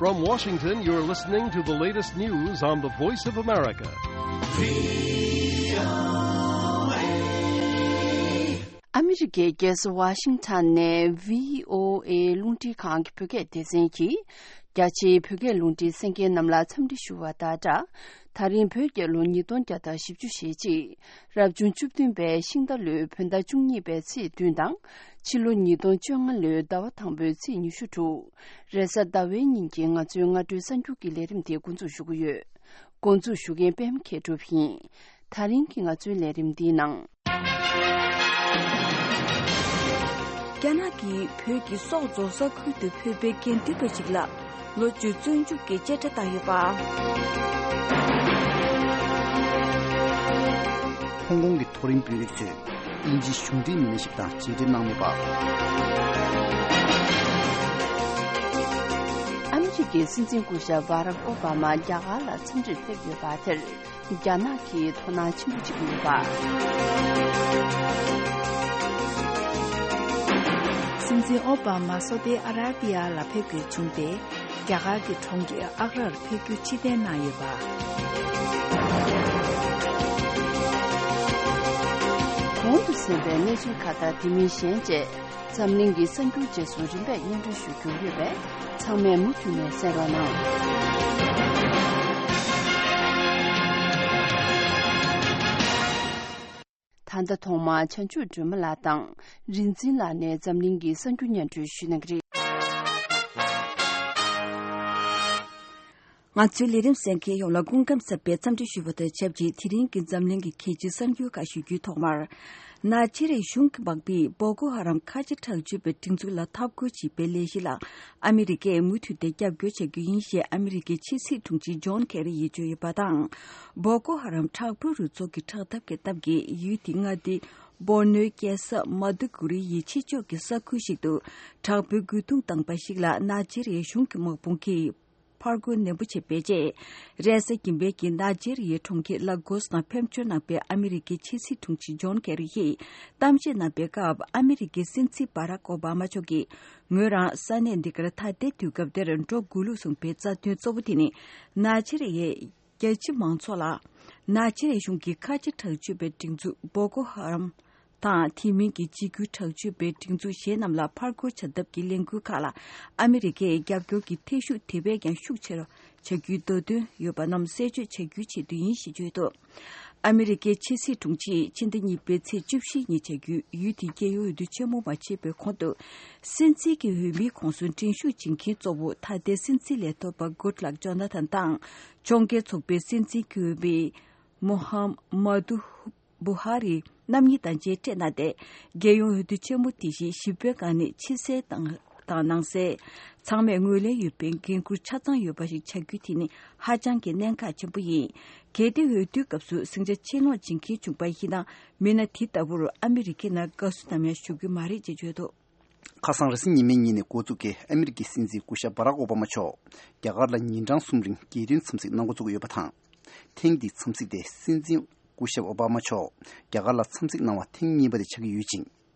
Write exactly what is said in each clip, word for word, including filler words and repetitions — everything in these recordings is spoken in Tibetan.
From Washington, you're listening to the latest news on the Voice of America. ཨ་མི་རི་ཀའི་རྒྱལ་ས་ཝ་ཤིང་ཊོན་ནས་བྷི་ཨོ་ཨེ་རླུང་འཕྲིན་ཁང་གི་བོད་སྐད་སྡེ་ཚན་གྱིས། རྒྱ་ཆེའི་བོད་སྐད་རླུང་འཕྲིན་གསན་མཁན་རྣམས་ལ་འཚམས་འདྲི་ཞུ་བ་དང་སྦྲགས། ད་རིང་བོད་རྒྱལ་ལོ་ཉིས་སྟོང་བརྒྱ་དང་བཞི་བཅུ་ཞེ་གཅིག་རབ་བྱུང་བཅུ་བདུན་པའི་ཤིང་རྟ་ལོའི་བོད་ཟླ་བཅུ་གཉིས་པའི་ཚེས་བདུན་དང་། ཕྱི་ལོ་ཉིས་སྟོང་བཅོ་ལྔ་ལོའི་ཟླ་བ་དང་པོའི་ཚེས་ཉི་ཤུ་དྲུག་རེས་གཟའ་ཟླ་བའི་ཉིན་གྱི་ང་ཚོའི་སྔ་དྲོའི་གསར་འགྱུར་གྱི་ལས་རིམ་དེ་འགོ་འཛུགས་ཞུ་གི་ཡོད། འགོ་འཛུགས་ཞུ་མཁན་པད་མ་མཁས་གྲུབ་ཡིན། ད་རིང་གི་ང་ཚོའི་ལས་རིམ་འདིའི་ནང་། རྒྱ་ནག་གིས་བོད་ཀྱི་སོག་རྫོང་ས་ཁུལ་དུ་བོད་པའི་དགེ་འདུན་པ་ཞིག་ལ་ལོ་རྒྱུས་བཙོན་འཇུག་གི་བཅད་ཁྲ་བཏང་ཡོད་པ། ཧོང་ཀོང་གི་མཐོ་རིམ་དཔོན་རིགས་ཚོས་དབྱིན་ཇིའི་གཞུང་འབྲེལ་མི་སྣ་ཞིག་དང་མཇལ་འཕྲད་གནང་མེད་པ། ཨ་མི་རི་ཀའི་སྲིད་འཛིན་སྐུ་ཞབས་བྷ་རག་ཨོ་བྷ་མ་རྒྱ་གར་ལ་འཚམས་འདྲིར་ཕེབས་ཡོད་པ་དེར། རྒྱ་ནག་གིས་དོ་སྣང་ཆེན་པོ་བྱེད་ཀྱི་ཡོད་པ། སྲིད་འཛིན་ཨོ་བྷ་མ་སོ་ཏི་ཨ་ར་པི་ཡ་ལ་ཕེབས་དགོས་བྱུང་སྟེ། རྒྱ་གར་གྱི་གྲོང་ཁྱེར་ཨག་རར་ཕེབས་རྒྱུ་ཕྱིར་འཐེན་གནང་ཡོད་པ། གོང་དུ་གསན་པའི་གནས་ཚུལ་ཁག་དང་དེ་མིན་གཞན་བཅས། འཛམ་གླིང་གི་གསར་འགྱུར་རྗེས་སུ་རིམ་པས་སྙན་སྒྲོན་ཞུ་རྒྱུ་ཡོད་པས། ཚང་མས་མུ་མཐུད་ནས་གསན་རོགས་གནང་། ད་ལྟ་ཐོག་མར་བྱང་ཆུབ་སྒྲོལ་མ་ལགས་དང་རིག་འཛིན་ལགས་ནས་འཛམ་གླིང་གི་གསར་འགྱུར་སྙན་སྒྲོན་ཞུ་གནང་གི་རེད། ང་ཚོའི་ལས་རིམ་གསན་མཁན་ཡོངས་ལ་སྐུ་ཁམས་བཟང་པའི་འཚམས་འདྲི་ཞུ་བ་དང་ཆབས་ཅིག་དེ་རིང་གི་འཛམ་གླིང་གི་གལ་ཆེའི་གསར་འགྱུར་ཁག་ཞུ་རྒྱུའི་ཐོག་མར། ནཱ་ཇི་རི་ཡའི་གཞུང་གི་དམག་མིས་བོ་ཀོ་ཧ་རམ་ཁ་ཆེ་དྲག་སྤྱོད་པའི་སྒྲིག་འཛུགས་ལ་འཐབ་རྒོལ་བྱེད་པའི་ལས་གཞི་ལ་ཨ་མི་རི་ཀས་མུ་མཐུད་དེ་རྒྱབ་སྐྱོར་བྱ་རྒྱུ་ཡིན་ཞེས་ཨ་མི་རི་ཀའི་ཕྱི་སྲིད་དྲུང་ཆེ་ཇོན་ཁེ་རི་ཡིས་བརྗོད་ཡོད་པ་དང་། བོ་ཀོ་ཧ་རམ་དྲག་པོའི་རུ་ཚོགས་ཀྱི་དྲག་འཐབ་ཀྱི་སྟབས་ཀྱིས་ཡུལ་དེའི་མངའ་སྡེ་བོར་ནོའི་རྒྱལ་ས་མ་དུ་གུ་རི་ཡི་ཕྱི་ཕྱོགས་ཀྱི་ས་ཁུལ་ཞིག་ཏུ་དྲག་པོའི་རྒོལ་རྡུང་བཏང་པ་ཞིག་ལ་ནཱ་ཇི་རི་ཡའི་གཞུང་གི་དམག་དཔུང་གིས། ཕར་རྒོལ་ནན་པོ་བྱས་པའི་རྗེས། རེས་གཟའ་ཉི་མའི་ཉིན་ནཱ་ཇེ་རི་ཡའི་གྲོང་ཁྱེར་ལ་གོ་སི་ནང་ཕེབས་འབྱོར་གནང་པའི་ཨ་མི་རི་ཀའི་ཕྱི་སྲིད་དྲུང་ཆེ་ཇོན་ཁེ་རི་ཡིས་གཏམ་བཤད་གནང་པའི་སྐབས། ཨ་མི་རི་ཀའི་སྲིད་འཛིན་བྷ་རག་ཨོ་བྷ་མ་མཆོག་གིས། ངོས་རང་ས་གནས་འདི་གར་ད་ལྟའི་དུས་སྐབས་འདིར་འགྲོ་དགོས་ལུགས་གསུངས་པའི་རྩ་དོན་གཙོ་བོ་དེ་ནི། ནཱ་ཇེ་རི་ཡའི་རྒྱལ་སྤྱི་མང་ཚོགས་ལ། ནཱ་ཇེ་རི་ཡའི་གཞུང་གིས་ཁ་ཆེ་དྲག་སྤྱོད་པའི་སྒྲིག་འཛུགས་བོ་ཀོ་ཧ་རམ། དང་། དེ་མིན་གྱི་འཇིགས་སྐུལ་དྲག་སྤྱོད་པའི་སྒྲིག་འཛུགས་གཞན་རྣམས་ལ་ཕར་རྒོལ་བྱ་ཐབས་ཀྱི་ལས་འགུལ་ཁག་ལ་ཨ་མི་རི་ཀའི་རྒྱབ་སྐྱོར་གྱི་ཐེ་ཤུགས་དེ་བས་ཀྱང་ཤུགས་ཆེ་རུ་བྱ་རྒྱུའི་འདོད་དོན་ཡོད་པ་རྣམས་གསལ་བརྗོད་བྱ་རྒྱུའི་ཆེད་དུ་ཡིན་ཞེས་བརྗོད་འདུག་ཨ་མི་རི་ཀའི་ཕྱི་སྲིད་དྲུང་ཆེས་ཕྱི་ཟླ་གཉིས་པའི་ཚེས་བཅུ་བཞི་ཉིན་བྱ་རྒྱུའི་ཡུལ་དེའི་རྒྱལ་ཡོངས་འོས་བསྡུ་ཆེན་མོ་མ་བྱས་པའི་གོང་དུ། སྲིད་འཛིན་གྱི་འོས་མིའི་གོང་སུ་འགྲན་ཞུགས་བྱེད་མཁན་གཙོ་བོ་ད་ལྟའི་སྲིད་འཛིན་ལས་ཐོག་པ་གུད་ལག་ཇོ་ན་ཐན་དང་། གྱོང་རྒུད་ཚོགས་པའི་སྲིད་འཛིན་གྱི་འོས་མི་མོ་ཧམ་མ་དུ། བུ་ཧ་རི་རྣམ་གཉིས་དང་མཇལ་འཕྲད་གནང་སྟེ། རྒྱལ་ཡོངས་འོས་བསྡུ་ཆེན་མོ་དེ་བཞིན་ཞི་བའི་དཀའ་གནད་ཕྱི་གསལ་དང་དང་ནང་གསལ། ཚང་མས་ངོས་ལེན་ཡོད་པའི་འགན་འཁུར་ཆ་ཚང་ཡོད་པ་ཞིག་བྱ་རྒྱུ་དེ་ནི་ཧ་ཅང་གི་གནད་འགག་ཆེན་པོ་ཡིན། གལ་ཏེ་འོས་བསྡུའི་སྐབས་སུ་ཟིང་ཆ་ཆེ་ལོང་བྱེད་མཁན་བྱུང་པ་ཡིན་ན། མི་སྣ་དེ་ལྟ་བུར་ཨ་མི་རི་ཀའི་ནང་དགའ་བསུ་ནམ་ཡང་ཞུ་གི་མ་རེད་ཅེས་བརྗོད་འདུག་ཁ་སང་རེས་གཟའ་ཉི་མའི་ཉིན་ནས་འགོ་བཙུགས་ཀྱི་ཨ་མི་རི་ཀའི་སྲིད་འཛིན་སྐུ་ཞབས་བྷ་རག་ཨོ་བྷ་མ་མཆོག་རྒྱ་གར་ལ་ཉིན་གྲངས་གསུམ་རིང་རྒྱལ་དོན་འཚམས་གཟིགས་གནང་འགོ་བཙུགས་ཡོད་པ་དང་། ཐེངས་འདིའི་འཚམས་གཟིགས་དེ་སྲིད་འཛིན་སྐུ་ཞབས་ཨོ་བྷ་མ་མཆོག་རྒྱ་གར་ལ་འཚམས་གཟིགས་གནང་བ་ཐེངས་གཉིས་པ་དེ་ཆགས་ཀྱི་ཡོད་ཅིང་།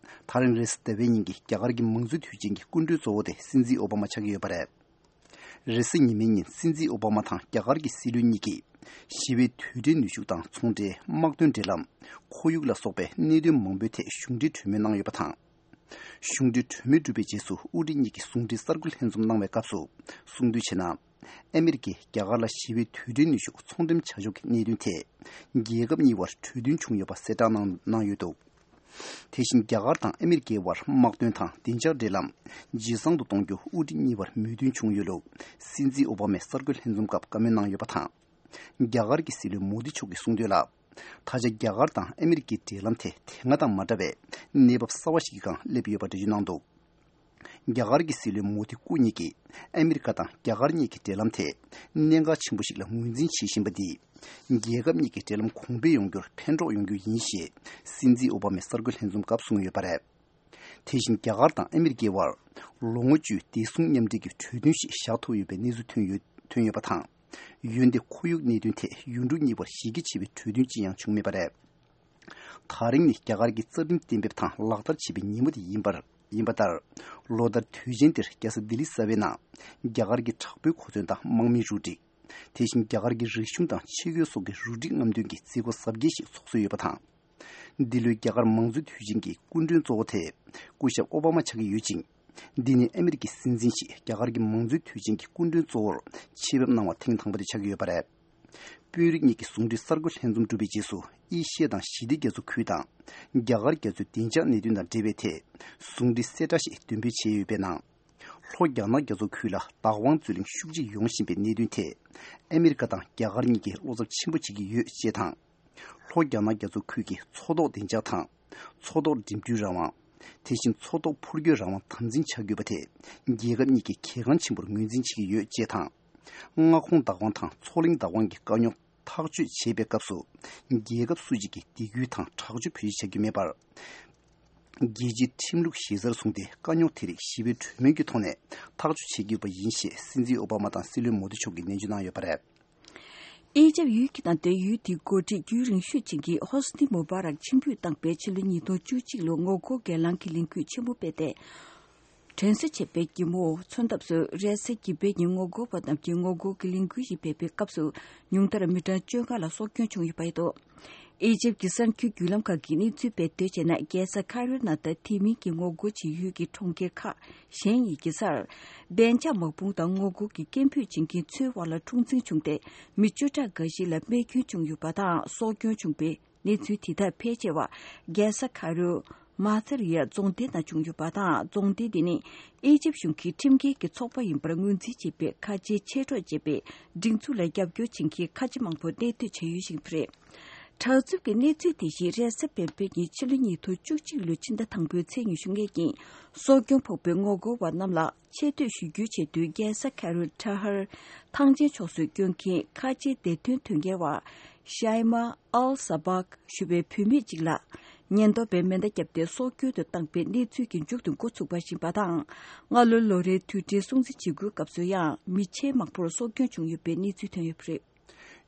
ད་རིང་རེས་གཟའ་ཟླ་བའི་ཉིན་གྱི་རྒྱ་གར་གྱི་མང་གཙོའི་དུས་ཆེན་གྱི་སྐུ་མགྲོན་གཙོ་བོ་དེ་སྲིད་འཛིན་ཨོ་བྷ་མ་ཆགས་ཀྱི་ཡོད་པ་རེད། རེས་གཟའ་ཉི་མའི་ཉིན་སྲིད་འཛིན་ཨོ་བྷ་མ་དང་རྒྱ་གར་གྱི་སྲིད་བློན་གཉིས་ཀྱིས་ཞི་བའི་དུས་དྲན་ནུས་ཤུགས་དང་ཚོང་འབྲེལ། དམག་དོན་འབྲེལ་ལམ། ཁོར་ཡུག་ལ་སོགས་པའི་གནད་དོན་མང་པོའི་ཐད་གཞུང་འབྲེལ་གྲོས་མོལ་གནང་ཡོད་པ་དང་། གཞུང་འབྲེལ་གྲོས་མོལ་གྲུབ་པའི་རྗེས་སུ་དབུ་ཁྲིད་གཉིས་ཀྱིས་ཟུང་འབྲེལ་གསར་འགོད་ལྷན་འཛོམས་གནང་བའི་སྐབས་སུ་གསུང་དོན་བྱས་ན། ཨ་མི་རི་ཀས་རྒྱ་གར་ལ་ཞི་བའི་དུས་དྲན་ནུས་ཤུགས་ཚོང་འགྲེམས་བྱ་ཕྱོགས་ཀྱི་གནད་དོན་ཐད་རྒྱལ་ཁབ་གཉིས་བར་གྲོས་མཐུན་བྱུང་ཡོད་པ་གསལ་བསྒྲགས་གནང་གནང་ཡོད་འདུག་དེ་བཞིན་རྒྱ་གར་དང་ཨ་མི་རི་ཀའི་བར་དམག་དོན་དང་བདེ་འཇགས་འབྲེལ་ལམ་ཇེ་བཟང་དུ་གཏོང་རྒྱུ་དབུ་ཁྲིད་གཉིས་བར་མོས་མཐུན་བྱུང་ཡོད་ལུགས་སྲིད་འཛིན་ཨོ་བྷ་མས་གསར་འགོད་ལྷན་འཛོམས་སྐབས་བཀའ་མོལ་གནང་ཡོད་པ་དང་། རྒྱ་གར་གྱི་སྲིད་བློན་མོ་དི་མཆོག་གིས་གསུངས་དོན་ལ། ད་ཆ་རྒྱ་གར་དང་ཨ་མི་རི་ཀའི་འབྲེལ་ལམ་དེ་དེ་སྔ་དང་མ་འདྲ་བའི་གནས་བབ་གསར་བ་ཞིག་གི་སྒང་སླེབས་ཡོད་པ་འགྲེལ་བརྗོད་གནང་འདུག་རྒྱ་གར་གྱི་སྲིད་བློན་མོ་དི་སྐུ་ཉིད་ཀྱིས་ཨ་མི་རི་ཀ་དང་རྒྱ་གར་གཉིས་ཀྱི་འབྲེལ་ལམ་དེ་གནད་འགག་ཆེན་པོ་ཞིག་ལ་ངོས་འཛིན་བྱེད་བཞིན་པ་འདིས། རྒྱལ་ཁབ་གཉིས་ཀྱི་འབྲེལ་ལམ་གོང་འཕེལ་ཡོང་རྒྱུར་ཕན་གྲོགས་ཡོང་རྒྱུ་ཡིན་ཞེས་སྲིད་འཛིན་ཨོ་བྷ་མས་གསར་འགོད་ལྷན་འཛོམས་སྐབས་གསུངས་ཡོད་པ་རེད། དེ་བཞིན་རྒྱ་གར་དང་ཨ་མི་རི་ཀའི་བར་ལོ་ངོ་བཅུའི་བདེ་སྲུང་མཉམ་འབྲེལ་གྱི་གྲོས་མཐུན་ཞིག་བཞག་ཐུབ་ཡོད་པའི་གནས་ཚུལ་ཐོན་ཡོད་ཐོན་ཡོད་པ་དང་། འོན་ཏེ་ཁོར་ཡུག་གནད་དོན་ཐད་ཡུལ་གྲུ་གཉིས་བར་གཞི་རྒྱ་ཆེ་བའི་གྲོས་མཐུན་ཅི་ཡང་བྱུང་མེད་པ་རེད། ད་རིང་ནི་རྒྱ་གར་གྱི་རྩ་ཁྲིམས་གཏན་འབེབས་དང་ལག་བསྟར་བྱེད་པའི་ཉིན་མོ་དེ་ཡིན་པར། ཡིན་པ་ལྟར། ལོ་ལྟར་དུས་ཆེན་འདིར་རྒྱལ་ས་ལྡི་ལི་གསར་པའི་ནང་རྒྱ་གར་གྱི་དྲག་པོའི་གོ་མཚོན་དང་དམག་མིའི་རུ་སྒྲིག། དེ་བཞིན་རྒྱ་གར་གྱི་རིག་གཞུང་དང་ཆས་གོས་སོགས་ཀྱི་རུ་སྒྲིག་རྔམ་སྟོན་གྱི་མཛད་སྒོ་གཟབ་རྒྱས་ཤིག་ཚོགས་སྲོལ་ཡོད་པ་དང་། འདི་ལོའི་རྒྱ་གར་མང་གཙོའི་དུས་ཆེན་གྱི་སྐུ་མགྲོན་གཙོ་བོ་དེ་སྐུ་ཞབས་ཨོ་བྷ་མ་ཆགས་ཀྱི་ཡོད་ཅིང་། འདི་ནི་ཨ་མི་རི་ཀའི་སྲིད་འཛིན་ཞིག་རྒྱ་གར་གྱི་མང་གཙོའི་དུས་ཆེན་གྱི་སྐུ་མགྲོན་གཙོ་བོར་ཆེད་ཕེབས་གནང་བ་ཐེངས་དང་པོ་དེ་ཆགས་ཀྱི་ཡོད་པ་རེད། དཔོན་རིགས་གཉིས་ཀྱི་ཟུང་འབྲེལ་གསར་འགོད་ལྷན་འཛོམས་གྲུབ་པའི་རྗེས་སུ་ཨེ་ཤི་ཡ་དང་ཞི་བདེ་རྒྱ་མཚོ་ཁུལ་དང་། རྒྱ་གར་རྒྱ་མཚོའི་བདེ་འཇགས་གནད་དོན་དང་འབྲེལ་བའི་ཐད་ཟུང་འབྲེལ་གསལ་བསྒྲགས་ཤིག་འདོན་སྤེལ་བྱས་ཡོད་པའི་ནང་། ལྷོ་རྒྱ་ནག་རྒྱ་མཚོ་ཁུལ་ལ་བདག་དབང་རྩོད་གླེང་ཤུགས་ཆེ་ཡོང་བཞིན་པའི་གནད་དོན་ཐད། ཨ་མི་རི་ཀ་དང་རྒྱ་གར་གཉིས་ཀས་བློ་འཚབ་ཆེན་པོ་བྱེད་ཀྱི་ཡོད་ཅེས་དང་། ལྷོ་རྒྱ་ནག་རྒྱ་མཚོ་ཁུལ་གྱི་མཚོ་ཐོག་བདེ་འཇགས་དང་། མཚོ་ཐོག་འགྲིམ་འགྲུལ་རང་དབང་། དེ་བཞིན་མཚོ་ཐོག་འཕུར་སྐྱོད་རང་དབང་དམ་འཛིན་བྱ་དགོས་པ་དེ། རྒྱལ་ཁབ་གཉིས་ཀས་གལ་འགངས་ཆེན་པོར་ངོས་འཛིན་བྱེད་ཀྱི་ཡོད་ཅེས་དང་། མངའ་ཁོངས་བདག་དབང་དང་མཚོ་གླིང་བདག་དབང་གི་དཀའ་རྙོག་ཐག་གཅོད་བྱེད་པའི་སྐབས་སུ། རྒྱལ་ཁབ་སུ་གཅིག་གིས་སྡིགས་སྐུལ་དང་དྲག་སྤྱོད་བེད་སྤྱོད་བྱ་རྒྱུ་མེད་པར། རྒྱལ་སྤྱིའི་ཁྲིམས་ལུགས་གཞི་རྩར་བཟུང་སྟེ་དཀའ་རྙོག་དེ་རིགས་ཞི་བའི་གྲོས་མོལ་གྱི་ཐོག་ནས་ཐག་གཅོད་བྱེད་དགོས་པ་ཡིན་ཞེས་སྲིད་འཛིན་ཨོ་བྷ་མ་དང་སྲིད་བློན་མོ་དི་མཆོག་གིས་ནན་བརྗོད་གནང་ཡོད་པ་རེད། ཨེ་ཇེབ་ཡུལ་གྱི་ནང་དུ་ཡུལ་དེའི་འགོ་ཁྲིད་རྒྱུན་རིང་ཤོས་ཅིག་གིས་ཧོ་སི་ནི་མུ་བྷ་རག་ཕྱིར་འབུད་བཏང་པའི་ཕྱི་ལོ་ཉིས་སྟོང་བཅུ་གཅིག་ལོར་ངོ་རྒོལ་སྒེར་ལངས་ཀྱི་ལས་འགུལ་ཆེན་པོ་སྤེལ་ཏེ། དྲན་གསོ་བྱེད་པའི་ཉིན་མོ་མཚོན་ཐབས་སུ་རེས་གཟའ་གི་པའི་ཉིན་ངོ་རྒོལ་པ་རྣམས་ཀྱིས་ངོ་རྒོལ་གྱི་ལས་འགུལ་ཞིག་སྤེལ་བའི་སྐབས་སུ་ཉུང་མཐར་མི་གྲངས་བཅོ་ལྔ་ལ་སྲོག་སྐྱོན་བྱུང་ཡོད་པ་རེད་འདུག་ཨེ་ཇེབ་ཀྱི་གསར་འགྱུར་བརྒྱུད་ལམ་ཁག་གིས་གནས་ཚུལ་སྤེལ་དོན་བྱས་ན། རྒྱལ་ས་ཁ་ཡོར་ནང་ད་དེ་མིན་གྱི་ངོ་རྒོལ་བྱེད་ཡུལ་གྱི་གྲོང་ཁྱེར་ཁག་གཞན་གཉིས་ཀྱི་སར། བདེ་འཇགས་དམག་དཔུང་དང་ངོ་རྒོལ་གྱི་སྐད་འབོད་བྱེད་མཁན་ཚོའི་དབར་ལ་འཁྲུག་འཛིང་བྱུང་སྟེ། མི་བཅུ་ཕྲག་འགའ་ཞིག་ལ་རྨས་སྐྱོན་བྱུང་ཡོད་པ་དང་སྲོག་སྐྱོན་བྱུང་པའི་གནས་ཚུལ་དེ་དག་ཕལ་ཆེ་བ་རྒྱལ་ས་ཁ་ཡོར་མ་ཐེ་རི་ཡ་རྫོང་སྡེ་ནང་བྱུང་ཡོད་པ་དང་། རྫོང་སྡེ་འདི་ནི་ཨེ་ཇེབ་གཞུང་གི་ཁྲིམས་འགལ་གྱི་ཚོགས་པ་ཡིན་པར་ངོས་འཛིན་བྱེད་པའི་ཁ་ཆེའི་ཆེ་གྲས་ཅེས་པའི་སྒྲིག་འཛུགས་ལ་རྒྱབ་སྐྱོར་བྱེད་མཁན་ཁ་ཆེ་མང་པོ་གནས་སྡོད་བྱས་ཡོད་ཞིག་རེད། དྲག་རྩུབ་ཀྱི་གནས་ཚུལ་དེ་བཞིན་རེས་གཟའ་སྤེན་པའི་ཉིན་ཕྱི་ལོ་ཉིས་སྟོང་བཅུ་གཅིག་ལོའི་ཕྱི་ཟླ་དང་པོའི་ཚེས་ཉི་ཤུ་ཉིན་གྱི་སྲོག་སྐྱོན་ཕོག་པའི་ངོ་རྒོལ་བ་རྣམས་ལ་ཆེ་བསྟོད་ཞུ་རྒྱུའི་ཆེད་དུ་རྒྱལ་ས་ཁ་ཡོར་ཁྲ་ཧར་ཐང་ཆེན་ཕྱོགས་སུ་བསྐྱོད་མཁན་ཁ་ཆེའི་བདེ་དོན་དོན་གཉེར་བ་ཤའི་མ་ཨལ་ས་བག་ཞུ་བའི་བུད་མེད་ཅིག་ལ་ཉེན་རྟོག་པས་མེ་མདའ་བརྒྱབ་སྟེ་སྲོག་སྐྱོན་དུ་བཏང་པའི་གནས་ཚུལ་གྱི་མཇུག་ཏུ་འགོ་ཚུགས་པ་ཞིག་ཡིན་པ་དང་། སྔ་ལོའི་ལོ་རེའི་དུས་དྲན་སྲུང་བརྩི་བྱེད་སྒོའི་སྐབས་སུ་ཡང་མི་ཆེས་མང་པོར་སྲོག་སྐྱོན་བྱུང་ཡོད་པའི་གནས་ཚུལ་ཐོན་ཡོད་པ་རེད།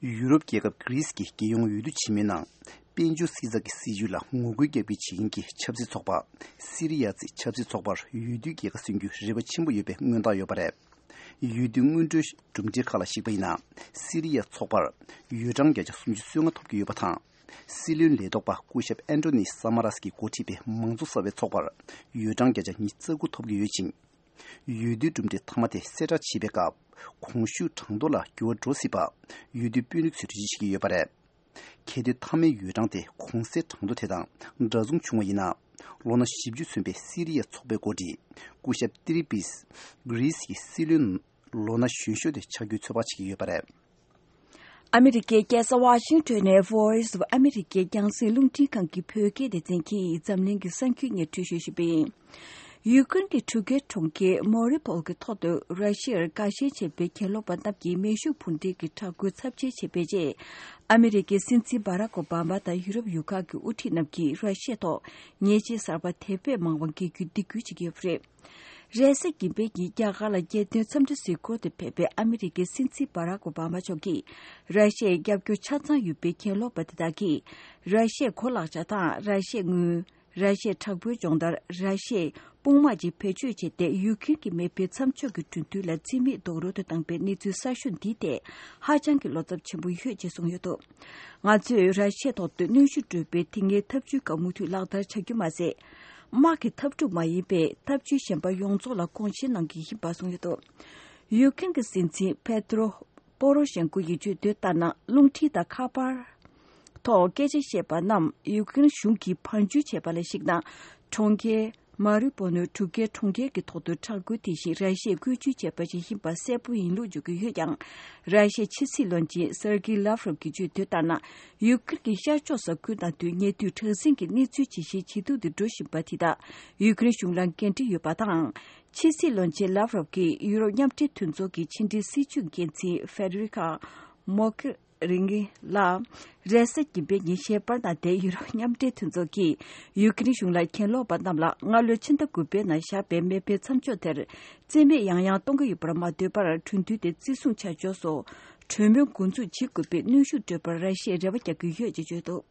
ཡུ་རོབ་རྒྱལ་ཁབ་གྷི་རིས་ཀྱི་རྒྱལ་ཡོངས་འོས་བསྡུ་ཆེན་མོའི་ནང་། དཔལ་འབྱོར་སྲིད་ཚབ་ཀྱི་སྲིད་བྱུས་ལ་ངོ་རྒོལ་རྒྱག་འབུལ་བྱེད་མཁན་གྱི་ཆབ་སྲིད་ཚོགས་པ། སི་རི་ཡ་རྩེད་ཆབ་སྲིད་ཚོགས་པར་འོས་བསྡུའི་རྒྱལ་ཁ་སོན་རྒྱུའི་རེ་བ་ཆེན་པོ་ཡོད་པའི་མངོན་རྟགས་ཡོད་པ་རེད། འོས་བསྡུའི་སྔོན་འགྲོའི་གྲུབ་འབྲས་ཁག་ལ་གཞིགས་པ་ཡིན་ན། སི་རི་ཡ་ཚོགས་པར་འོས་གྲངས་བརྒྱ་ཆ་སུམ་ཅུ་སོ་ལྔ་ཐོབ་ཀྱི་ཡོད་པ་དང་། སྲིད་བློན་ལས་ཐོག་པ་སྐུ་ཞབས་ཨན་ཏོ་ནི་ས་མ་རཱས་ཀྱིས་འགོ་ཁྲིད་པའི་མང་གཙོ་གསར་པའི་ཚོགས་པར་འོས་གྲངས་བརྒྱ་ཆ་ཉི་ཤུ་རྩ་དགུ་ཐོབ་ཀྱི་ཡོད་ཅིང་། འོས་བསྡུའི་གྲུབ་འབྲས་མཐའ་མ་དེ་གསལ་བསྒྲགས་བྱེད་པའི་སྐབས། གོང་ཞུས་གྲངས་ཐོ་ལ་འགྱུར་བ་འགྲོ་སྲིད་པ། འོས་བསྡུའི་དཔོན་རིགས་ཚོས་འགྲེལ་བརྗོད་བྱེད་ཀྱི་ཡོད་པ་རེད། གལ་ཏེ་མཐའ་མའི་འོས་གྲངས་དེ་གོང་གསལ་གྲངས་ཐོ་དེ་དང་འདྲ་མཚུངས་བྱུང་བ་ཡིན་ན། ལོ་ན་བཞི་བཅུ་སོན་པའི་སི་རི་ཡའི་ཚོགས་པའི་འགོ་ཁྲིད་སྐུ་ཞབས་ཏི་རི་པིས་གྷི་རིས་ཀྱི་སྲིད་བློན་ལོ་ན་གཞོན་ཤོས་དེ་ཆགས་རྒྱུའི་ཚོད་དཔག་བྱེད་ཀྱི་ཡོད་པ་རེད། ཨ་མི་རི་ཀའི་རྒྱལ་ས་ཝ་ཤིང་ཊོན་ནས་Voice of America རྒྱང་སྲིང་རླུང་འཕྲིན་ཁང་གི་བོད་སྐད་སྡེ་ཚན་གྱིས་འཛམ་གླིང་གི་གསར་འགྱུར་སྙན་སྒྲོན་ཞུ་བཞིན་པ་ཡིན། ཡུ་ཀེ་རེན་གྱི་འབྲུག་རྒྱལ་གྲོང་ཁྱེར་མོ་རི་པོལ་གྱི་ཐོག་ཏུ་ར་ཤི་ཡར་དགའ་ཞེན་བྱེད་པའི་གྱེན་ལོག་པ་རྣམས་ཀྱིས་མེ་ཤུགས་འཕུར་མདེལ་གྱི་དྲག་རྒོལ་ཚབས་ཆེན་བྱས་པའི་རྗེས། ཨ་མི་རི་ཀའི་སྲིད་འཛིན་བྷ་རག་ཨོ་བྷ་མ་དང་ཡུ་རོབ་ཡུལ་ཁག་གི་དབུ་ཁྲིད་རྣམས་ཀྱིས་ར་ཤི་ཡའི་ཐོག་ཉེས་ཆད་གསར་པ་དེ་བས་མང་བ་འགེལ་རྒྱུའི་སྡིགས་སྐུལ་བྱེད་ཀྱི་ཡོད་པ་རེད། རེས་གཟའ་ཉི་མའི་ཉིན་རྒྱ་གར་ལ་རྒྱལ་དོན་འཚམས་འདྲི་གཟིགས་སྐོར་དུ་ཕེབས་པའི་ཨ་མི་རི་ཀའི་སྲིད་འཛིན་བྷ་རག་ཨོ་བྷ་མ་མཆོག་གིས་ར་ཤི་ཡའི་རྒྱབ་སྐྱོར་ཆ་ཚང་ཡོད་པའི་གྱེན་ལོག་པ་དེ་དག་གིས་ར་ཤི་ཡའི་གོ་ལག་ཆ་དང་ར་ཤི་ཡའི་དངུལ། ར་ཤི་ཡའི་དྲག་པོའི་སྦྱོང་བརྡར། ར་ཤི་ཡའི་དཔུང་དམག་བཅས་བེད་སྤྱོད་བྱས་ཏེ། ཡུཀ་རེན་གྱི་མེ་འཕེན་མཚམས་འཇོག་གི་གྲོས་མཐུན་ལ་རྩིས་མེད་རྡོག་རོལ་དུ་བཏང་པའི་གནས་ཚུལ་གསར་ཤོས་འདིའི་ཐད་ཧ་ཅང་གི་བློ་འཚབ་ཆེན་པོ་ཡོད་ཅེས་གསུངས་ཡོད་འདུག་ང་ཚོས་ར་ཤི་ཡའི་ཐོག་ཏུ་གནོན་ཤུགས་སྤྲོད་པའི་དེ་སྔའི་ཐབས་ཇུས་ཁག་མུ་མཐུད་ལག་བསྟར་བྱ་རྒྱུ་མ་ཟད། དམག་གི་འཐབ་འཁྲུག་མ་ཡིན་པའི་འཐབ་ཇུས་གཞན་པ་ཡོངས་རྫོགས་ལ་དགོངས་བཞེས་གནང་གི་ཡིན་པ་གསུངས་ཡོད་འདུག་ཡུཀ་རེན་གྱི་སྲིད་འཛིན་པེ་ཏྲོ་པོ་རོ་ཤེན་ཀོ་ཡིས་བརྗོད་དོན་ལྟར་ན། རླུང་འཕྲིན་དང་ཁ་པར་ཐོག་སྐད་ཆ་བཤད་པ་རྣམས་ཡུཀ་རེན་གཞུང་གིས་བང་བསྒྱུར་བྱས་པ་ལ་གཞིགས་ན། གྲོང་ཁྱེར་མ་རི་པོ་ནུ་འབྲུག་རྒྱལ་གྲོང་ཁྱེར་གྱི་ཐོག་ཏུ་དྲག་རྒོལ་དེ་བཞིན་ར་ཤི་ཡས་བཀོལ་སྤྱོད་བྱས་པ་ཞིག་ཡིན་པ་གསལ་པོ་ཡིན་ལུགས་བརྗོད་ཀྱི་ཡོད་ཀྱང་། ར་ཤི་ཡའི་ཕྱི་སྲིད་བློན་ཆེན་སེར་གི་ལབ་རོབ་ཀྱིས་བརྗོད་དོན་ལྟར་ན། ཡུཀ་རེན་གྱི་ཤར་ཕྱོགས་ས་ཁུལ་ནང་དུ་ཉེ་དུས་དྲག་ཟིང་གི་གནས་ཚུལ་ཇེ་ཞན་ཇེ་སྡུག་ཏུ་འགྲོ་བཞིན་པ་དེ་དག་ཡུཀ་རེན་གཞུང་ལ་འགན་འཁྲི་ཡོད་པ་དང་། ཕྱི་སྲིད་བློན་ཆེན་ལབ་རོབ་ཀྱིས་ཡུ་རོབ་མཉམ་འབྲེལ་མཐུན་ཚོགས་ཀྱི་ཕྱི་འབྲེལ་སྲིད་བྱུས་འགན་འཛིན་ཧྥེ་རི་ཁ་མོ་གྷེ་རི་ནི་ལ། རེས་གཟའ་ཉི་མའི་ཉིན་ཞལ་པར་ནང་དེ་ཡུ་རོབ་མཉམ་འབྲེལ་མཐུན་ཚོགས་ཀྱིས་ཡུཀ་རེན་གཞུང་ལ་གྱེན་ལོག་པ་རྣམས་ལ་སྔ་ལོའི་ཕྱི་ཟླ་དགུ་པའི་ནང་བཞག་པའི་མེ་འཕེན་མཚམས་འཇོག་དེར་རྩིས་མེད་ཡང་ཡང་གཏོང་གི་ཡོད་པར་མ་ལྟོས་པར། གྲོས་མཐུན་དེ་བརྩི་སྲུང་བྱ་ཕྱོགས་སུ་གྲོས་མོལ་འགོ་འཛུགས་བྱེད་དགོས་པའི་གནོན་ཤུགས་སྤྲོད་པར་ར་ཤི་ཡས་རེ་བ་རྒྱག་གི་ཡོད་ཅེས་བརྗོད་འདུག་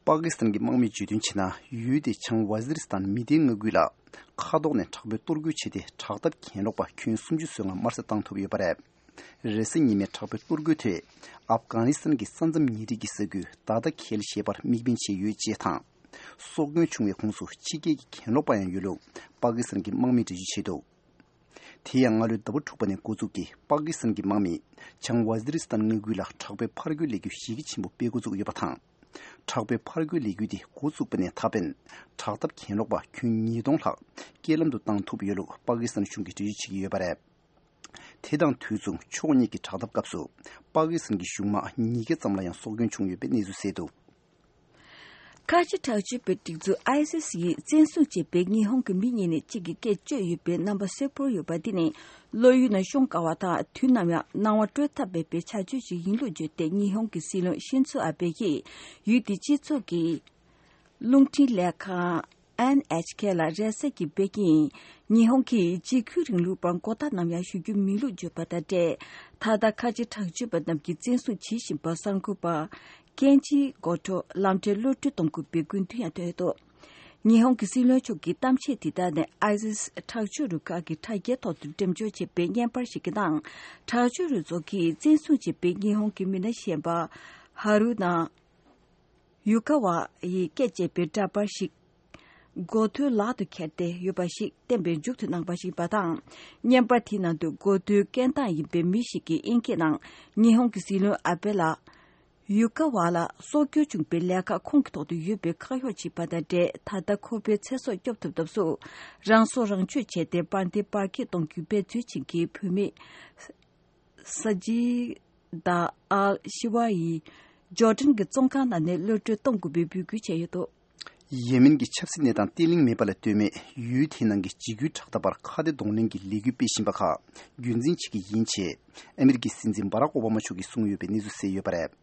པ་ཀི་སི་ཐན་གྱི་དམག་མིས་བརྗོད་དོན་བྱས་ན། ཡུལ་དེའི་བྱང་ཝ་ཛི་རི་སི་ཐན་མི་སྡེའི་མངའ་ཁུལ་ལ་མཁའ་ཐོག་ནས་དྲག་པོའི་གཏོར་རྒོལ་བྱས་ཏེ། དྲག་འཐབ་གྱེན་ལོག་པ་ཁྱོན་སུམ་ཅུ་སོ་ལྔ་དམར་གསོད་བཏང་ཐུབ་ཡོད་པ་རེད། རེས་གཟའ་ཉི་མའི་དྲག་པོའི་གཏོར་རྒོལ་དེས་ཨབ་གྷ་ནི་སི་ཐན་གྱི་ས་མཚམས་ཉེ་འཁྲིས་ཀྱི་ས་ཁུལ་ཏ་ཏ་ཁེལ་ཞེས་པར་དམིགས་འབེན་བྱས་ཡོད་ཅེས་དང་། སྲོག་སྐྱོན་བྱུང་བའི་ཁོངས་སུ་ཕྱི་རྒྱལ་གྱི་གྱེན་ལོག་པ་ཡང་ཡོད་ལུགས་པ་ཀི་སི་ཐན་གྱི་དམག་མིས་འགྲེལ་བརྗོད་བྱས་འདུག་དེ་ཡང་སྔ་ལོའི་ཟླ་བ་དྲུག་པ་ནས་འགོ་བཙུགས་ཀྱིས་པ་ཀི་སི་ཐན་གྱི་དམག་མིས་བྱང་ཝ་ཛི་རི་སི་ཐན་མངའ་ཁུལ་ལ་དྲག་པོའི་ཕར་རྒོལ་ལས་འགུལ་གཞི་རྒྱ་ཆེན་པོ་སྤེལ་འགོ་བཙུགས་ཡོད་པ་དང་། དྲག་པོའི་ཕར་རྒོལ་ལས་འགུལ་དེ་འགོ་བཙུགས་པ་ནས་ད་ཕན་དྲག་འཐབ་གྱེན་ལོག་པ་ཁྱོན་ཉིས་སྟོང་ལྷག་རྐྱེན་ལམ་དུ་བཏང་ཐུབ་ཡོད་ལུགས་པ་ཀི་སི་ཐན་གཞུང་གིས་འགྲེལ་བརྗོད་བྱེད་ཀྱི་ཡོད་པ་རེད། དེ་དང་དུས་མཚུངས་ཕྱོགས་གཉིས་ཀྱི་དྲག་འཐབ་སྐབས་སུ་པ་ཀི་སི་ཐན་གྱི་གཞུང་དམག་ཉིས་བརྒྱ་ཙམ་ལ་ཡང་སྲོག་སྐྱོན་བྱུང་ཡོད་པའི་གནས་ཚུལ་གསལ་འདུག་ཁ་ཆེ་དྲག་སྤྱོད་པའི་སྒྲིག་འཛུགས་ཨའི་སི་སི་ཡིས་བཙན་བཟུང་བྱས་པའི་ཉི་ཧོང་གི་མི་གཉིས་ནས་གཅིག་གིས་སྐད་བཅོལ་ཡོད་པའི་རྣམ་པ་གསལ་པོར་ཡོད་པ་འདི་ནི། བློ་ཡུལ་ནང་ཤོང་དཀའ་བ་དང་། དུས་ནམ་ཡང་སྣང་བ་སྤྲོད་ཐབས་མེད་པའི་བྱ་སྤྱོད་ཅིག་ཡིན་ལུགས་བརྗོད་དེ། ཉི་ཧོང་གི་སྲིད་བློན་ཤིན་ཚོ་ཨ་བྷེ་ཡིས་ཡུལ་དེའི་སྤྱི་ཚོགས་ཀྱི་རླུང་འཕྲིན་ལས་ཁང་ཨེན་ཨེཆ་ཁེ་ལ་རེས་གཟའ་གི་སྤེལ་གྱིན། ཉི་ཧོང་གིས་འཇིགས་སྐུལ་རིང་ལུགས་པར་མགོ་བཏགས་ནམ་ཡང་ཞུ་རྒྱུ་མིན་ལུགས་བརྗོད་པ་དང་འབྲེལ། ད་ལྟ་ཁ་ཆེ་དྲག་སྤྱོད་པ་རྣམས་ཀྱིས་བཙན་བཟུང་བྱེད་བཞིན་པ་གསར་འགོད་པ་ཀན་ཅི་གོ་ཁྲོ་ལམ་འཕྲལ་གློད་བཀྲོལ་གཏོང་དགོས་པའི་དགོས་འདུན་ཡང་བཏོན་ཡོད་འདུག་ཉི་ཧོང་གི་སྲིད་བློན་མཆོག་གི་གཏམ་བཤད་དེ་དག་ནི་ཨའི་སི་སི་དྲག་སྤྱོད་རུ་ཁག་གི་དྲ་རྒྱའི་ཐོག་ཏུ་འགྲེམས་འཇོག་བྱས་པའི་བརྙན་པར་ཞིག་གི་ནང་། དྲག་སྤྱོད་རུ་ཚོགས་ཀྱིས་བཙན་བཟུང་བྱས་པའི་ཉི་ཧོང་གི་མི་སྣ་གཞན་པ་ཧ་རུ་ན་ཡུ་ཀ་ཝ་ཡིས་སྐད་བཅད་པའི་འདྲ་པར་ཞིག་མགོ་ཐོའི་ལག་ཏུ་འཁྱེར་ཏེ་ཡོད་པ་ཞིག་བསྟན་པའི་མཇུག་ཏུ་གནང་བ་ཞིག་ཡིན་པ་དང་། བརྙན་པར་དེའི་ནང་དུ་མགོ་ཐོའི་སྐད་གདངས་ཡིན་པའི་མི་ཞིག་གིས་དབྱིན་སྐད་ནང་ཉི་ཧོང་གི་སྲིད་བློན་ཨ་བྷེ་ལ། ཡུ་ཀ་ཝ་ལ་སྲོག་སྐྱོན་བྱུང་བའི་ལས་ཀ་ཁོང་གི་ཐོག་ཏུ་ཡོད་པའི་ཁ་གཡོག་བྱས་པ་དང་འབྲེལ། ད་ལྟ་ཁོ་པའི་ཚེ་སྲོག་སྐྱོབ་ཐུབ་ཐབས་སུ། རང་སྲོག་རང་གཅོད་བྱས་ཏེ། དཔལ་ལྡན་པར་སྐད་གཏོང་རྒྱུའི་འབད་རྩོལ་བྱེད་མཁན་བུད་མེད་ས་ཇི་ད་ཨལ་ཤི་ཝ་ཡིས་ཇོར་ཌན་གྱི་བཙོན་ཁང་ནང་ནས་གློད་བཀྲོལ་གཏོང་དགོས་པའི་འབོད་སྐུལ་བྱས་ཡོད་འདུག་ཡེ་མེན་གྱི་ཆབ་སྲིད་གནས་སྟངས་བརྟན་ལྷིང་མེད་པ་ལ་ལྟོས་མེད། ཡུལ་དེའི་ནང་གི་འཇིགས་སྐུལ་དྲག་འཐབ་པར་ཁ་གཏད་གདོང་ལེན་གྱི་ལས་འགུལ་སྤེལ་བཞིན་པ་ཁག་རྒྱུན་འཛིན་བྱེད་ཀྱི་ཡིན་ཞེས་ཨ་མི་རི་ཀའི་སྲིད་འཛིན་བྷ་རག་ཨོ་བྷ་མ་མཆོག་གིས་གསུངས་ཡོད་པའི་གནས་ཚུལ་གསལ་ཡོད་པ་རེད།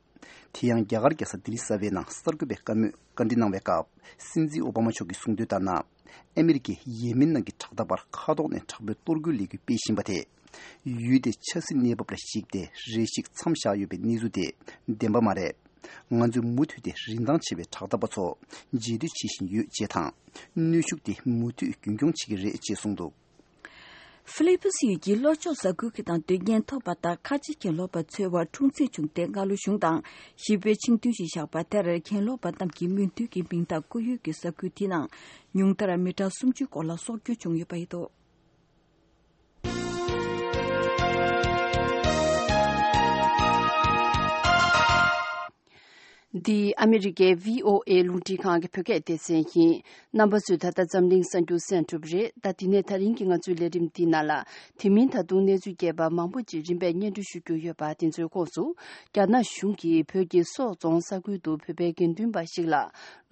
དེ་ཡང་རྒྱ་གར་རྒྱལ་ས་ལྡི་ལི་གསར་པའི་ནང་གསར་འགོད་པའི་བཀའ་མོལ་བཀའ་འདྲི་གནང་བའི་སྐབས། སྲིད་འཛིན་ཨོ་བྷ་མ་མཆོག་གིས་གསུངས་དོན་ལྟར་ན། ཨ་མི་རི་ཀས་ཡེ་མེན་ནང་གི་དྲག་འཐབ་པར་མཁའ་ཐོག་ནས་དྲག་པོའི་གཏོར་རྒོལ་ལས་འགུལ་སྤེལ་བཞིན་པ་དེ། ཡུལ་དེའི་ཆབ་སྲིད་གནས་བབ་ལ་གཞིགས་ཏེ་རེ་ཞིག་མཚམས་བཞག་ཡོད་པའི་གནས་ཚུལ་དེ་བདེན་པ་མ་རེད། ང་ཚོས་མུ་མཐུད་དེ་རིན་ཐང་ཆེ་བའི་དྲག་འཐབ་པ་ཚོ་རྗེས་མཐུད་བྱེད་བཞིན་ཡོད་ཅེས་དང་། གནོན་ཤུགས་དེ་མུ་མཐུད་རྒྱུན་འཁྱོངས་བྱེད་ཀྱི་རེད་ཅེས་གསུངས་འདུག་ཧྥི་ལི་པིན་སི་ཡུལ་གྱི་ལྷོ་ཕྱོགས་ས་ཁུལ་གྱི་ནང་དུ་ཉེན་རྟོག་པ་དང་ཁ་ཆེ་གྱེན་ལོག་པ་ཚོའི་བར་འཁྲུག་འཛིང་བྱུང་སྟེ། སྔ་ལོ་གཞུང་དང་ཞི་བའི་ཆིངས་དོན་ཞིག་བཞག་པ་དེར། གྱེན་ལོག་པ་རྣམས་ཀྱིས་མོས་མཐུན་གྱི་མིང་དང་སྐུ་ཡོད་ཀྱི་ས་ཁུལ་དེའི་ནང་ཉུང་མཐར་མི་གྲངས་སུམ་ཅུའི་སྐོར་ལ་སྲོག་སྐྱོན་བྱུང་ཡོད་པ་ཡིན་འདུག་འདི་ཨ་མི་རི་ཀའི་བྷི་ཨོ་ཨེ་རླུང་འཕྲིན་ཁང་གི་བོད་སྐད་སྡེ་ཚན་ཡིན། རྣམ་པ་ཚོས་ད་ལྟ་འཛམ་གླིང་གསར་འགྱུར་གསན་གྲུབ་རེད། ད་དེ་ནས་ད་རིང་གི་ང་ཚོའི་ལས་རིམ་འདི་ནང་ལ། དེ་མིན་ད་དུང་གནས་ཚུལ་རྒྱས་པ་མང་པོ་ཅིག་རིམ་པས་སྙན་སྒྲོན་ཞུ་རྒྱུ་ཡོད་པ། དེ་ཚོའི་ཁོངས་སུ། རྒྱ་ནག་གཞུང་གིས་བོད་ཀྱི་སོག་རྫོང་ས་ཁུལ་དུ་བོད་པའི་དགེ་འདུན་པ་ཞིག་ལ་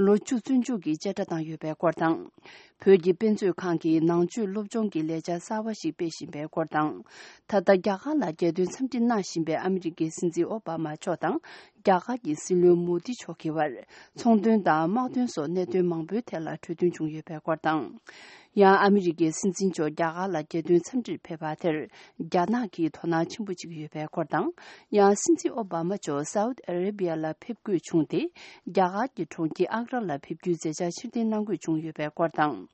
ལོ་བཅུ་བཙོན་འཇུག་གི་བཅད་ཁྲ་བཏང་ཡོད་པའི་སྐོར་དང་། བོད་ཀྱི་དཔེ་མཛོད་ཁང་གིས་ནང་ཆོས་སློབ་སྦྱོང་གི་ལས་འཆར་གསར་བ་ཞིག་སྤེལ་བཞིན་པའི་སྐོར་དང་། ད་ལྟ་རྒྱ་གར་ལ་རྒྱལ་དོན་འཚམས་འདྲི་གནང་བཞིན་པའི་ཨ་མི་རི་ཀའི་སྲིད་འཛིན་ཨོ་བྷ་མ་མཆོག་དང་། རྒྱ་གར་གྱི་སྲིད་བློན་མོ་དི་མཆོག་གི་བར། ཚོང་དོན་དང་དམག་དོན་སོགས་གནད་དོན་མང་པོའི་ཐད་ལ་གྲོས་མཐུན་བྱུང་ཡོད་པའི་སྐོར་དང་། ཡང་ཨ་མི་རི་ཀའི་སྲིད་འཛིན་མཆོག་རྒྱ་གར་ལ་རྒྱལ་དོན་འཚམས་འདྲིར་ཕེབས་པ་དེར། རྒྱ་ནག་གིས་དོ་སྣང་ཆེན་པོ་བྱེད་ཀྱི་ཡོད་པའི་སྐོར་དང་། ཡང་སྲིད་འཛིན་ཨོ་བྷ་མ་མཆོག་སའུ་ཏི་ཨ་རེ་བྷི་ཡ་ལ་ཕེབས་དགོས་བྱུང་སྟེ། རྒྱ་གར་གྱི་གྲོང་ཁྱེར་ཨག་ར་ལ་ཕེབས་རྒྱུའི་མཛད་འཆར་ཕྱིར་འཐེན་གནང་དགོས་བྱུང་ཡོད་པའི་སྐོར་དང་།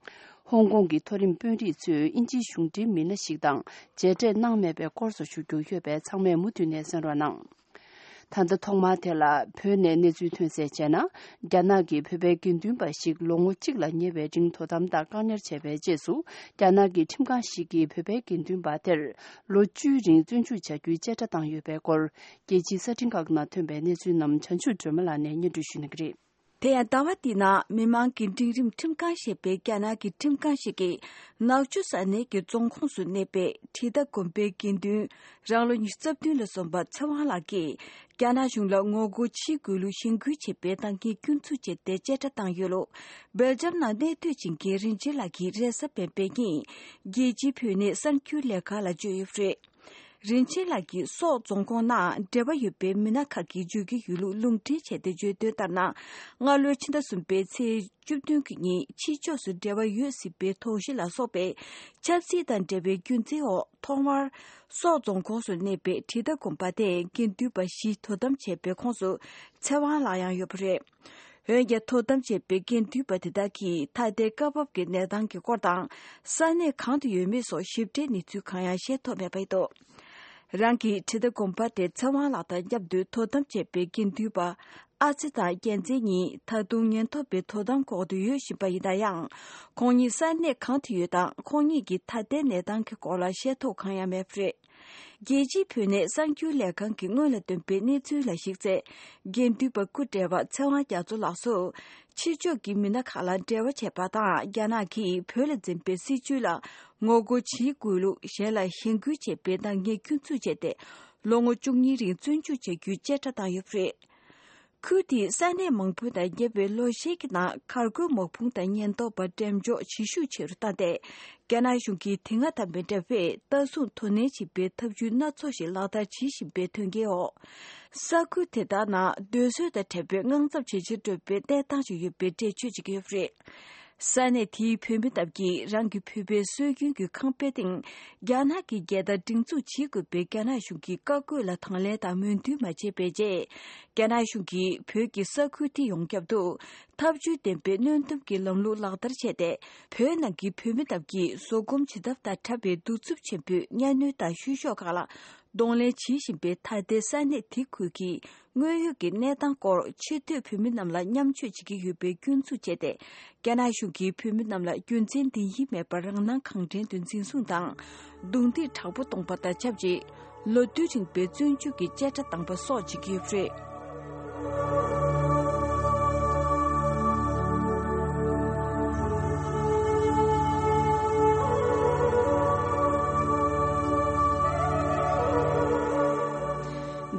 ཧོང་ཀོང་གི་མཐོ་རིམ་དཔོན་རིགས་ཚོས་དབྱིན་ཇིའི་གཞུང་འབྲེལ་མི་སྣ་ཞིག་དང་མཇལ་འཕྲད་གནང་མེད་པའི་སྐོར་སོགས་ཞུ་རྒྱུ་ཡོད་པས། ཚང་མས་མུ་མཐུད་ནས་གསན་རོགས་གནང་། ད་ལྟ་ཐོག་མར་དེ་ལ་བོད་ནས་གནས་ཚུལ་ཐོན་གསལ་བྱས་ན། རྒྱ་ནག་གིས་བོད་པའི་དགེ་འདུན་པ་ཞིག་ལོ་ངོ་གཅིག་ལ་ཉེ་བའི་རིང་དོ་དམ་དང་བཀག་ཉར་བྱས་པའི་རྗེས་སུ། རྒྱ་ནག་གི་ཁྲིམས་ཁང་ཞིག་གིས་བོད་པའི་དགེ་འདུན་པ་དེར་ལོ་བཅུའི་རིང་བཙོན་འཇུག་བྱ་རྒྱུའི་བཅད་ཁྲ་བཏང་ཡོད་པའི་སྐོར། རྒྱལ་སྤྱིའི་གསར་འཕྲིན་ཁག་ནང་ཐོན་པའི་གནས་ཚུལ་རྣམས་བྱང་ཆུབ་སྒྲོལ་མ་ལགས་ནས་སྙན་སྒྲོན་ཞུ་གནང་གི་རེད། དེ་ཡང་ཟླ་བ་འདིའི་ནང་མི་མང་གི་འབྲིང་རིམ་ཁྲིམས་ཁང་ཞེས་པའི་རྒྱ་ནག་གི་ཁྲིམས་ཁང་ཞིག་གིས་ནག་ཆུ་ས་གནས་ཀྱི་རྫོང་ཁོངས་སུ་གནས་པའི་ཁྲི་ཐར་དགོན་པའི་དགེ་འདུན་རང་ལོ་ཉི་ཤུ་རྩ་བདུན་ལ་སོན་པ་ཚེ་དབང་ལགས་ཀྱིས་རྒྱ་ནག་གཞུང་ལ་ངོ་རྒོལ་བྱེད་དགོས་ལུགས་གཞེན་སྐུལ་བྱས་པའི་བདག་རྐྱེན་སྐྱོན་འཛུགས་བྱས་ཏེ་བཅད་ཁྲ་བཏང་ཡོད་ལུགས། སྦེལ་ཇམ་ནང་གནས་སྡོད་བྱེད་མཁན་རིན་ཆེན་ལགས་ཀྱིས་རེས་གཟའ་སྤེན་པའི་ཉིན་རྒྱལ་སྤྱིའི་བོད་གནས་གསར་འགྱུར་ལས་ཁང་ལ་བརྗོད་ཡོད་པ་རེད། རིན་ཆེན་ལགས་ཀྱིས་སོག་རྫོང་ཁོངས་ནང་འབྲེལ་བ་ཡོད་པའི་མི་སྣ་ཁག་གིས་བརྗོད་ཀྱི་ཡོད་ལུགས་ལུང་འདྲེན་བྱས་ཏེ། བརྗོད་དོན་ལྟར་ན། སྔ་ལོའི་ཕྱི་ཟླ་གསུམ་པའི་ཚེས་བཅུ་བདུན་གྱི་ཉིན་ཕྱི་ཕྱོགས་སུ་འབྲེལ་བ་ཡོད་སྲིད་པའི་དོགས་གཞི་ལ་སོགས་པའི་ཆབ་སྲིད་དང་འབྲེལ་བའི་རྒྱུ་མཚན་འོག་ཐོག་མར་སོག་རྫོང་ཁོངས་སུ་གནས་པའི་ཁྲི་ཐར་དགོན་པ་དེའི་དགེ་འདུན་པ་བཞི་དོ་དམ་བྱས་པའི་ཁོངས་སུ་ཚེ་དབང་ལགས་ཡང་ཡོད་པ་རེད། འོན་ཀྱང་དོ་དམ་བྱས་པའི་དགེ་འདུན་པ་དེ་དག་གིས་ད་ལྟའི་སྐབས་བབ་ཀྱི་གནས་སྟངས་ཀྱི་སྐོར་དང་། ས་གནས་གང་དུ་ཡོད་མེད་སོགས་ཞིབ་ཕྲའི་གནས་ཚུལ་གང་ཡང་ཤེས་ཐུབ་མེད་པ་ཡིན་འདུག་རང་གི་ཁྲི་ཐའེ་དགོན་པ་དེ་ཚེ་དབང་ལགས་དང་མཉམ་དུ་དོ་དམ་བྱས་པའི་དགེ་འདུན་པ་ཨ་ཙི་དང་རྒྱལ་མཚན་གཉིས་ད་དུང་ཉེན་རྟོག་པའི་དོ་དམ་འོག་ཏུ་ཡོད་བཞིན་པ་ཡིན་ན་ཡང་། ཁོང་གཉིས་ས་གནས་གང་དུ་ཡོད་དང་ཁོང་གཉིས་ཀྱི་ད་ལྟའི་གནས་སྟངས་ཀྱི་སྐོར་ལ་ཤེས་རྟོགས་གང་ཡང་མེད་པ་རེད། རྒྱལ་སྤྱིའི་བོད་གནས་གསར་འགྱུར་ལས་ཁང་གིས་སྔོན་ལ་བཏོན་པའི་གནས་ཚུལ་ལ་གཞིགས་ཚེ། དགེ་འདུན་པ་སྐུ་བགྲེས་པ་ཚེ་དབང་རྒྱ་མཚོ་ལགས་སུ། ཕྱི་ཕྱོགས་ཀྱི་མི་སྣ་ཁག་ལ་འབྲེལ་བ་བྱས་པ་དང་། རྒྱ་ནག་གིས་བོད་ལ་འཛིན་པའི་སྲིད་བྱུས་ལ་ངོ་རྒོལ་བྱེད་དགོས་ལུགས། གཞན་ལ་གཞེན་སྐུལ་བྱས་པའི་ནག་ཉེས་སྐྱོན་འཛུགས་བྱས་ཏེ། ལོ་ངོ་བཅུ་གཉིས་རིང་བཙོན་འཇུག་བྱ་རྒྱུའི་བཅད་ཁྲ་བཏང་ཡོད་པ་རེད། ཁུལ་དེའི་ས་གནས་མང་པོ་དང་། རྒྱབ་པའི་ལོ་ཤས་ཀྱི་ནང་གར་དགོན་དམག་དཔུང་དང་ཉེན་རྟོག་པ་འགྲེམས་འཇོག་བྱེད་ཤུགས་ཆེ་རུ་བཏང་སྟེ། རྒྱ་ནག་གཞུང་གིས་དེ་སྔ་དང་མི་འདྲ་བའི་ལྟ་སྲུང་དོ་ནན་བྱེད་པའི་ཐབས་ཇུས་སྣ་ཚོགས་ཤིག་ལག་བསྟར་བྱེད་བཞིན་པའི་དོན་རྐྱེན་འོག་ས་ཁུལ་དེ་དག་ནང་སྡོད་གསོལ་དང་འབྲེལ་བའི་དངངས་འཚབ་ཇེ་ཆེར་འགྲོ་བའི་གནས་སྟངས་ཤིག་ཡོད་པའི་འགྲེལ་བརྗོད་བྱེད་ཀྱི་ཡོད་པ་རེད། ས་གནས་དེའི་བོད་མི་རྣམས་ཀྱིས་རང་གི་བོད་པའི་སྲོལ་རྒྱུན་གྱི་ཁང་པའི་སྟེང་རྒྱ་ནག་གི་རྒྱལ་དར་སྒྲེང་འཛུགས་བྱེད་དགོས་པའི་རྒྱ་ནག་གཞུང་གི་བཀའ་བཀོད་ལ་དང་ལེན་དང་མོས་མཐུན་མ་བྱས་པའི་རྗེས། རྒྱ་ནག་གཞུང་གིས་བོད་ཀྱི་ས་ཁུལ་དེ་ཡོངས་ཁྱབ་ཏུ་ཐབས་ཇུས་ལྡན་པའི་གནོན་སྡོམ་གྱི་ལམ་ལུགས་ལག་བསྟར་བྱས་ཏེ། བོད་ནང་གི་བོད་མི་རྣམས་ཀྱིས་བཟོད་སྒོམ་བྱེད་ཐབས་དང་འཁྲབ་པའི་གདུག་རྩུབ་ཆེན་པོས་གཉའ་གནོན་དང་བཤུ་གཞོག་ཁག་ལ་གདོང་ལེན་བྱེད་བཞིན་པའི་ད་ལྟའི་ས་གནས་དེ་ཁུལ་གྱི་དངོས་ཡོད་ཀྱི་གནས་སྟངས་སྐོར་ཆེས་མཐོའི་བོད་མི་རྣམས་ལ་མཉམ་སྤྱོད་བྱེད་ཀྱི་ཡོད་པའི་སྐྱོན་འཛུགས་བྱས་ཏེ། རྒྱ་ནག་གཞུང་གིས་བོད་མི་རྣམས་ལ་རྒྱུ་མཚན་འདི་ཡིན་མེད་པར་རང་སྣང་གང་དྲན་དུ་འཛིན་བཟུང་དང་། རྡུང་རྡེག་དྲག་པོ་གཏོང་པ་དང་ཆབས་ཅིག་ལོ་དུས་རིང་པའི་བཙོན་འཇུག་གི་བཅད་ཁྲ་བཏང་པ་སོགས་བྱེད་ཀྱི་ཡོད་པ་རེད།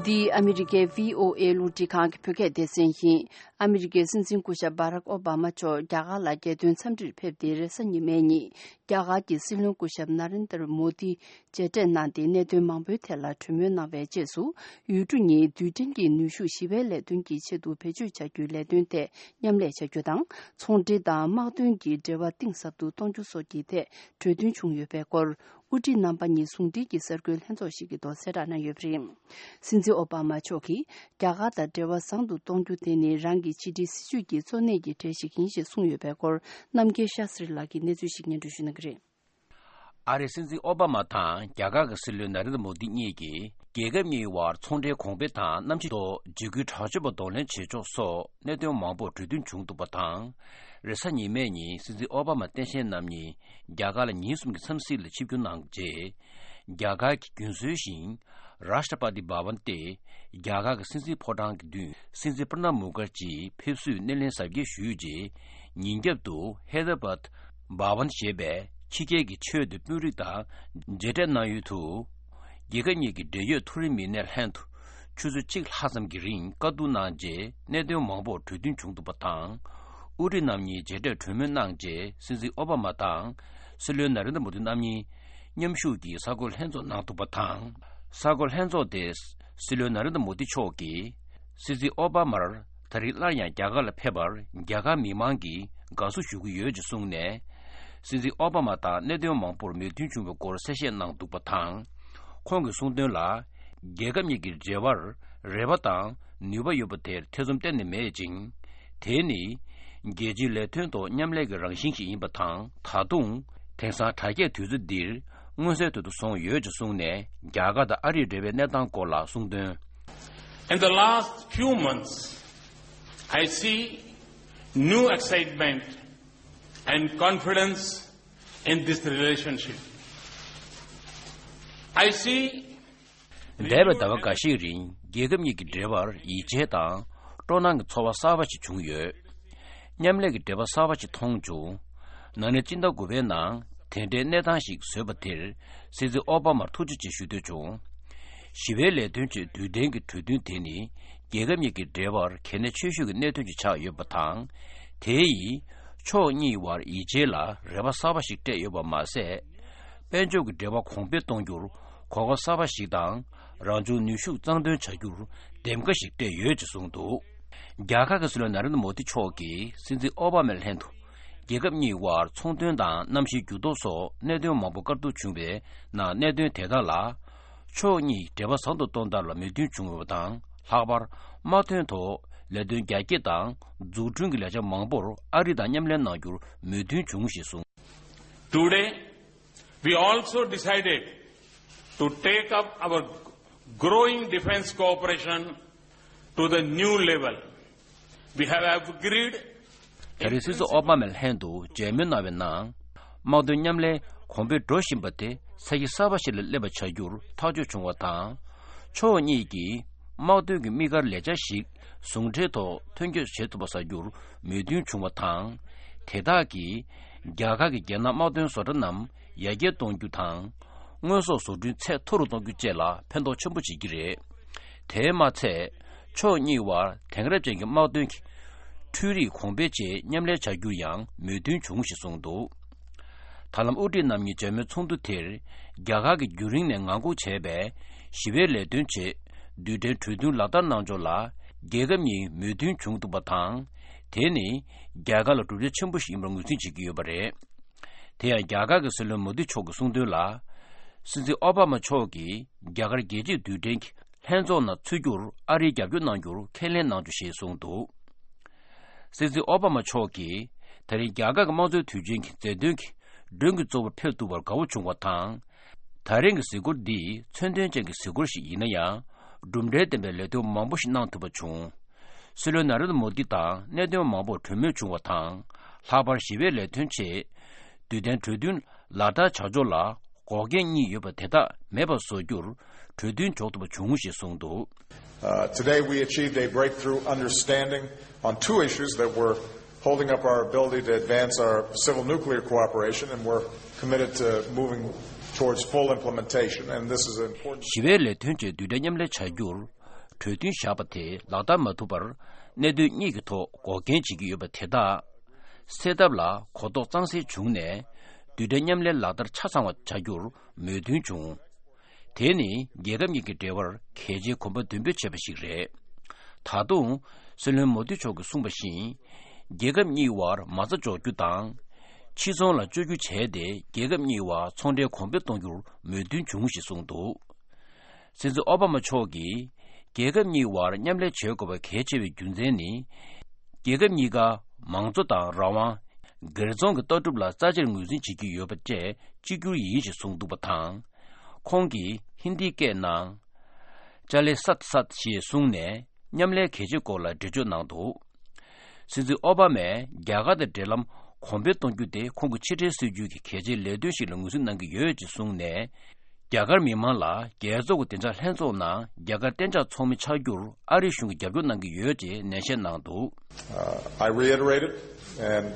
འདི་ཨ་མི་རི་ཀའི་བྷི་ཨོ་ཨེ་རླུང་འཕྲིན་ཁང་གི་བོད་སྐད་སྡེ་ཚན་ཡིན། ཨ་མི་རི་ཀའི་སྲིད་འཛིན་སྐུ་ཞབས་བྷ་རག་ཨོ་བྷ་མ་མཆོག་རྒྱ་གར་ལ་རྒྱལ་དོན་འཚམས་འདྲིར་ཕེབས་ཏེ། རེས་གཟའ་ཉི་མའི་ཉིན་རྒྱ་གར་གྱི་སྲིད་བློན་སྐུ་ཞབས་ན་རེན་དར་མོ་དི་མཇལ་འཕྲད་གནང་སྟེ། གནད་དོན་མང་པོའི་ཐད་ལ་གྲོས་མོལ་གནང་བའི་རྗེས་སུ། ཡུལ་གྲུ་གཉིས་རྡུལ་ཕྲན་གྱི་ནུས་ཤུགས་ཞི་བའི་ལས་དོན་གྱི་ཆེད་དུ་བེད་སྤྱོད་བྱ་རྒྱུའི་ལས་དོན་ཐད་མཉམ་ལས་བྱ་རྒྱུ་དང་། ཚོང་འབྲེལ་དང་དམག་དོན་གྱི་འབྲེལ་བ་གཏིང་ཟབ་ཏུ་གཏོང་རྒྱུ་སོགས་ཀྱི་ཐད་གྲོས་མཐུན་བྱུང་ཡོད་པའི་སྐོར། དབུ་ཁྲིད་རྣམ་པ་གཉིས་ཟུང་འབྲེལ་གྱི་གསར་འགོད་ལྷན་ཚོགས་ཤིག་གི་ཐོག་གསལ་བསྒྲགས་གནང་ཡོད་པ་རེད། སྲིད་འཛིན་ཨོ་བྷ་མ་མཆོག་གིས་རྒྱ་གར་དང་འབྲེལ་བ་བཟང་དུ་གཏོང་རྒྱུ་དེ་ནི་རང་གི་ཕྱི་འབྲེལ་སྲིད་ཇུས་ཀྱི་གཙོ་གནད་ཀྱི་གྲས་ཤིག་ཡིན་ཞེས་གསུངས་ཡོད་པའི་སྐོར། རྣམ་རྒྱལ་ཤཱ་སྲི་ལགས་ཀྱིས་གནས་ཚུལ་ཞིག་སྙན་སྒྲོན་ཞུ་གནང་གི་རེད། ཨ་རིའི་སྲིད་འཛིན་ཨོ་བྷ་མ་དང་རྒྱ་གར་གྱི་སྲིད་བློན་ན་རེན་དྲ་མོ་དི་གཉིས་ཀྱིས་རྒྱལ་ཁབ་གཉིས་དབར་ཚོང་འབྲེལ་གོང་འཕེལ་དང་གནམ་གཤིས་ཐོག་འཇིགས་སྐུལ་དྲག་སྤྱོད་པ་གདོང་ལེན་བྱེད་ཕྱོགས་སོགས་གནད་དོན་མང་པོར་གྲོས་མཐུན་བྱུང་འདུག་པ་དང་། རེས་གཟའ་ཉི་མའི་ཉིན་སྲིད་འཛིན་ཨོ་བྷ་མ་སྟངས་དཔྱལ་རྣམ་གཉིས་རྒྱ་གར་ལ་ཉིན་གསུམ་གྱི་འཚམས་གཟིགས་ལ་ཆིབས་བསྒྱུར་གནང་རྗེས། རྒྱ་གར་གྱི་རྒྱུན་སྲོལ་བཞིན་རཱཤ་ཏྲ་པ་ཏི་བྷ་ཝན་སྟེ། རྒྱ་གར་གྱི་སྲིད་འཛིན་ཕོ་བྲང་གི་མདུན་སྲིད་འཛིན་པྲ་ནབ་མུ་ཁར་ཇིའི་ཕེབས་བསུའི་སྣེ་ལེན་གཟབ་རྒྱས་ཞུས་རྗེས། ཉིན་རྒྱབ་ཏུ་ཧེ་དར་བཱད་བྷ་ཝན་ཞེས་པའི་ཕྱི་རྒྱལ་གྱི་ཆོས་དད་དཔོན་རིགས་དང་མཇལ་འཕྲད་གནང་ཡུལ་དུ། རྒྱལ་ཁབ་གཉིས་ཀྱི་འབྲེལ་ཡོད་མཐོ་རིམ་མི་སྣས་ལྷན་དུ་ཆུ་ཚོད་གཅིག་ལྷག་ཙམ་གྱི་རིང་བཀའ་བསྡུར་གནང་རྗེས། གནད་དོན་མང་པོར་གྲོས་མཐུན་བྱུང་འདུག་པ་དང་། དབུ་ཁྲིད་རྣམ་གཉིས་མཇལ་འཕྲད་གྲོས་མོལ་གནང་རྗེས། སྲིད་འཛིན་ཨོ་བྷ་མ་དང་སྲིད་བློན་ན་རེན་དྲ་མོ་དི་རྣམ་གཉིས་མཉམ་ཞུགས་ཀྱིས་གསར་འགོད་ལྷན་ཚོགས་གནང་འདུག་པ་དང་། གསར་འགོད་ལྷན་ཚོགས་དེ་སྲིད་བློན་ན་རེན་དྲ་མོ་དི་མཆོག་གིས། སྲིད་འཛིན་ཨོ་བྷ་མར་ད་རེས་སླར་ཡང་རྒྱ་གར་ལ་ཕེབས་པར་རྒྱ་གར་མི་མང་གིས་དགའ་བསུ་ཞུ་གི་ཡོད་ཅེས་གསུངས་ནས། སྲིད་འཛིན་ཨོ་བྷ་མ་དང་གནད་དོན་མང་པོར་མོས་མཐུན་བྱུང་བའི་སྐོར་གསལ་བཤད་གནང་འདུག་པ་དང་། ཁོང་གིས་གསུངས་དོན་ལ། རྒྱལ་ཁབ་གཉིས་ཀྱི་འབྲེལ་བར་རེ་བ་དང་ནུས་པ་ཡོད་པ་དེར་ཐེ་ཚོམ་གཏན་ནས་མེད་ཅིང་། དེ་ནི་རྒྱལ་སྤྱིའི་ལས་དོན་ཐོག་མཉམ་ལས་ཀྱི་རང་བཞིན་ཞིག་ཡིན་པ་དང་། ད་དུང་དེང་སང་དྲ་རྒྱའི་དུས་ཚོད་འདིར་མངོན་གསལ་དོད་དུ་སོང་ཡོད་ཅེས་གསུངས་ནས། རྒྱ་གར་དང་ཨ་རིའི་འབྲེལ་བའི་གནས་སྟངས་སྐོར་ལ་གསུངས་དོན། In the last few months, I see new excitement and confidence in this relationship. I see འདས་པའི་ཟླ་བ་འགའ་ཤས་རིང་རྒྱལ་ཁབ་གཉིས་ཀྱི་འབྲེལ་བར་ཡིད་ཆེས་དང་སྤྲོ་སྣང་གི་ཚོར་བ་གསར་པ་ཞིག་བྱུང་ཡོད། མཉམ་ལས་ཀྱི་འབྲེལ་བ་གསར་པ་ཞིག་མཐོང་བྱུང་། ན་ནིང་སྤྱི་ཟླ་དགུ་པའི་ནང་དེ་འདྲའི་གནས་སྟངས་ཤིག་བཟོས་པ་དེར་སྲིད་འཛིན་ཨོ་བྷ་མར་ཐུགས་རྗེ་ཆེ་ཞུ་འདོད་བྱུང་། ཞི་བའི་ལས་དོན་བཅས་དུས་ལྡན་གྱི་གྲོས་མཐུན་དེ་ནི་རྒྱལ་ཁབ་གཉིས་ཀྱི་འབྲེལ་བར་གལ་གནད་ཆེ་ཤོས་ཀྱི་གནད་དོན་ཞིག་ཆགས་ཡོད་པ་དང་། དེ་ཡིས་ཕྱོགས་གཉིས་བར་ཡིད་ཆེས་ལ་རེ་བ་གསར་པ་ཞིག་སྤྲད་ཡོད་པ་མ་ཟད། དཔལ་འབྱོར་གྱི་འབྲེལ་བ་གོང་འཕེལ་གཏོང་རྒྱུར་གོ་སྐབས་གསར་པ་ཞིག་དང་། རང་བྱུང་ནུས་ཤུགས་གཙང་འདོན་བྱ་རྒྱུར་འདེམས་ཀ་ཞིག་སྤྲད་ཡོད་ཅེས་གསུངས་འདུག་རྒྱ་གར་གྱི་སྲིད་བློན་ན་རེན་དྲ་མོ་དི་མཆོག་གིས་སྲིད་འཛིན་ཨོ་བྷ་མའི་ལྷན་དུ་རྒྱལ་ཁབ་གཉིས་དབར་ཚོང་དོན་དང་གནམ་གཤིས་འགྱུར་ལྡོག་སོགས་གནད་དོན་མང་པོ་བཀའ་བསྡུར་བྱུང་བའི་ནང་། གནད་དོན་དེ་དག་ལ་ཕྱོགས་གཉིས་འབྲེལ་བ་བཟང་དུ་གཏོང་ཐབས་ལ་མོས་མཐུན་བྱུང་ཡོད་པ་དང་། ལྷག་པར་དམག་དོན་ཐོག་ ལས་དོན་རྒྱ་སྐྱེད་དང་འཛུགས་སྐྲུན་གྱི་ལས་འཆར་མང་པོར་ཨ་རི་དང་མཉམ་ལས་གནང་རྒྱུར་མོས་མཐུན་བྱུང་ཞེས་གསུངས། Today, we also decided to take up our growing defense cooperation to the new level. We have agreed ད་རེས་སྲིད་འཛིན་ཨོ་བྷ་མས་ལྷན་དུ་མཇལ་མོལ་གནང་བའི་ནང་། དམག་དོན་མཉམ་ལས་གོང་འཕེལ་འགྲོ་བཞིན་པ་དེ་ས་གཞི་གསར་པ་ཞིག་ལ་སླེབས་པ་བྱ་རྒྱུར་ཐག་གཅོད་བྱུང་བ་དང་། ཕྱོགས་གཉིས་ཀྱིས་དམག་དོན་གྱི་དམིགས་བཀར་ལས་འཆར་ཞིག་ཟུང་འབྲེལ་ཐོག་མཐུན་འགྱུར་བྱེད་ཐུབ་པ་བཟོ་རྒྱུར་མོས་མཐུན་བྱུང་བ་དང་། དེ་དག་གིས་རྒྱ་གར་གྱི་རྒྱལ་ནང་དམག་དོན་བཟོ་གྲྭ་རྣམས་ཡར་རྒྱས་གཏོང་རྒྱུ་དང་། དངོས་ཟོག་བཟོ་སྐྲུན་ཚད་མཐོ་རུ་གཏོང་རྒྱུ་བཅས་ལ་ཕན་ཐོགས་ཆེན་པོ་བྱེད་ཀྱི་རེད། དེས་མ་ཚད། ཕྱོགས་གཉིས་དབར་དེང་རབས་ཅན་གྱི་དམག་དོན་གྱི་འཕྲུལ་རིག་གོང་འཕེལ་ཆེད་མཉམ་ལས་བྱ་རྒྱུར་ཡང་མོས་མཐུན་བྱུང་ཞེས་གསུངས་འདུག། ད་ལམ་དབུ་ཁྲིད་རྣམ་གཉིས་མཇལ་མོལ་ཚོགས་འདུ་དེར། རྒྱ་གར་གྱིས་རྒྱུན་རིང་ནས་ངང་སྒུག་བྱས་པའི་ཞི་བའི་ལས་དོན་ཆེད་རྡུལ་ཕྲན་གྲོས་མཐུན་ལག་བསྟར་གནང་ཕྱོགས་ལ་རྒྱལ་ཁབ་གཉིས་མོས་མཐུན་བྱུང་འདུག་པ་དང་། དེ་ནི་རྒྱ་གར་ལ་གྲུབ་འབྲས་ཆེན་པོ་ཞིག་ཡིན་པར་ངོས་འཛིན་བྱེད་ཀྱི་ཡོད་པ་རེད། དེ་ཡང་རྒྱ་གར་གྱི་སྲིད་བློན་མོ་དི་མཆོག་གིས་གསུངས་དོན་ལ། སྲིད་འཛིན་ཨོ་བྷ་མ་མཆོག་གིས་རྒྱ་གར་རྒྱལ་སྤྱིའི་རྡུལ་ཕྲན་གྱི་ལྷན་ཚོགས་ནང་ཚུད་རྒྱུར་ཨ་རིས་རྒྱབ་སྐྱོར་གནང་རྒྱུར་ཁས་ལེན་གནང་རྒྱུ་ཞེས་གསུངས་འདུག། སྲིད་འཛིན་ཨོ་བྷ་མ་མཆོག་གིས་ད་རིང་རྒྱ་གར་གྱི་དམངས་གཙོའི་དུས་ཆེན་གྱི་མཛད་དོན་གྱི་མགྲོན་གྱི་གཙོ་བོར་ཕེབས་ཐུབ་པར་དགའ་བོ་བྱུང་བ་དང་། ད་རིང་གི་གཟིགས་སྐོར་འདི་མཚོན་དོན་ཅན་གྱི་གཟིགས་སྐོར་ཞིག་ཡིན་ན་ཡང་། གྲུབ་འབྲས་ལྡན་པའི་ལས་དོན་མང་པོ་ཞིག་གནང་ཐུབ་པ་བྱུང་། སྲིད་བློན་ནཱ་རེན་དྲ་མོ་དི་དང་གནད་དོན་མང་པོར་གྲོས་མོལ་བྱུང་བ་དང་། ལྷག་པར་ཞི་བའི་ལས་དོན་ཆེད་རྡུལ་ལྡན་གྲོས་མཐུན་ལག་བསྟར་བྱ་ཕྱོགས་ལ་འགོག་རྐྱེན་གཉིས་ཡོད་པ་དེ་དག་མེད་པར་བཟོ་རྒྱུར་གྲོས་མཐུན་འཇོག་ཐུབ་པ་བྱུང་ཞེས་གསུངས་འདུག། Uh, today we achieved a breakthrough understanding on two issues that were holding up our ability to advance our civil nuclear cooperation, and we're committed to moving towards full implementation, and this is an important ཞི་བའི་ལས་དོན་ཆེད་རྡུལ་ཕྲན་མཉམ་ལས་བྱ་རྒྱུར་གྲོས་མཐུན་བཞག་པ་དེ་ལག་བསྟར་མ་ཐུབ་པར་གནད་དོན་གཉིས་ཀྱི་ཐོག་འགོག་རྐྱེན་བྱེད་ཀྱི་ཡོད་པ་དེ་དག་སེལ་ཐབས་ལ་གོ་རྟོགས་གཙང་སེལ་བྱུང་ནས། རྡུལ་ཕྲན་མཉམ་ལས་ལག་བསྟར་ཆ་ཚང་བ་བྱ་རྒྱུར་མོས་མཐུན་བྱུང་། དེ་ནི་རྒྱལ་ཁབ་གཉིས་ཀྱི་འབྲེལ་བར་གལ་ཆེའི་གོམ་པ་མདུན་སྤོས་བྱས་པ་ཞིག་རེད། ད་དུང་སྲིད་བློན་མོ་དི་མཆོག་གིས་གསུངས་པ་བཞིན། རྒྱལ་ཁབ་གཉིས་དབར་མ་རྩ་འཇོག་རྒྱུ་དང་། ཕྱིར་ཚོང་ལ་བཅོས་སྒྱུར་བྱས་ཏེ་རྒྱལ་ཁབ་གཉིས་དབར་ཚོང་འབྲེལ་གོང་འཕེལ་གཏོང་རྒྱུར་མོས་མཐུན་བྱུང་ཞེས་གསུངས་འདུག། སྲིད་འཛིན་ཨོ་བྷ་མ་མཆོག་གིས་རྒྱལ་ཁབ་གཉིས་དབར་མཉམ་ལས་བྱེད་དགོས་པ་གལ་ཆེ་བའི་རྒྱུ་མཚན་ནི། རྒྱལ་ཁབ་གཉིས་ཀ་མང་གཙོ་དང་རང་དབང་། སྒེར་ཚོང་གི་ལྟ་གྲུབ་ལ་རྩ་ཆེར་ངོས་འཛིན་བྱེད་ཀྱི་ཡོད་པ་བཅས་གཅིག་གྱུར་ཡིན་ཞེས་གསུངས་འདུག་པ་དང་། ཁོང་གིས་ཧིན་དིའི་སྐད་ནང་། ཅ་ལེ་སད་སད་ཞེས་གསུངས་ནས་མཉམ་ལས་གལ་ཆེའི་སྐོར་ལ་འགྲེལ་བརྗོད་གནང་འདུག། སྲིད་འཛིན་ཨོ་བྷ་མས་རྒྱ་གར་དང་འབྲེལ་ལམ་གོང་འཕེལ་གཏོང་རྒྱུ་དེ་ཁོང་གི་ཕྱི་འབྲེལ་སྲིད་ཇུས་ཀྱི་གལ་ཆེའི་ལས་དོན་ཞིག་ལ་ངོས་འཛིན་གནང་གི་ཡོད་ཅེས་གསུངས་ནས། རྒྱ་གར་མི་མང་ལ་རྒྱལ་ཚོགས་ཀྱི་བདེ་འཇགས་ལྷན་ཚོགས་ནང་རྒྱ་གར་གཏན་འཇགས་ཚོགས་མི་ཆགས་རྒྱུར་ཨ་རིའི་གཞུང་གིས་རྒྱབ་སྐྱོར་གནང་གི་ཡོད་ཅེས་ནན་བཤད་གནང་འདུག། Uh, I reiterated and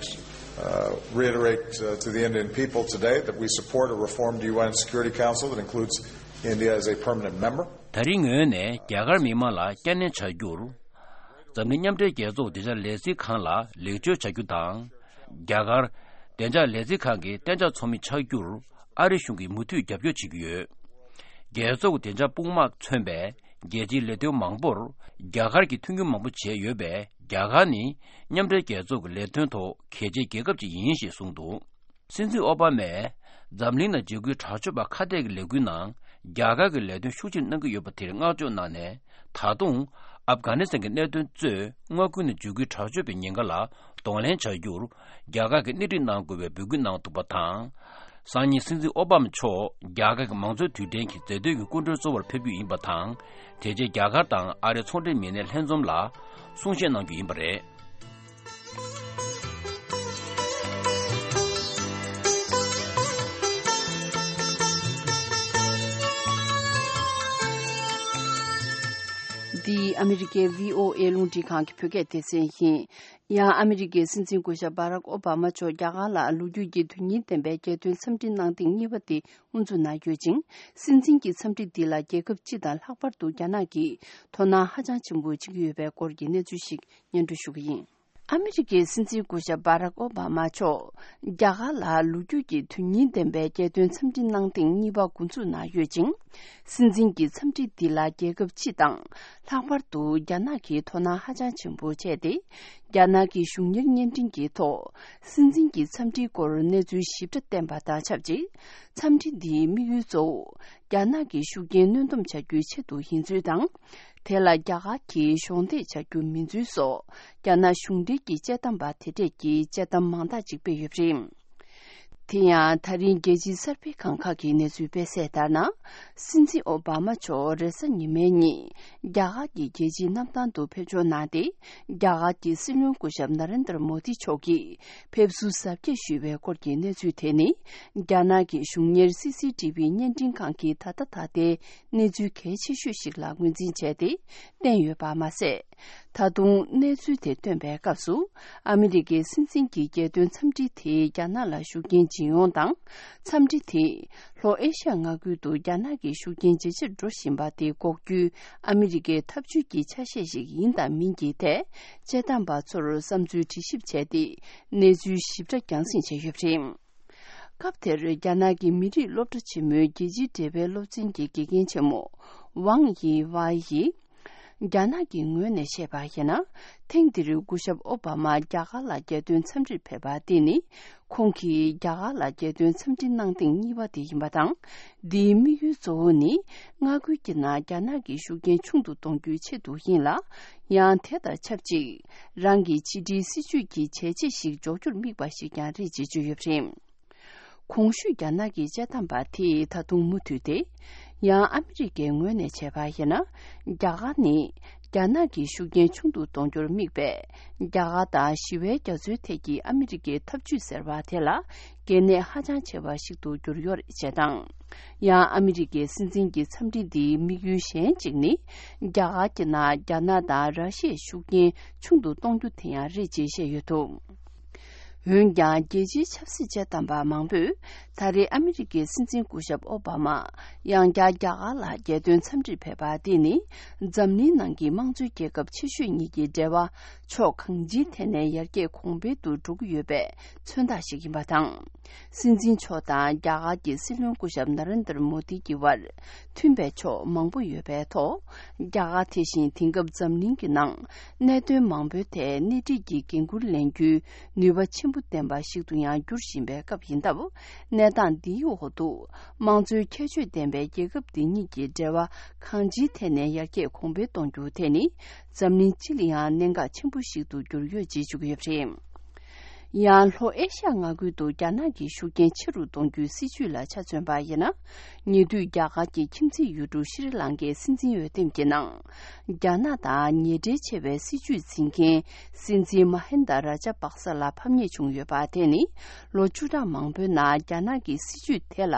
uh, reiterate uh, to the Indian people today that we support a reformed U N Security Council that includes India as a permanent member. ད་རིང་ངོས་ནས་རྒྱ་གར་མི་མང་ལ་བསྐྱར་ནན་བྱ་རྒྱུར། འཛམ་གླིང་མཉམ་འབྲེལ་རྒྱལ་ཚོགས་བདེ་འཇགས་ལས་འཛིན་ཁང་ལ་ལེགས་བཅོས་བྱ་རྒྱུ་དང་། རྒྱ་གར་བདེ་འཇགས་ལས་འཛིན་ཁང་གི་གཏན་འཇགས་ཚོགས་མི་ཆགས་རྒྱུར་ཨ་རི་གཞུང་གིས་མུ་མཐུད་རྒྱབ་སྐྱོར་བྱེད་ཀྱི་ཡོད། རྒྱལ་ཚོགས་ཀྱི་བདེ་འཇགས་དཔུང་དམག་མཚོན་པའི་རྒྱལ་སྤྱིའི་ལས་དོན་མང་པོར་རྒྱ་གར་གྱིས་མཐུན་འགྱུར་མང་པོ་བྱས་ཡོད་པས། རྒྱ་གར་ནི་མཉམ་འབྲེལ་རྒྱལ་ཚོགས་ཀྱི་ལས་དོན་ཐོག་གལ་ཆེའི་རྒྱལ་ཁབ་ཅིག་ཡིན་ཞེས་གསུངས་འདུག། སྲིད་འཛིན་ཨོ་བྷ་མས་འཛམ་གླིང་ནང་འཇིགས་སྐུལ་དྲག་སྤྱོད་པ་ཁ་གཏད་ཀྱི་ལས་འགུལ་ནང་རྒྱ་གར་གྱི་ལས་དོན་ཤུགས་ཆེར་གནང་གི་ཡོད་པ་དེར་བསྔགས་བརྗོད་གནང་ནས། ད་དུང་ཨབ་གྷ་ནི་སི་ཐན་གྱི་གནད་དོན་གཙོས་མངའ་ཁུལ་ནང་འཇིགས་སྐུལ་དྲག་སྤྱོད་པའི་ཉེན་ཁ་ལ་གདོང་ལེན་བྱ་རྒྱུར་རྒྱ་གར་གྱིས་སྣེ་ཁྲིད་གནང་དགོས་པའི་འབོད་སྐུལ་གནང་འདུག་པ་དང་། སང་ཉིན་སྲིད་འཛིན་ཨོ་བྷ་མ་མཆོག་རྒྱ་གར་གྱི་མང་གཙོའི་དུས་དྲན་གྱི་མཛད་དོན་གྱི་སྐུ་མགྲོན་གཙོ་བོར་ཕེབས་རྒྱུ་ཡིན་པ་དང་། དེ་རྗེས་རྒྱ་གར་དང་ཨ་རིའི་ཚོང་འབྲེལ་མི་སྣའི་ལྷན་འཛོམས་ལ་གསུང་བཤད་གནང་རྒྱུ་ཡིན་པ་རེད། འདི་ཨ་མི་རི་ཀའི་བྷི་ཨོ་ཨེ་རླུང་འཕྲིན་ཁང་གི་བོད་སྐད་སྡེ་ཚན་ཡིན། ཡང་ཨ་མི་རི་ཀའི་སྲིད་འཛིན་སྐུ་ཞབས་བྷ་རག་ཨོ་བྷ་མ་མཆོག་རྒྱ་གར་ལ་ལོ་རྒྱུས་ཀྱི་དོན་སྙིང་ལྡན་པའི་རྒྱལ་དོན་འཚམས་འདྲི་གནང་ཐེངས་གཉིས་པ་དེ་དབུ་འཛུགས་གནང་ཡོད་ཅིང་། སྲིད་འཛིན་གྱི་འཚམས་འདྲི་འདི་ལ་རྒྱལ་ཁབ་སྤྱི་དང་ལྷག་པར་དུ་རྒྱ་ནག་གིས་དོ་སྣང་ཧ་ཅང་ཆེན་པོ་བྱེད་ཀྱི་ཡོད་པའི་སྐོར་གྱི་གནས་ཚུལ་ཞིག་སྙན་སྒྲོན་ཞུ་གི་ཡིན། ཨ་མི་རི་ཀའི་སྲིད་འཛིན་སྐུ་ཞབས་བྷ་རག་ཨོ་བྷ་མ་མཆོག་རྒྱ་གར་ལ་ལོ་རྒྱུས་ཀྱི་དོན་སྙིང་ལྡན་པའི་རྒྱལ་དོན་འཚམས་འདྲི་གནང་ཐེངས་གཉིས་པ་འགོ་འཛུགས་གནང་ཡོད་ཅིང་། སྲིད་འཛིན་གྱི་འཚམས་འདྲི་འདི་ལ་རྒྱལ་ཁབ་སྤྱི་དང་ལྷག་པར་དུ་རྒྱ་ནག་གིས་དོ་སྣང་ཧ་ཅང་ཆེན་པོ་བྱས་ཏེ། རྒྱ་ནག་གི་གཞུང་གཉེར་བརྙན་འཕྲིན་གྱི་ཐོག་སྲིད་འཛིན་གྱི་འཚམས་འདྲིའི་སྐོར་གནས་ཚུལ་ཞིབ་ཕྲ་བསྟན་པ་དང་ཆབས་ཅིག་འཚམས་འདྲི་འདིའི་དམིགས་ཡུལ་གཙོ་བོ་རྒྱ་ནག་གི་ཤུགས་རྐྱེན་གནོན་སྡོམ་བྱ་རྒྱུའི་ཆེད་དུ་ཡིན་ཚུལ་དང་། དེ་ལ་རྒྱ་གར་གྱིས་གཞོགས་འདེགས་བྱ་རྒྱུ་མིན་ཚུལ་སོགས། རྒྱ་ནག་གཞུང་འབྲེལ་གྱི་དཔྱད་གཏམ་པ་དེ་འཕྲད་ཀྱིས་དཔྱད་གཏམ་མང་དག་ཅིག་སྤེལ་ཡོད་པ་རེད། དེ་ཡང་ད་རིང་རྒྱལ་སྤྱིའི་གསར་སྤེལ་ཁང་ཁག་གིས་གནས་ཚུལ་སྤེལ་གསལ་ལྟར་ན། སྲིད་འཛིན་ཨོ་བྷ་མ་མཆོག་རེས་གཟའ་ཉི་མའི་ཉིན་རྒྱ་གར་གྱི་རྒྱལ་སྤྱིའི་གནམ་ཐང་དུ་ཕེབས་འབྱོར་གནང་སྟེ། རྒྱ་གར་གྱི་སྲིད་བློན་སྐུ་ཞབས་ན་རེན་དར་མོ་དི་མཆོག་གིས་ཕེབས་བསུ་གཟབ་རྒྱས་ཞུས་པའི་སྐོར་གྱི་གནས་ཚུལ་དེ་ནི། རྒྱ་ནག་གི་གཞུང་གཉེར་སི་སི་ཊི་བི་བརྙན་འཕྲིན་ཁང་གིས་ད་ལྟ་ད་ལྟའི་གནས་ཚུལ་གལ་ཆེ་ཤོས་ཤིག་ལ་ངོས་འཛིན་བྱས་ཏེ་བསྟན་ཡོད་པ་མ་ཟད། ད་དུང་གནས་ཚུལ་དེ་བཏོན་པའི་སྐབས་སུ། ཨ་མི་རི་ཀའི་སྲིད་འཛིན་གྱི་རྒྱལ་དོན་འཚམས་འདྲི་དེ་རྒྱ་ནག་ལ་ཤུགས་རྐྱེན་སྦྱིན་ཡོང་དང་། འཚམས་འདྲི་དེ་ལྷོ་ཨེ་ཤ་ཡ་མངའ་ཁུལ་དུ་རྒྱ་ནག་གི་ཤུགས་རྐྱེན་ཇེ་ཆེར་འགྲོ་བཞིན་པ་དེ་འགོག་རྒྱུའི་ཨ་མི་རི་ཀའི་ཐབས་ཇུས་ཀྱི་ཆ་ཤས་ཤིག་ཡིན་དང་མིན་གྱི་ཐད། དཔྱད་གཏམ་པ་ཚོར་བསམ་ཚུལ་དྲི་ཞིབ་བྱས་ཏེ། གནས་ཚུལ་ཞིབ་ཕྲ་རྒྱང་སྲིང་བྱས་ཡོད་པ་རེད། སྐབས་དེར་རྒྱ་ནག་གི་མི་རིགས་སློབ་གྲྭ་ཆེན་མོའི་རྒྱལ་སྤྱིའི་འབྲེལ་བའི་སློབ་ཚན་གྱི་དགེ་རྒན་ཆེན་མོ་ཝང་ཡི་ཝའེ་ཡིས། རྒྱ་ནག་གི་ངོས་ནས་བཤད་པ་ཡིན་ན། ཐེངས་འདིར་སྐུ་ཞབས་ཨོ་བྷ་མ་རྒྱ་གར་ལ་རྒྱལ་དོན་འཚམས་འདྲིར་ཕེབས་པ་དེ་ནི། ཁོང་གིས་རྒྱ་གར་ལ་རྒྱལ་དོན་འཚམས་འདྲི་གནང་ཐེངས་གཉིས་པ་དེ་ཡིན་པ་དང་། འདིའི་དམིགས་ཡུལ་གཙོ་བོ་ནི། མངའ་ཁུལ་གྱི་ནང་རྒྱ་ནག་གི་ཤུགས་རྐྱེན་ཆུང་དུ་གཏོང་རྒྱུའི་ཆེད་དུ་ཡིན་ལ། ཡང་དེ་དང་ཆབས་ཅིག་རང་གི་ཕྱི་འབྲེལ་སྲིད་ཇུས་ཀྱི་བྱས་རྗེས་ཤིག་འཇོག་རྒྱུར་དམིགས་པ་ཞིག་ཀྱང་རེད་ཅེས་བརྗོད་ཡོད་པ་རེད། གོང་ཞུས་རྒྱ་ནག་གི་དཔྱད་གཏམ་པ་དེས་ད་དུང་མུ་མཐུད་དེ། ཡང་ཨ་མི་རི་ཀའི་ངོས་ནས་བྱས་པ་ཡིན་ན། རྒྱ་གར་ནི་རྒྱ་ནག་གི་ཤུགས་རྐྱེན་ཆུང་དུ་གཏོང་རྒྱུར་དམིགས་པའི་རྒྱ་གར་དང་ཞི་བའི་རྒྱ་མཚོའི་ཐད་ཀྱི་ཨ་མི་རི་ཀའི་ཐབས་ཇུས་ཟེར་བ་དེ་ལ་གལ་གནད་ཧ་ཅང་ཆེ་བ་ཞིག་ཏུ་གྱུར་ཡོད་རེད་ཅེས་དང་། ཡང་ཨ་མི་རི་ཀའི་སྲིད་འཛིན་གྱི་འཚམས་འདྲི་འདིའི་དམིགས་ཡུལ་གཞན་གཅིག་ནི། རྒྱ་གར་གྱི་ནང་རྒྱ་ནག་དང་ར་ཤི་ཡའི་ཤུགས་རྐྱེན་ཆུང་དུ་གཏོང་རྒྱུ་དེ་ཡང་རེད་ཅེས་བཤད་ཡོད་འདུག་འོན་ཀྱང་རྒྱལ་སྤྱིའི་ཆབ་སྲིད་དཔྱད་གཏམ་པ་མང་པོས། ད་རེས་ཨ་མི་རི་ཀའི་སྲིད་འཛིན་སྐུ་ཞབས་ཨོ་བྷ་མ་ཡང་བསྐྱར་རྒྱ་གར་ལ་རྒྱལ་དོན་འཚམས་འདྲིར་ཕེབས་པ་དེ་ནི། འཛམ་གླིང་ནང་གི་དམངས་གཙོའི་རྒྱལ་ཁབ་ཆེ་ཤོས་གཉིས་ཀྱི་འབྲེལ་བ་ཕྱོགས་གང་ཅིའི་ཐད་ནས་ཡར་རྒྱས་གོང་འཕེལ་དུ་འགྲོ་གི་ཡོད་པའི་མཚོན་རྟགས་ཤིག་ཡིན་པ་དང་། སྲིད་འཛིན་མཆོག་དང་རྒྱ་གར་གྱི་སྲིད་བློན་སྐུ་ཞབས་ན་རེན་དར་མོ་དི་གི་བར་མཐུན་པའི་ཕྱོགས་མང་པོ་ཡོད་པའི་ཐོག་རྒྱ་གར་དེ་བཞིན་དེང་སྐབས་འཛམ་གླིང་གི་ནང་གནད་དོན་མང་པོའི་ཐད་སྣེ་ཁྲིད་ཀྱི་འགན་འཁུར་ལེན་རྒྱུའི་ནུས་པ་ཆེན་པོ་ལྡན་པ་ཞིག་ཏུ་ཡང་འགྱུར་བཞིན་པའི་སྐབས་ཡིན་སྟབས། གནས་སྟངས་འདིའི་འོག་ཏུ་དམངས་གཙོའི་ཁྱད་ཆོས་ལྡན་པའི་རྒྱལ་ཁབ་འདི་གཉིས་ཀྱི་འབྲེལ་བ་གང་ཅིའི་ཐད་ནས་ཡར་རྒྱས་གོང་འཕེལ་གཏོང་རྒྱུ་དེ་ནི་འཛམ་གླིང་སྤྱི་ལ་ཡང་གནད་འགག་ཆེན་པོ་ཞིག་ཏུ་གྱུར་ཡོད་ཅེས་བརྗོད་ཀྱི་ཡོད་པ་རེད། ཡང་ལྷོ་ཨེ་ཤ་ཡ་མངའ་ཁུལ་དུ་རྒྱ་ནག་གི་ཤུགས་རྐྱེན་ཆེ་རུ་གཏོང་རྒྱུའི་སྲིད་ཇུས་ལ་ཆ་མཚོན་པ་ཡིན་ན། ཉེ་དུས་རྒྱ་གར་གྱི་ཁྱིམ་མཚེས་ཡུལ་གྲུ་ཤྲི་ལང་ཀའི་སྲིད་འཛིན་འོས་འདེམས་ཀྱི་ནང་། རྒྱ་ནག་དང་ཉེ་འབྲེལ་ཆེ་བའི་སྲིད་ཇུས་འཛིན་མཁན་སྲིད་འཛིན་མ་ཧིན་དཱ་ར་ཇ་པག་ས་ལ་ཕམ་ཉེས་བྱུང་ཡོད་པ་དེ་ནི། ལོ་བཅུ་ཕྲག་མང་པོའི་ནང་རྒྱ་ནག་གི་སྲིད་ཇུས་དེ་ལ་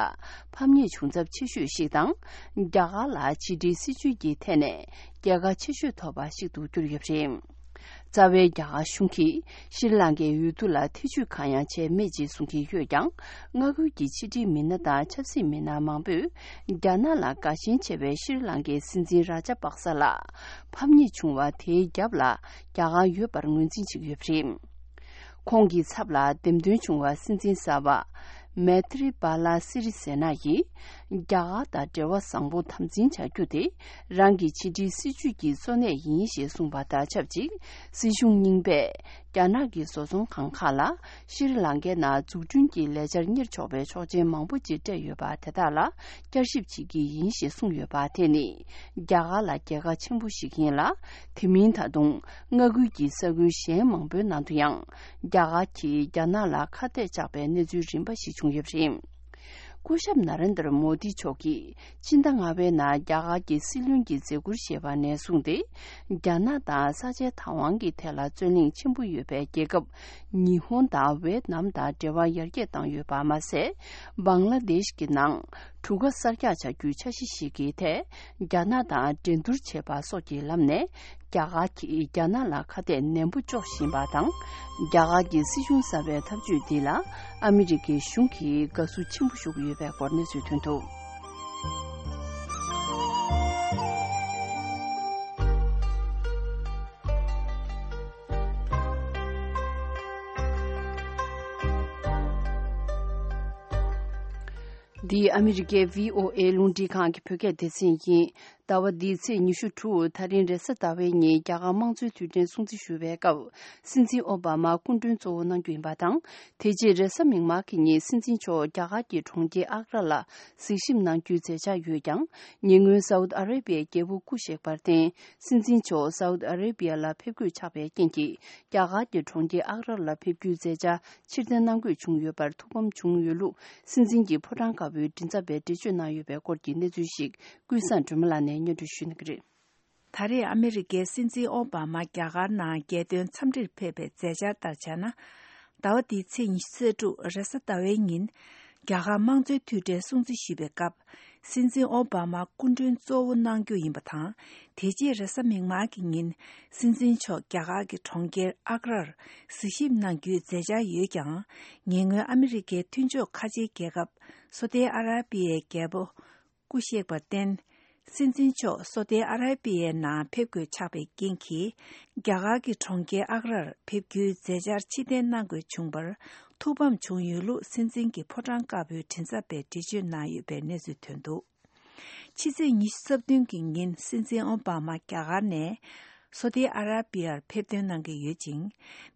ཕམ་ཉེས་བྱུང་ཚབས་ཆེ་ཤོས་ཤིག་དང་། རྒྱ་གར་ལ་ཕྱི་འབྲེལ་སྲིད་ཇུས་ཀྱི་ཐད་ནས་རྒྱལ་ཁ་ཆེ་ཤོས་ཐོབ་པ་ཞིག་ཏུ་གྱུར་ཡོད་པ་རེད། རྩ་བའི་རྒྱ་གར་གཞུང་གིས་ཤྲི་ལང་ཀའི་འོས་བསྡུ་ལ་ཐེ་བྱུས་གང་ཡང་བྱས་མེད་ཅེས་གསུང་གི་ཡོད་ཀྱང་། མངའ་ཁུལ་གྱི་ཕྱི་འབྲེལ་མི་སྣ་དང་ཆབ་སྲིད་མི་སྣ་མང་པོས་རྒྱ་ནག་ལ་དགའ་ཞེན་ཆེ་བའི་ཤྲི་ལང་ཀའི་སྲིད་འཛིན་ར་ཇ་པག་ས་ལ་ཕམ་ཉེས་བྱུང་བ་དེའི་རྒྱབ་ལ་རྒྱ་གར་ཡོད་པར་ངོས་འཛིན་བྱེད་ཀྱི་ཡོད་པ་རེད། ཁོང་གི་ཚབ་ལ་འདེམས་ཐོན་བྱུང་བ་སྲིད་འཛིན་གསར་པ་མེ་ཐི་རི་པཱ་ལ་སི་རི་སེ་ན་ཡིས། རྒྱ་གར་དང་འབྲེལ་བ་བཟང་པོ་དམ་འཛིན་བྱ་རྒྱུ་དེ་རང་གི་ཕྱི་འབྲེལ་སྲིད་ཇུས་ཀྱི་གཙོ་གནད་ཡིན་ཞེས་གསུངས་པ་དང་ཆབས་ཅིག་སྲིད་གཞུང་རྙིང་པས་རྒྱ་ནག་གི་བཟོ་ཚོང་ཁང་ཁག་ལ་ཤྲི་ལང་ཀའི་ནང་འཛུགས་སྐྲུན་གྱི་ལས་འཆར་གཉེར་ཆོག་པའི་ཆོག་མཆན་མང་པོ་ཅིག་སྤྲད་ཡོད་པ་དེ་དག་ལ་བསྐྱར་ཞིབ་བྱེད་ཀྱི་ཡིན་ཞེས་གསུངས་ཡོད་པ་དེ་ནི་རྒྱ་གར་ལ་རྒྱལ་ཁ་ཆེན་པོ་ཞིག་ཡིན་ལ། དེ་མིན་ད་དུང་མངའ་ཁུལ་གྱི་ས་ཁུལ་གཞན་མང་པོའི་ནང་དུ་ཡང་རྒྱ་གར་གྱིས་རྒྱ་ནག་ལ་ཁ་གཏད་བཅག་པའི་གནས་ཚུལ་རིམ་པ་ཞིག་བྱུང་ཡོད་པ་རེད། སྐུ་ཞབས་ན་རེན་དར་མོ་དི་མཆོག་གིས་ཕྱི་ཟླ་ལྔ་པའི་ནང་རྒྱ་གར་གྱི་སྲིད་བློན་གྱི་མཛད་ཁུར་བཞེས་པ་ནས་བཟུང་སྟེ། རྒྱ་ནག་དང་ས་ཆའི་བདག་དབང་གི་ཐད་ལ་རྩོད་གླེང་ཆེན་པོ་ཡོད་པའི་རྒྱལ་ཁབ་ཉི་ཧོང་དང་ཝེ་ཏི་ནམ་དང་འབྲེལ་བ་ཡར་རྒྱས་བཏང་ཡོད་པ་མ་ཟད། བང་ལ་དེཤ་གི་ནང་གྲུ་ཁ་གསར་རྒྱག་བྱ་རྒྱུའི་འཆར་གཞི་ཞིག་གི་ཐད་རྒྱ་ནག་དང་འགྲན་བསྡུར་བྱེད་པ་སོགས་ཀྱི་ལམ་ནས། རྒྱ་གར་གྱིས་རྒྱ་ནག་ལ་ཁ་གཏད་ནན་པོ་གཅོག་བཞིན་པ་དང་། རྒྱ་གར་གྱི་སྲིད་གཞུང་གསར་པའི་ཐབས་ཇུས་འདི་ལ་ཨ་མི་རི་ཀའི་གཞུང་གིས་དགའ་བསུ་ཆེན་པོ་ཞུ་གི་ཡོད་པའི་སྐོར་གནས་ཚུལ་ཐོན་འདུག་འདི་ཨ་མི་རི་ཀའི་བྷི་ཨོ་ཨེ་རླུང་འཕྲིན་ཁང་གི་བོད་སྐད་སྡེ་ཚན་ཡིན། ཟླ་བ་འདིའི་ཚེས་ཉི་ཤུ་དྲུག་ད་རིང་རེས་གཟའ་ཟླ་བའི་ཉིན་རྒྱ་གར་དམངས་གཙོའི་དུས་དྲན་སྲུང་བརྩི་ཞུ་བའི་སྐབས། སྲིད་འཛིན་ཨོ་བྷ་མ་སྐུ་མགྲོན་གཙོ་བོ་གནང་རྒྱུ་ཡིན་པ་དང་། དེ་རྗེས་རེས་གཟའ་མིག་དམར་གྱི་ཉིན་སྲིད་འཛིན་མཆོག་རྒྱ་གར་གྱི་གྲོང་ཁྱེར་ཨག་ར་ལ་གཟིགས་ཞིབ་གནང་རྒྱུའི་མཛད་འཆར་ཡོད་ཀྱང་། ཉེ་སྔོན་སའུ་ཏི་ཨ་རེ་བྷི་ཡའི་རྒྱལ་པོ་སྐུ་གཤེགས་པར་བརྟེན། སྲིད་འཛིན་མཆོག་སའུ་ཏི་ཨ་རེ་བྷི་ཡ་ལ་ཕེབས་དགོས་ཆགས་པའི་རྐྱེན་གྱིས། རྒྱ་གར་གྱི་གྲོང་ཁྱེར་ཨག་ར་ལ་ཕེབས་རྒྱུའི་མཛད་འཆར་ཕྱིར་འཐེན་གནང་དགོས་བྱུང་ཡོད་པར་ཐུགས་ཕམ་བྱུང་ཡོད་ལུགས། སྲིད་འཛིན་གྱི་ཕོ་བྲང་དཀར་པོའི་མགྲིན་ཚབ་པས་འགྲེལ་བརྗོད་གནང་ཡོད་པའི་སྐོར་གྱི་གནས་ཚུལ་ཞིག་ཀུན་བཟང་སྒྲོལ་མ་ལགས་ནས་སྙན་སྒྲོན་ཞུ་གནང་གི་རེད། ད་རེས་ཨ་མི་རི་ཀའི་སྲིད་འཛིན་ཨོ་བྷ་མ་རྒྱ་གར་ནང་རྒྱལ་དོན་འཚམས་འདྲིར་ཕེབས་པའི་མཛད་འཆར་ལྟར་བྱས་ན། ཟླ་བ་འདིའི་ཚེས་ཉི་ཤུ་རྩ་དྲུག་རེས་གཟའ་ཟླ་བའི་ཉིན། རྒྱ་གར་དམངས་གཙོའི་དུས་དྲན་སྲུང་བརྩི་ཞུས་པའི་སྐབས། སྲིད་འཛིན་ཨོ་བྷ་མ་སྐུ་མགྲོན་གཙོ་བོ་གནང་རྒྱུ་ཡིན་པ་དང་། དེ་རྗེས་རེས་གཟའ་མིག་དམར་གྱི་ཉིན། སྲིད་འཛིན་མཆོག་རྒྱ་གར་གྱི་གྲོང་ཁྱེར་ཨག་རར་གཟིགས་ཞིབ་གནང་རྒྱུའི་མཛད་འཆར་ཡོད་ཀྱང་། ཉེ་སྔོན་ཨ་མི་རི་ཀའི་མཐུན་ཕྱོགས་ཁ་ཆེའི་རྒྱལ་ཁབ་སོ་ཏི་ཨ་ར་པི་ཡའི་རྒྱལ་པོ་སྐུ་གཤེགས་པར་བརྟེན། སྲིད་འཛིན་མཆོག་སོ་ཏི་ཨ་ར་པི་ཡའི་ནང་ཕེབས་དགོས་ཆགས་པའི་རྐྱེན་གྱིས། རྒྱ་གར་གྱི་གྲོང་ཁྱེར་ཨག་རར་ཕེབས་རྒྱུའི་མཛད་འཆར་ཕྱིར་འཐེན་གནང་དགོས་བྱུང་བར་ཐུགས་ཕམ་བྱུང་ཡོད་ལུགས་སྲིད་འཛིན་གྱི་ཕོ་བྲང་དཀར་པོའི་མགྲིན་ཚབ་པས་འགྲེལ་བརྗོད་གནང་ཡོད་པའི་གནས་ཚུལ་ཐོན་འདུག་ཕྱི་ཚེས་ཉི་ཤུ་རྩ་བདུན་གྱི་ཉིན་སྲིད་འཛིན་ཨོ་བྷ་མ་རྒྱ་གར་ནས་སོ་ཏི་ཨ་ར་པི་ཡར་ཕེབས་ཐོན་གནང་གི་ཡོད་ཅིང་།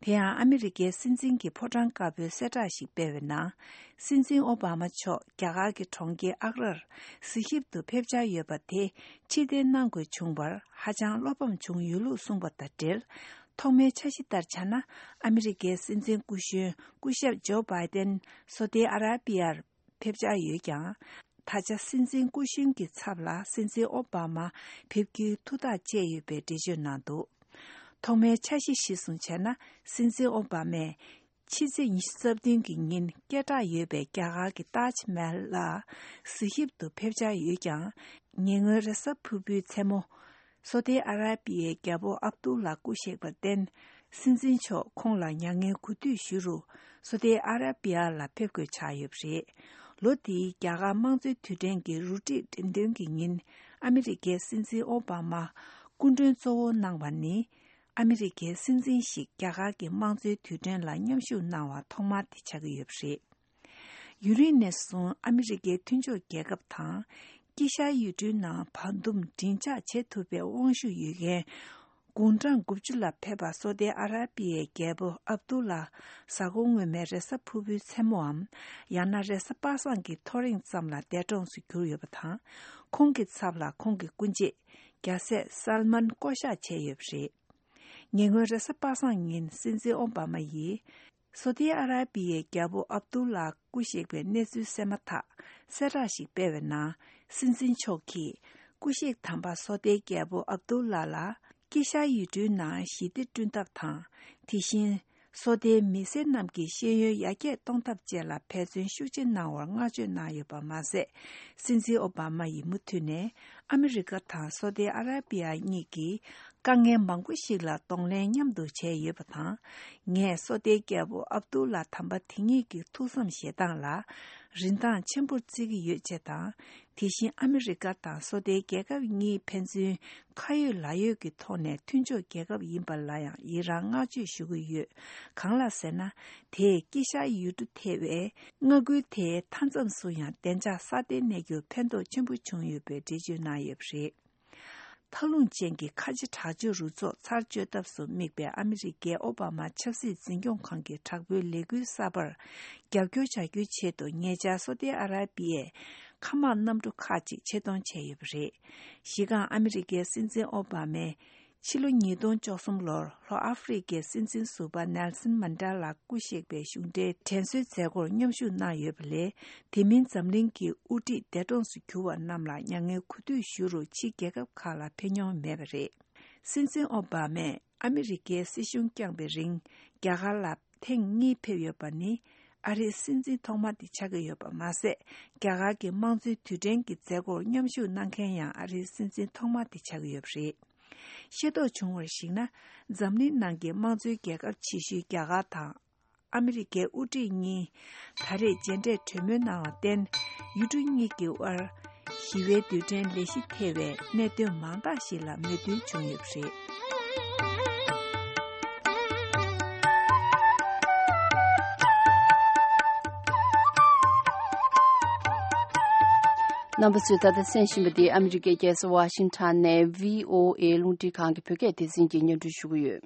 དེ་ཡང་ཨ་མི་རི་ཀའི་སྲིད་འཛིན་གྱི་ཕོ་བྲང་དཀར་པོས་གསལ་བསྒྲགས་ཤིག་སྤེལ་བའི་ནང་། སྲིད་འཛིན་ཨོ་བྷ་མ་མཆོག་རྒྱ་གར་གྱི་གྲོང་ཁྱེར་ཨག་རར་གཟིགས་ཞིབ་ཏུ་ཕེབས་འཆར་ཡོད་པ་དེ་ཕྱིར་འཐེན་གནང་དགོས་བྱུང་བར་ཧ་ཅང་བློ་ཕམ་བྱུང་ཡོད་ལུགས་གསུངས་པ་དང་འབྲེལ། ཐོག་མའི་འཆར་གཞི་ལྟར་བྱས་ན། ཨ་མི་རི་ཀའི་སྲིད་འཛིན་སྐུ་གཞོན་སྐུ་ཞབས་ཇོ་བྷའི་ཏན་སོ་ཏི་ཨ་ར་པི་ཡར་ཕེབས་འཆར་ཡོད་ཀྱང་། ད་ཆ་སྲིད་འཛིན་སྐུ་གཞོན་གྱི་ཚབ་ལ་སྲིད་འཛིན་ཨོ་བྷ་མ་ཕེབས་རྒྱུའི་ཐུགས་ཐག་བཅད་ཡོད་པའི་འགྲེལ་བརྗོད་གནང་འདུག་ཐོག་མའི་འཆར་གཞི་གཞིར་བཟུང་བྱས་ན། སྲིད་འཛིན་ཨོ་བྷ་མས་ཕྱི་ཚེས་ཉི་ཤུ་རྩ་བདུན་གྱི་ཉིན་སྐད་གྲགས་ཡོད་པའི་རྒྱ་གར་གྱི་ཏཱཇ་མ་ཧལ་ལ་གཟིགས་ཞིབ་ཏུ་ཕེབས་འཆར་ཡོད་ཀྱང་། ཉེ་སྔོན་རེས་གཟའ་ཕུར་བུའི་མཚན་མོ། སོ་ཏི་ཨ་ར་པི་ཡའི་རྒྱལ་པོ་ཨབ་ཏུ་ལ་སྐུ་གཤེགས་པར་བརྟེན། སྲིད་འཛིན་མཆོག་ཁོང་ལ་མྱ་ངན་གུས་འདུད་ཞུ་རུ། སོ་ཏི་ཨ་ར་པི་ཡ་ལ་ཕེབས་དགོས་ཆགས་ཡོད་པ་རེད། ལོ་འདིའི་རྒྱ་གར་དམངས་གཙོའི་དུས་དྲན་གྱི་རུ་སྒྲིག་འགྲེམས་སྟོན་གྱི་ཉིན། ཨ་མི་རི་ཀའི་སྲིད་འཛིན་ཨོ་བྷ་མ་སྐུ་མགྲོན་གཙོ་བོ་གནང་བ་ནི། ཨ་མི་རི་ཀའི་སྲིད་འཛིན་ཞིག་རྒྱ་གར་གྱི་དམངས་གཙོའི་དུས་དྲན་ལ་མཉམ་ཞུགས་གནང་བ་ཐོག་མ་དེ་ཆགས་ཀྱི་ཡོད་པ་རེད། ཡུན་རིང་ནས་བཟུང་ཨ་མི་རི་ཀའི་མཐུན་ཕྱོགས་རྒྱལ་ཁབ་དང་། དཀྱིལ་ཤར་ཡུལ་གྲུའི་ནང་བར་འདུམ་མགྲིན་ཆགས་བྱེད་ཐུབ་པའི་དབང་ཤུགས་ཡོད་མཁན། དགུང་གྲངས་དགུ་བཅུ་ལ་ཕེབས་པ་སོ་ཏི་ཨ་ར་པི་ཡའི་རྒྱལ་པོ་ཨབ་ཏུ་ལ་གཟའ་འཁོར་སྔོན་མའི་རེས་གཟའ་ཕུར་བུའི་མཚན་མོའམ། ཡང་ན་རེས་གཟའ་པ་སངས་ཀྱི་ཐོ་རེངས་ཙམ་ལ་འདས་གྲོངས་སུ་གྱུར་ཡོད་པ་དང་། ཁོང་གི་ཚབ་ལ་ཁོང་གི་སྐུ་མཆེད། རྒྱལ་སྲས་སལ་མན་བསྐོ་གཞག་བྱས་ཡོད་པ་རེད། ཉེ་སྔོན་རེས་གཟའ་པ་སངས་ཉིན་སྲིད་འཛིན་ཨོ་བྷ་མ་ཡིས། སོ་ཏི་ཨ་ར་པི་ཡའི་རྒྱལ་པོ་ཨབ་ཏུ་ལ་སྐུ་གཤེགས་པའི་གནས་ཚུལ་གསན་མ་ཐག་གསལ་བསྒྲགས་ཤིག་སྤེལ་བའི་ནང་། སྲིད་འཛིན་མཆོག་གིས། སྐུ་གཤེགས་དམ་པ་སོ་ཏའི་རྒྱལ་པོ་ཨབ་ཏུ་ལ་ལ། དཀྱིལ་ཤར་ཡུལ་གྲུའི་ནང་ཞི་བདེ་བསྐྲུན་ཐབས་དང་། དེ་བཞིན། སོ་ཏའི་མི་སེར་རྣམས་ཀྱི་ཤེས་ཡོན་ཡར་རྒྱས་གཏོང་ཐབས་བཅས་ལ་འབད་བརྩོན་ཤུགས་ཆེ་གནང་བར་བསྔགས་བརྗོད་གནང་ཡོད་པ་མ་ཟད། སྲིད་འཛིན་ཨོ་བྷ་མ་ཡིས་མུ་མཐུད་ནས། ཨ་མི་རི་ཀ་དང་སོ་ཏི་ཨ་ར་པི་ཡ་གཉིས་ཀྱིས། དཀའ་ངལ་མང་པོ་ཞིག་ལ་གདོང་ལེན་མཉམ་དུ་བྱས་ཡོད་པ་དང་། ངས་སོ་ཏའི་རྒྱལ་པོ་ཨབ་ཏུ་ལ་དམ་པ་དེ་ཉིད་ཀྱི་ཐུགས་བསམ་བཞེས་སྟངས་ལ་རིན་ཐང་ཆེན་པོར་བརྩི་གི་ཡོད་ཅེས་དང་། དེ་བཞིན་ཨ་མི་རི་ཀ་དང་སོ་ཏའི་རྒྱལ་ཁབ་གཉིས་ཕན་ཚུན་ཁ་ཡོད་ལག་ཡོད་ཀྱི་ཐོག་ནས་མཐུན་ཕྱོགས་རྒྱལ་ཁབ་ཡིན་པ་ལ་ཡང་ཡི་རང་བསྔགས་བརྗོད་ཞུ་གི་ཡོད། གང་ལགས་ཟེར་ན། དེས་དཀྱིལ་ཤར་ཡུལ་གྲུ་ཐེ་བའི་མངའ་ཁུལ་དེའི་མཐའ་མཚམས་སུ་ཡང་བདེ་འཇགས་སྲ་བརྟན་གནས་རྒྱུར་ཕན་ཐོགས་ཆེན་པོ་བྱུང་ཡོད་པའི་འགྲེལ་བརྗོད་གནང་ཡོད་པ་རེད། མཐའ་ལྷུང་ཅན་གྱི་ཁ་ཆེ་དྲག་སྤྱོད་རུ་ཚོགས་ཚར་གཅོད་ཐབས་སུ་དམིགས་པའི་ཨ་མི་རི་ཀའི་ཨོ་བྷ་མ་ཆབ་སྲིད་འཛིན་སྐྱོང་ཁང་གི་དྲག་པོའི་ལས་འགུལ་གསར་པར་རྒྱབ་སྐྱོར་བྱ་རྒྱུའི་ཆེད་དུ་ཉེ་ཆར་སོ་ཏི་ཨ་ར་པི་ཡས་མཁའ་དམག་གནམ་གྲུ་ཁག་ཅིག་ཆེད་གཏོང་བྱས་ཡོད་པ་རེད། གཞི་རྐང་ཨ་མི་རི་ཀའི་སྲིད་འཛིན་ཨོ་བྷ་མས་ཕྱི་ལོ་ཉིས་སྟོང་བཅུ་གསུམ་ལོར་ལྷོ་ཨ་ཧྥེ་རི་ཀའི་སྲིད་འཛིན་ཟུར་པ་ནེལ་སན་མན་ཌེ་ལ་སྐུ་གཤེགས་པའི་གཞུང་འབྲེལ་དྲན་གསོའི་མཛད་སྒོར་མཉམ་ཞུགས་གནང་ཡོད་པ་ལས། དེ་མིན་འཛམ་གླིང་གི་དབུ་ཁྲིད་འདས་གྲོངས་སུ་གྱུར་བ་རྣམས་ལ་མྱ་ངན་གུས་འདུད་ཞུ་རུ་ཕྱིའི་རྒྱལ་ཁབ་ཁག་ལ་ཕེབས་མྱོང་མེད་པ་རེད། སྲིད་འཛིན་ཨོ་བྷ་མས་ཨ་མི་རི་ཀའི་སྲིད་གཞུང་བསྐྱངས་པའི་རིང་རྒྱ་གར་ལ་ཐེངས་གཉིས་ཕེབས་ཡོད་པ་ནི་ཨ་རིའི་སྲིད་འཛིན་ཐོག་མ་དེ་ཆགས་ཀྱི་ཡོད་པ་མ་ཟད། རྒྱ་གར་གྱི་དམངས་གཙོའི་དུས་དྲན་གྱི་མཛད་སྒོར་མཉམ་ཞུགས་གནང་མཁན་ཡང་ཨ་རིའི་སྲིད་འཛིན་ཐོག་མ་དེ་ཆགས་ཀྱི་ཡོད་པ་རེད། ཤེས་རྟོགས་བྱུང་བར་གཞིགས་ན། འཛམ་གླིང་ནང་གི་དམངས་གཙོའི་རྒྱལ་ཁབ་ཆེ་ཤོས་རྒྱ་གར་དང་། ཨ་མི་རི་ཀའི་དབུ་ཁྲིད་གཉིས་ད་རེས་མཇལ་འཕྲད་གྲོས་མོལ་གནང་བར་བརྟེན། ཡུལ་གྲུ་གཉིས་ཀྱི་དབར་ཞི་བའི་རྡུལ་ཕྲན་ལས་གཞི་ཐེ་བའི་གནད་དོན་མང་དག་ཞིག་ལ་མོས་མཐུན་བྱུང་ཡོད་པ་རེད། རྣམ་པ་ཚོས་ད་ལྟ་གསན་བཞིན་པ་འདི་ཨ་མི་རི་ཀའི་རྒྱལ་ས་ཝ་ཤིང་ཊོན་ནས་བྷི་ཨོ་ཨེ་རླུང་འཕྲིན་ཁང་གི་བོད་སྐད་སྡེ་ཚན་གྱིས་སྙན་སྒྲོན་ཞུ་གི་ཡོད།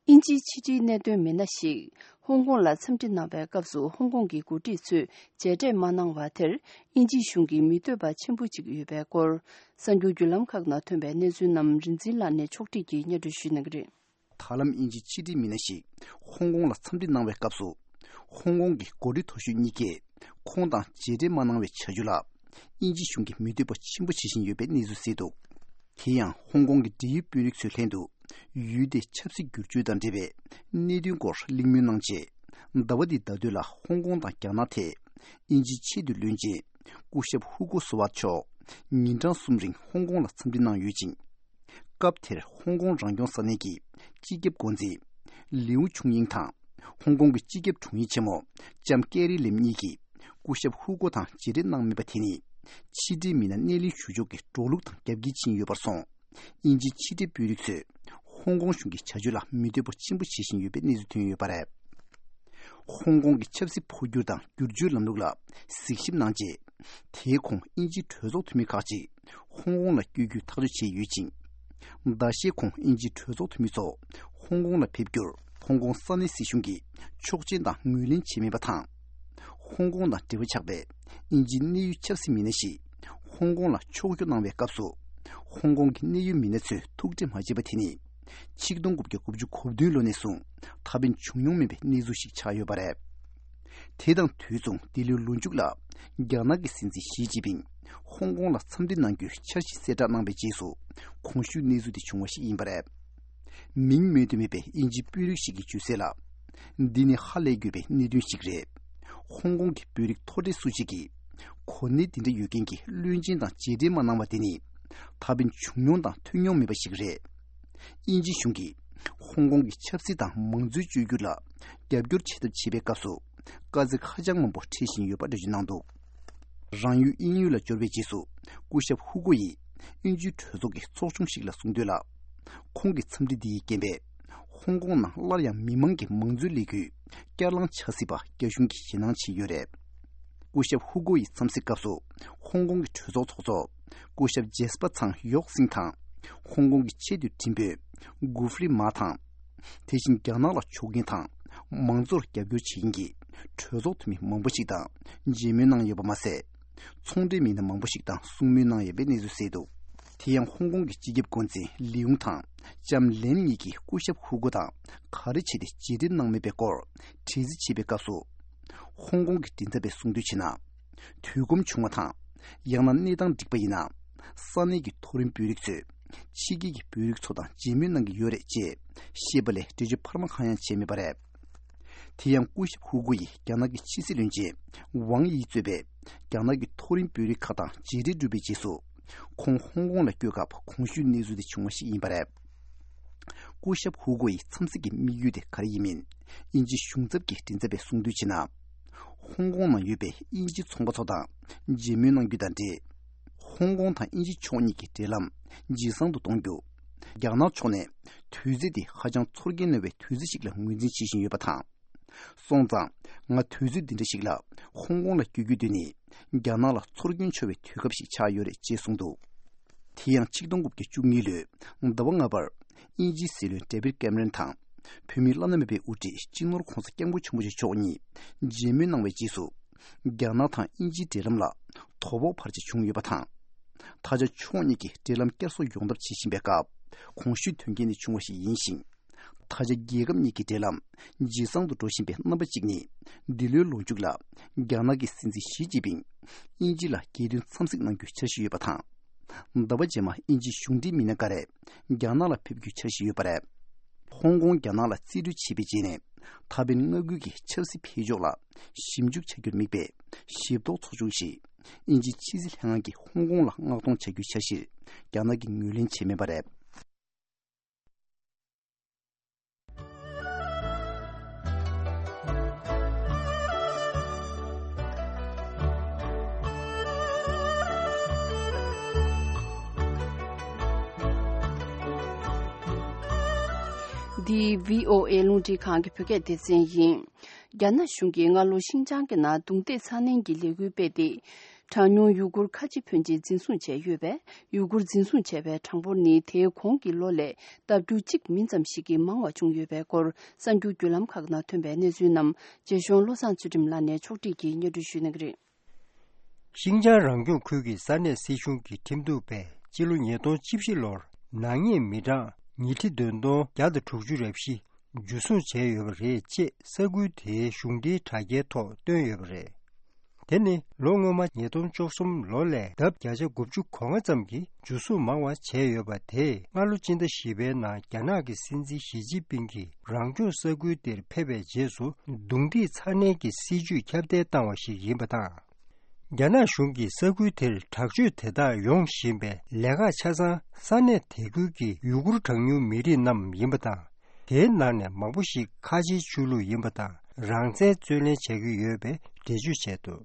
དབྱིན་ཇིའི་ཕྱི་དྲིལ་གནད་དོན་མི་སྣ་ཞིག་ཧོང་ཀོང་ལ་འཚམས་འདྲི་གནང་བའི་སྐབས་སུ། ཧོང་ཀོང་གི་འགོ་ཁྲིད་ཚོས་མཇལ་འཕྲད་མ་གནང་བ་དེར་དབྱིན་ཇིའི་གཞུང་གིས་མི་འདོད་པ་ཆེན་པོ་ཅིག་ཡོད་པའི་སྐོར། གསར་འགྱུར་བརྒྱུད་ལམ་ཁག་ནང་ཐོན་པའི་གནས་ཚུལ་རྣམས་རིག་འཛིན་ལགས་ནས་ཕྱོགས་སྒྲིག་གིས་སྙན་སྒྲོན་ཞུ་གནང་གི་རེད། ད་ལམ་དབྱིན་ཇིའི་ཕྱི་དྲིལ་མི་སྣ་ཞིག་ཧོང་ཀོང་ལ་འཚམས་འདྲི་གནང་བའི་སྐབས་སུ། ཧོང་ཀོང་གི་འགོ་ཁྲིད་མཐོ་ཤོས་གཉིས་ཀས་ཁོང་དང་མཇལ་འཕྲད་མ་གནང་བའི་བྱ་སྤྱོད་ལ། དབྱིན་ཇི་གཞུང་གིས་མི་འདོད་པ་ཆེན་པོ་བྱེད་བཞིན་ཡོད་པའི་གནས་ཚུལ་གསལ་འདུག་དེ་ཡང་ཧོང་ཀོང་གི་འབྲེལ་ཡོད་དཔོན་རིགས་ཚོའི་ལྷན་དུ། ཡུལ་དེའི་ཆབ་སྲིད་འགྱུར་བཅོས་དང་འབྲེལ་བའི་གནད་དོན་སྐོར་གླེང་མོལ་གནང་རྗེས། ཟླ་བ་འདིའི་ཟླ་སྟོད་ལ་ཧོང་ཀོང་དང་རྒྱ་ནག་ཐད། དབྱིན་ཇིའི་ཆེས་མཐོའི་བློན་ཆེན། སྐུ་ཞབས་ཧུ་ཀོ་སུ་ཝཱད་མཆོག་ཉིན་གྲངས་གསུམ་རིང་ཧོང་ཀོང་ལ་འཚམས་འདྲི་གནང་ཡོད་ཅིང་། སྐབས་དེར་ཧོང་ཀོང་རང་སྐྱོང་ས་གནས་ཀྱི་སྤྱི་ཁྱབ་འགོ་འཛིན། ལིའུ་ཆུང་དབྱིང་དང་། ཧོང་ཀོང་གི་སྤྱི་ཁྱབ་དྲུང་ཡིག་ཆེན་མོ་ལྕམ་ཀེ་རི་ལེམ་གཉིས་ཀྱིས་སྐུ་ཞབས་ཧུ་ཀོ་དང་མཇལ་འཕྲད་གནང་མེད་པ་དེ་ནི། ཕྱི་འབྲེལ་མི་སྣ་སྣེ་ལེན་ཞུ་ཕྱོགས་ཀྱི་འགྲོ་ལུགས་དང་རྒྱབ་འགལ་ཕྱིན་ཡོད་པར་སོང་། དབྱིན་ཇིའི་ཕྱི་འབྲེལ་དཔོན་རིགས་ཚོས་ཧོང་ཀོང་གཞུང་གི་བྱ་སྤྱོད་ལ་མི་འདོད་པ་ཆེན་པོ་བྱེད་བཞིན་ཡོད་པའི་གནས་ཚུལ་ཐོན་ཡོད་པ་རེད། ཧོང་ཀོང་གི་ཆབ་སྲིད་འཕོ་འགྱུར་དང་བསྒྱུར་བཅོས་ལམ་ལུགས་ལ་གཟིགས་ཞིབ་གནང་རྗེས། དེའི་གོང་དབྱིན་ཇིའི་གྲོས་ཚོགས་འཐུས་མི་ཁག་ཅིག་ཧོང་ཀོང་ལ་བསྐྱོད་རྒྱུའི་ཐག་གཅོད་བྱས་ཡོད་ཅིང་། ཟླ་ཤས་གོང་དབྱིན་ཇིའི་གྲོས་ཚོགས་འཐུས་མི་ཚོ་ཧོང་ཀོང་ལ་ཕེབས་རྒྱུར་ཧོང་ཀོང་ས་གནས་སྲིད་གཞུང་གིས་ཆོག་མཆན་དང་ངོས་ལེན་བྱས་མེད་པ་དང་། ཧོང་ཀོང་དང་འབྲེལ་བ་ཆགས་པའི་དབྱིན་ཇིའི་གནད་ཡོད་ཆབ་སྲིད་མི་སྣ་ཞིག་ཧོང་ཀོང་ལ་ཕྱོགས་བསྐྱོད་གནང་བའི་སྐབས་སུ། ཧོང་ཀོང་གི་གནད་ཡོད་མི་སྣ་ཚོས་ཐུག་འཕྲད་མ་བྱས་པ་དེ་ནི། ཆིག་སྟོང་དགུ་བརྒྱ་དགུ་བཅུ་གོ་བདུན་ལོ་ནས་བཟུང་ད་ཕན་བྱུང་མྱོང་མེད་པའི་གནས་ཚུལ་ཞིག་ཆགས་ཡོད་པ་རེད། དེ་དང་དུས་མཚུངས་འདི་ལོའི་ལོ་མཇུག་ལ། རྒྱ་ནག་གི་སྲིད་འཛིན་ཞི་ཅིན་ཕིང་ཧོང་ཀོང་ལ་འཚམས་འདྲི་གནང་རྒྱུའི་འཆར་གཞི་གསལ་བསྒྲགས་གནང་བའི་རྗེས་སུ། གོང་ཞུས་གནས་ཚུལ་དེ་བྱུང་བ་ཞིག་ཡིན་པ་རེད། མིང་སྨོས་དོན་མེད་པའི་དབྱིན་ཇིའི་དཔོན་རིགས་ཤིག་གིས་བརྗོད་གསལ་ལ། འདི་ནི་ཧ་ལས་དགོས་པའི་གནད་དོན་ཞིག་རེད། ཧོང་ཀོང་གི་དཔོན་རིགས་མཐོ་གྲས་སུ་གཅིག་གིས། གོ་གནས་འདི་འདྲ་ཡོད་མཁན་གྱི་བློན་ཆེན་དང་མཇལ་འཕྲད་མ་གནང་བ་དེ་ནི། ད་ཕན་བྱུང་མྱོང་དང་ཐོས་མྱོང་མེད་པ་ཞིག་རེད། དབྱིན་ཇི་གཞུང་གིས་ཧོང་ཀོང་གི་ཆབ་སྲིད་དང་མང་གཙོའི་བཅོས་བསྒྱུར་ལ་རྒྱབ་སྐྱོར་བྱེད་ཐབས་བྱེད་པའི་སྐབས་སུ། དཀའ་ཚེགས་ཧ་ཅང་མང་པོ་འཕྲད་བཞིན་ཡོད་པ་འགྲེལ་བརྗོད་གནང་འདུག་རང་ཡུལ་དབྱིན་ཡུལ་ལ་འབྱོར་བའི་རྗེས་སུ། སྐུ་ཞབས་ཧུ་ཀོ་ཡིས་དབྱིན་ཇིའི་གྲོས་ཚོགས་ཀྱི་ཚོགས་ཆུང་ཞིག་ལ་གསུངས་དོན་ལ། ཁོང་གི་འཚམས་འདྲི་འདི་ཡིས་རྐྱེན་པས། ཧོང་ཀོང་ནང་སླར་ཡང་མི་མང་གི་མང་གཙོའི་ལས་འགུལ་བསྐྱར་ལངས་བྱ་སྲིད་པ་རྒྱ་གཞུང་གིས་ཞེད་སྣང་བྱས་ཡོད་རེད། སྐུ་ཞབས་ཧུ་ཀོ་ཡི་འཚམས་གཟིགས་སྐབས་སུ་ཧོང་ཀོང་གི་གྲོས་ཚོགས་ཚོགས་གཙོ་སྐུ་ཞབས་ཇེས་པ་ཚང་ཡོག་སིང་དང་། ཧོང་ཀོང་གི་ཆེས་མཐོའི་ཁྲིམས་དཔོན་གུ་ཧྥི་རི་མ་དང་། དེ་བཞིན་རྒྱ་ནག་ལ་ཕྱོགས་འགལ་དང་མང་གཙོར་རྒྱབ་སྐྱོར་བྱེད་མཁན་གྱི་གྲོས་ཚོགས་འཐུས་མི་མང་པོ་ཞིག་དང་མཇལ་མོལ་གནང་ཡོད་པ་མ་ཟད། ཚོང་འབྲེལ་མི་སྣ་མང་པོ་ཞིག་དང་གསུང་མོལ་གནང་ཡོད་པའི་གནས་ཚུལ་གསལ་འདུག་དེ་ཡང་ཧོང་ཀོང་གི་སྤྱི་ཁྱབ་འགོ་འཛིན་ལི་ཡུང་དང་ལྕམ་ལེམ་གཉིས་ཀྱིས་སྐུ་ཞབས་ཧུ་ཀོ་དང་ག་རེ་བྱས་ཏེ་མཇལ་འཕྲད་གནང་མེད་པའི་སྐོར་དྲི་རྩད་བྱས་པའི་སྐབས་སུ། ཧོང་ཀོང་གི་མགྲིན་ཚབ་པས་གསུངས་དོན་བྱས་ན། དུས་ཁོམ་བྱུང་བ་དང་། ཡང་ན་གནས་སྟངས་འགྲིག་པ་ཡིན་ན། ས་གནས་ཀྱི་མཐོ་རིམ་དཔོན་རིགས་ཚོས་ཕྱི་རྒྱལ་གྱི་དཔོན་རིགས་ཚོ་དང་མཇལ་མོལ་གནང་གི་ཡོད་རེད་ཅེས་བཤད་པ་ལས་འགྲེལ་བརྗོད་འཕར་མ་གང་ཡང་བྱས་མེད་པ་རེད། དེ་ཡང་སྐུ་ཞབས་ཧུ་གོ་ཡིས་རྒྱ་ནག་གི་ཕྱི་སྲིད་བློན་ཆེན་ཝང་དབྱི་གཙོས་པའི་རྒྱ་ནག་གི་མཐོ་རིམ་དཔོན་རིགས་ཁག་དང་མཇལ་འཕྲད་གྲུབ་པའི་རྗེས་སུ། ཁོང་ཧོང་ཀོང་ལ་བསྐྱོད་སྐབས་གོང་ཞུས་གནས་ཚུལ་དེ་བྱུང་བ་ཞིག་ཡིན་པ་རེད། སྐུ་ཞབས་ཧུ་གོ་ཡི་འཚམས་གཟིགས་ཀྱི་དམིགས་ཡུལ་དེ་ག་རེ་ཡིན་མིན། དབྱིན་ཇིའི་གཞུང་ཚབ་ཀྱི་མགྲིན་ཚབ་པས་གསུངས་དོན་བྱས་ན། ཧོང་ཀོང་ནང་ཡོད་པའི་དབྱིན་ཇིའི་ཚོང་པ་ཚོ་དང་མཇལ་མོལ་གནང་རྒྱུ་དང་འབྲེལ། ཧོང་ཀོང་དང་དབྱིན་ཇི་ཕྱོགས་གཉིས་ཀྱི་འབྲེལ་ལམ་ཇེ་བཟང་དུ་གཏོང་རྒྱུ། རྒྱ་ནག་ཕྱོགས་ནས་དུས་ཚོད་དེ་ཧ་ཅང་ཚོར་སྐྱེན་སྣང་བའི་དུས་ཚོད་ཞིག་ལ་ངོས་འཛིན་བྱེད་བཞིན་ཡོད་པ་དང་། སོང་ཙང་། ང་དུས་ཚོད་འདི་འདྲ་ཞིག་ལ་ཧོང་ཀོང་ལ་བསྐྱོད་རྒྱུ་དེ་ནི་རྒྱ་ནག་ལ་ཚོར་སྐྱེན་ཤོར་བའི་དུས་སྐབས་ཤིག་ཆགས་ཡོད་རེད་ཅེས་གསུངས་འདུག་དེ་ཡང་ཆིག་སྟོང་དགུ་བརྒྱ་བཅུ་གཉིས་ལོའི་ཟླ་བ་ལྔ་པར་དབྱིན་ཇིའི་སྲིད་བློན་ཌེ་བིད་ཀེམ་རན་དང་། བོད་མིའི་བླ་ན་མེད་པའི་དབུ་ཁྲིད་སྤྱི་ནོར་༧གོང་ས་༧སྐྱབས་མགོན་ཆེན་པོ་མཆོག་གཉིས་མཇལ་མོལ་གནང་བའི་རྗེས་སུ། རྒྱ་ནག་དང་དབྱིན་ཇིའི་འབྲེལ་ལམ་ལ་དོ་ཕོག་བར་ཆད་བྱུང་ཡོད་པ་དང་། ད་ཆ་ཕྱོགས་གཉིས་ཀྱིས་འབྲེལ་ལམ་བསྐྱར་གསོ་ཡོང་ཐབས་བྱེད་བཞིན་པའི་སྐབས། གོང་ཞུས་དོན་རྐྱེན་ནི་བྱུང་བ་ཞིག་ཡིན་ཞིང་། ད་ཆ་རྒྱལ་ཁབ་གཉིས་ཀྱི་འབྲེལ་ལམ་ཇེ་བཟང་དུ་འགྲོ་བཞིན་པའི་རྣམ་པ་གཅིག་ནི། འདི་ལོའི་ལོ་མཇུག་ལ་རྒྱ་ནག་གི་སྲིད་འཛིན་ཞི་ཅིན་ཕིང་དབྱིན་ཇི་ལ་རྒྱལ་དོན་འཚམས་གཟིགས་གནང་རྒྱུའི་འཆར་གཞི་ཡོད་པ་དང་། ཟླ་བ་རྗེས་མ་དབྱིན་ཇིའི་གཞུང་འབྲེལ་མི་སྣ་འགའ་རེ་རྒྱ་ནག་ལ་ཕེབས་རྒྱུའི་འཆར་གཞི་ཡོད་པ་རེད། ཧོང་ཀོང་རྒྱ་ནག་ལ་རྩིས་སྤྲོད་བྱས་པའི་རྗེས་ནས། ད་ཕན་མངའ་ཁུལ་གྱི་ཆབ་སྲིད་འཕེལ་ཕྱོགས་ལ་ཞིབ་འཇུག་བྱ་རྒྱུར་དམིགས་པའི་ཞིབ་རྟོག་ཚོགས་ཆུང་ཞིག་དབྱིན་ཇིའི་ཕྱི་སྲིད་ལྷན་ཁང་གིས་ཧོང་ཀོང་ལ་མངགས་གཏོང་བྱ་རྒྱུའི་འཆར་གཞིར་རྒྱ་ནག་གིས་ངོས་ལེན་བྱས་མེད་པ་རེད། འདི་བྷི་ཨོ་ཨེ་རླུང་འཕྲིན་ཁང་གི་བོད་སྐད་སྡེ་ཚན་ཡིན། རྒྱ་ནག་གཞུང་གིས་སྔ་ལོ་ཤིན་ཅང་གི་ནང་རྡུང་རྡེག་ཚ་ནན་གྱི་ལས་འགུལ་སྤེལ་ཏེ། གྲངས་ཉུང་ཡུ་གུར་ཁ་ཆེ་ཕོན་ཆེ་འཛིན་བཟུང་བྱས་ཡོད་པས། ཡུ་གུར་འཛིན་བཟུང་བྱས་པའི་གྲངས་འབོར་ནི་དེའི་གོང་གི་ལོ་ལས་ལྡབ་འགྱུར་གཅིག་མིན་ཙམ་ཞིག་གིས་མང་བ་བྱུང་ཡོད་པའི་སྐོར་གསར་འགྱུར་བརྒྱུད་ལམ་ཁག་ནང་ཐོན་པའི་གནས་ཚུལ་རྣམས་རྒྱལ་གཞུང་བློ་བཟང་ཚུལ་ཁྲིམས་ལགས་ནས་ཕྱོགས་སྒྲིག་གིས་སྙན་སྒྲོན་ཞུ་གནང་གི་རེད། ཤིང་ཅང་རང་སྐྱོང་ཁུལ་གྱི་ས་གནས་སྲིད་གཞུང་གི་ཁྲིམས་གཏུག་པས་སྤྱི་ལོ་ཉིས་སྟོང་བཅུ་བཞི་ལོར་ནག་ཉེས་མི་གྲངས་ཉིས་ཁྲི་བདུན་སྟོང་བརྒྱ་དང་དྲུག་ཅུ་རེ་བཞི་འཇུ་བཟུང་བྱས་ཡོད་པ་རེད་ཅེས་ས་ཁུལ་དེའི་གཞུང་འབྲེལ་དྲ་རྒྱའི་ཐོག་བཏོན་ཡོད་པ་རེད། དེ་ནི་ལོ་སྔོན་མ་ཉིས་སྟོང་བཅུ་གསུམ་ལོ་ལས་ལྡབ་བརྒྱ་ཆ་དགུ་བཅུ་གོ་ལྔ་ཙམ་གྱིས་འཇུ་བཟུང་མང་བ་བྱས་ཡོད་པ་དེས་སྔ་ལོ་སྤྱི་ཟླ་བཞི་པའི་ནང་རྒྱ་ནག་གི་སྲིད་འཛིན་ཞི་ཅིན་ཕིང་གིས་རང་སྐྱོང་ས་ཁུལ་དེར་ཕེབས་པའི་རྗེས་སུ་རྡུང་རྡེག་ཚ་ནན་གྱི་སྲིད་ཇུས་ཁྱབ་གདལ་བཏང་བ་ཞིག་ཡིན་པ་དང་། རྒྱ་ནག་གཞུང་གིས་ས་ཁུལ་དེར་དྲག་སྤྱོད་དེ་དག་ཡོང་བཞིན་པའི་ལས་ཀ་ཆ་ཚང་ས་གནས་དེ་ཁུལ་གྱི་ཡུ་གུར་གྲངས་ཉུང་མི་རིགས་རྣམས་ཡིན་པ་དང་། དེའི་ནང་ནས་མང་པོ་ཞིག་ཁ་ཆེའི་ཆོས་ལུགས་ཡིན་པ་དང་རང་བཙན་རྩོད་ལེན་བྱ་གི་ཡོད་པའི་འགྲེལ་བརྗོད་བྱས་འདུག་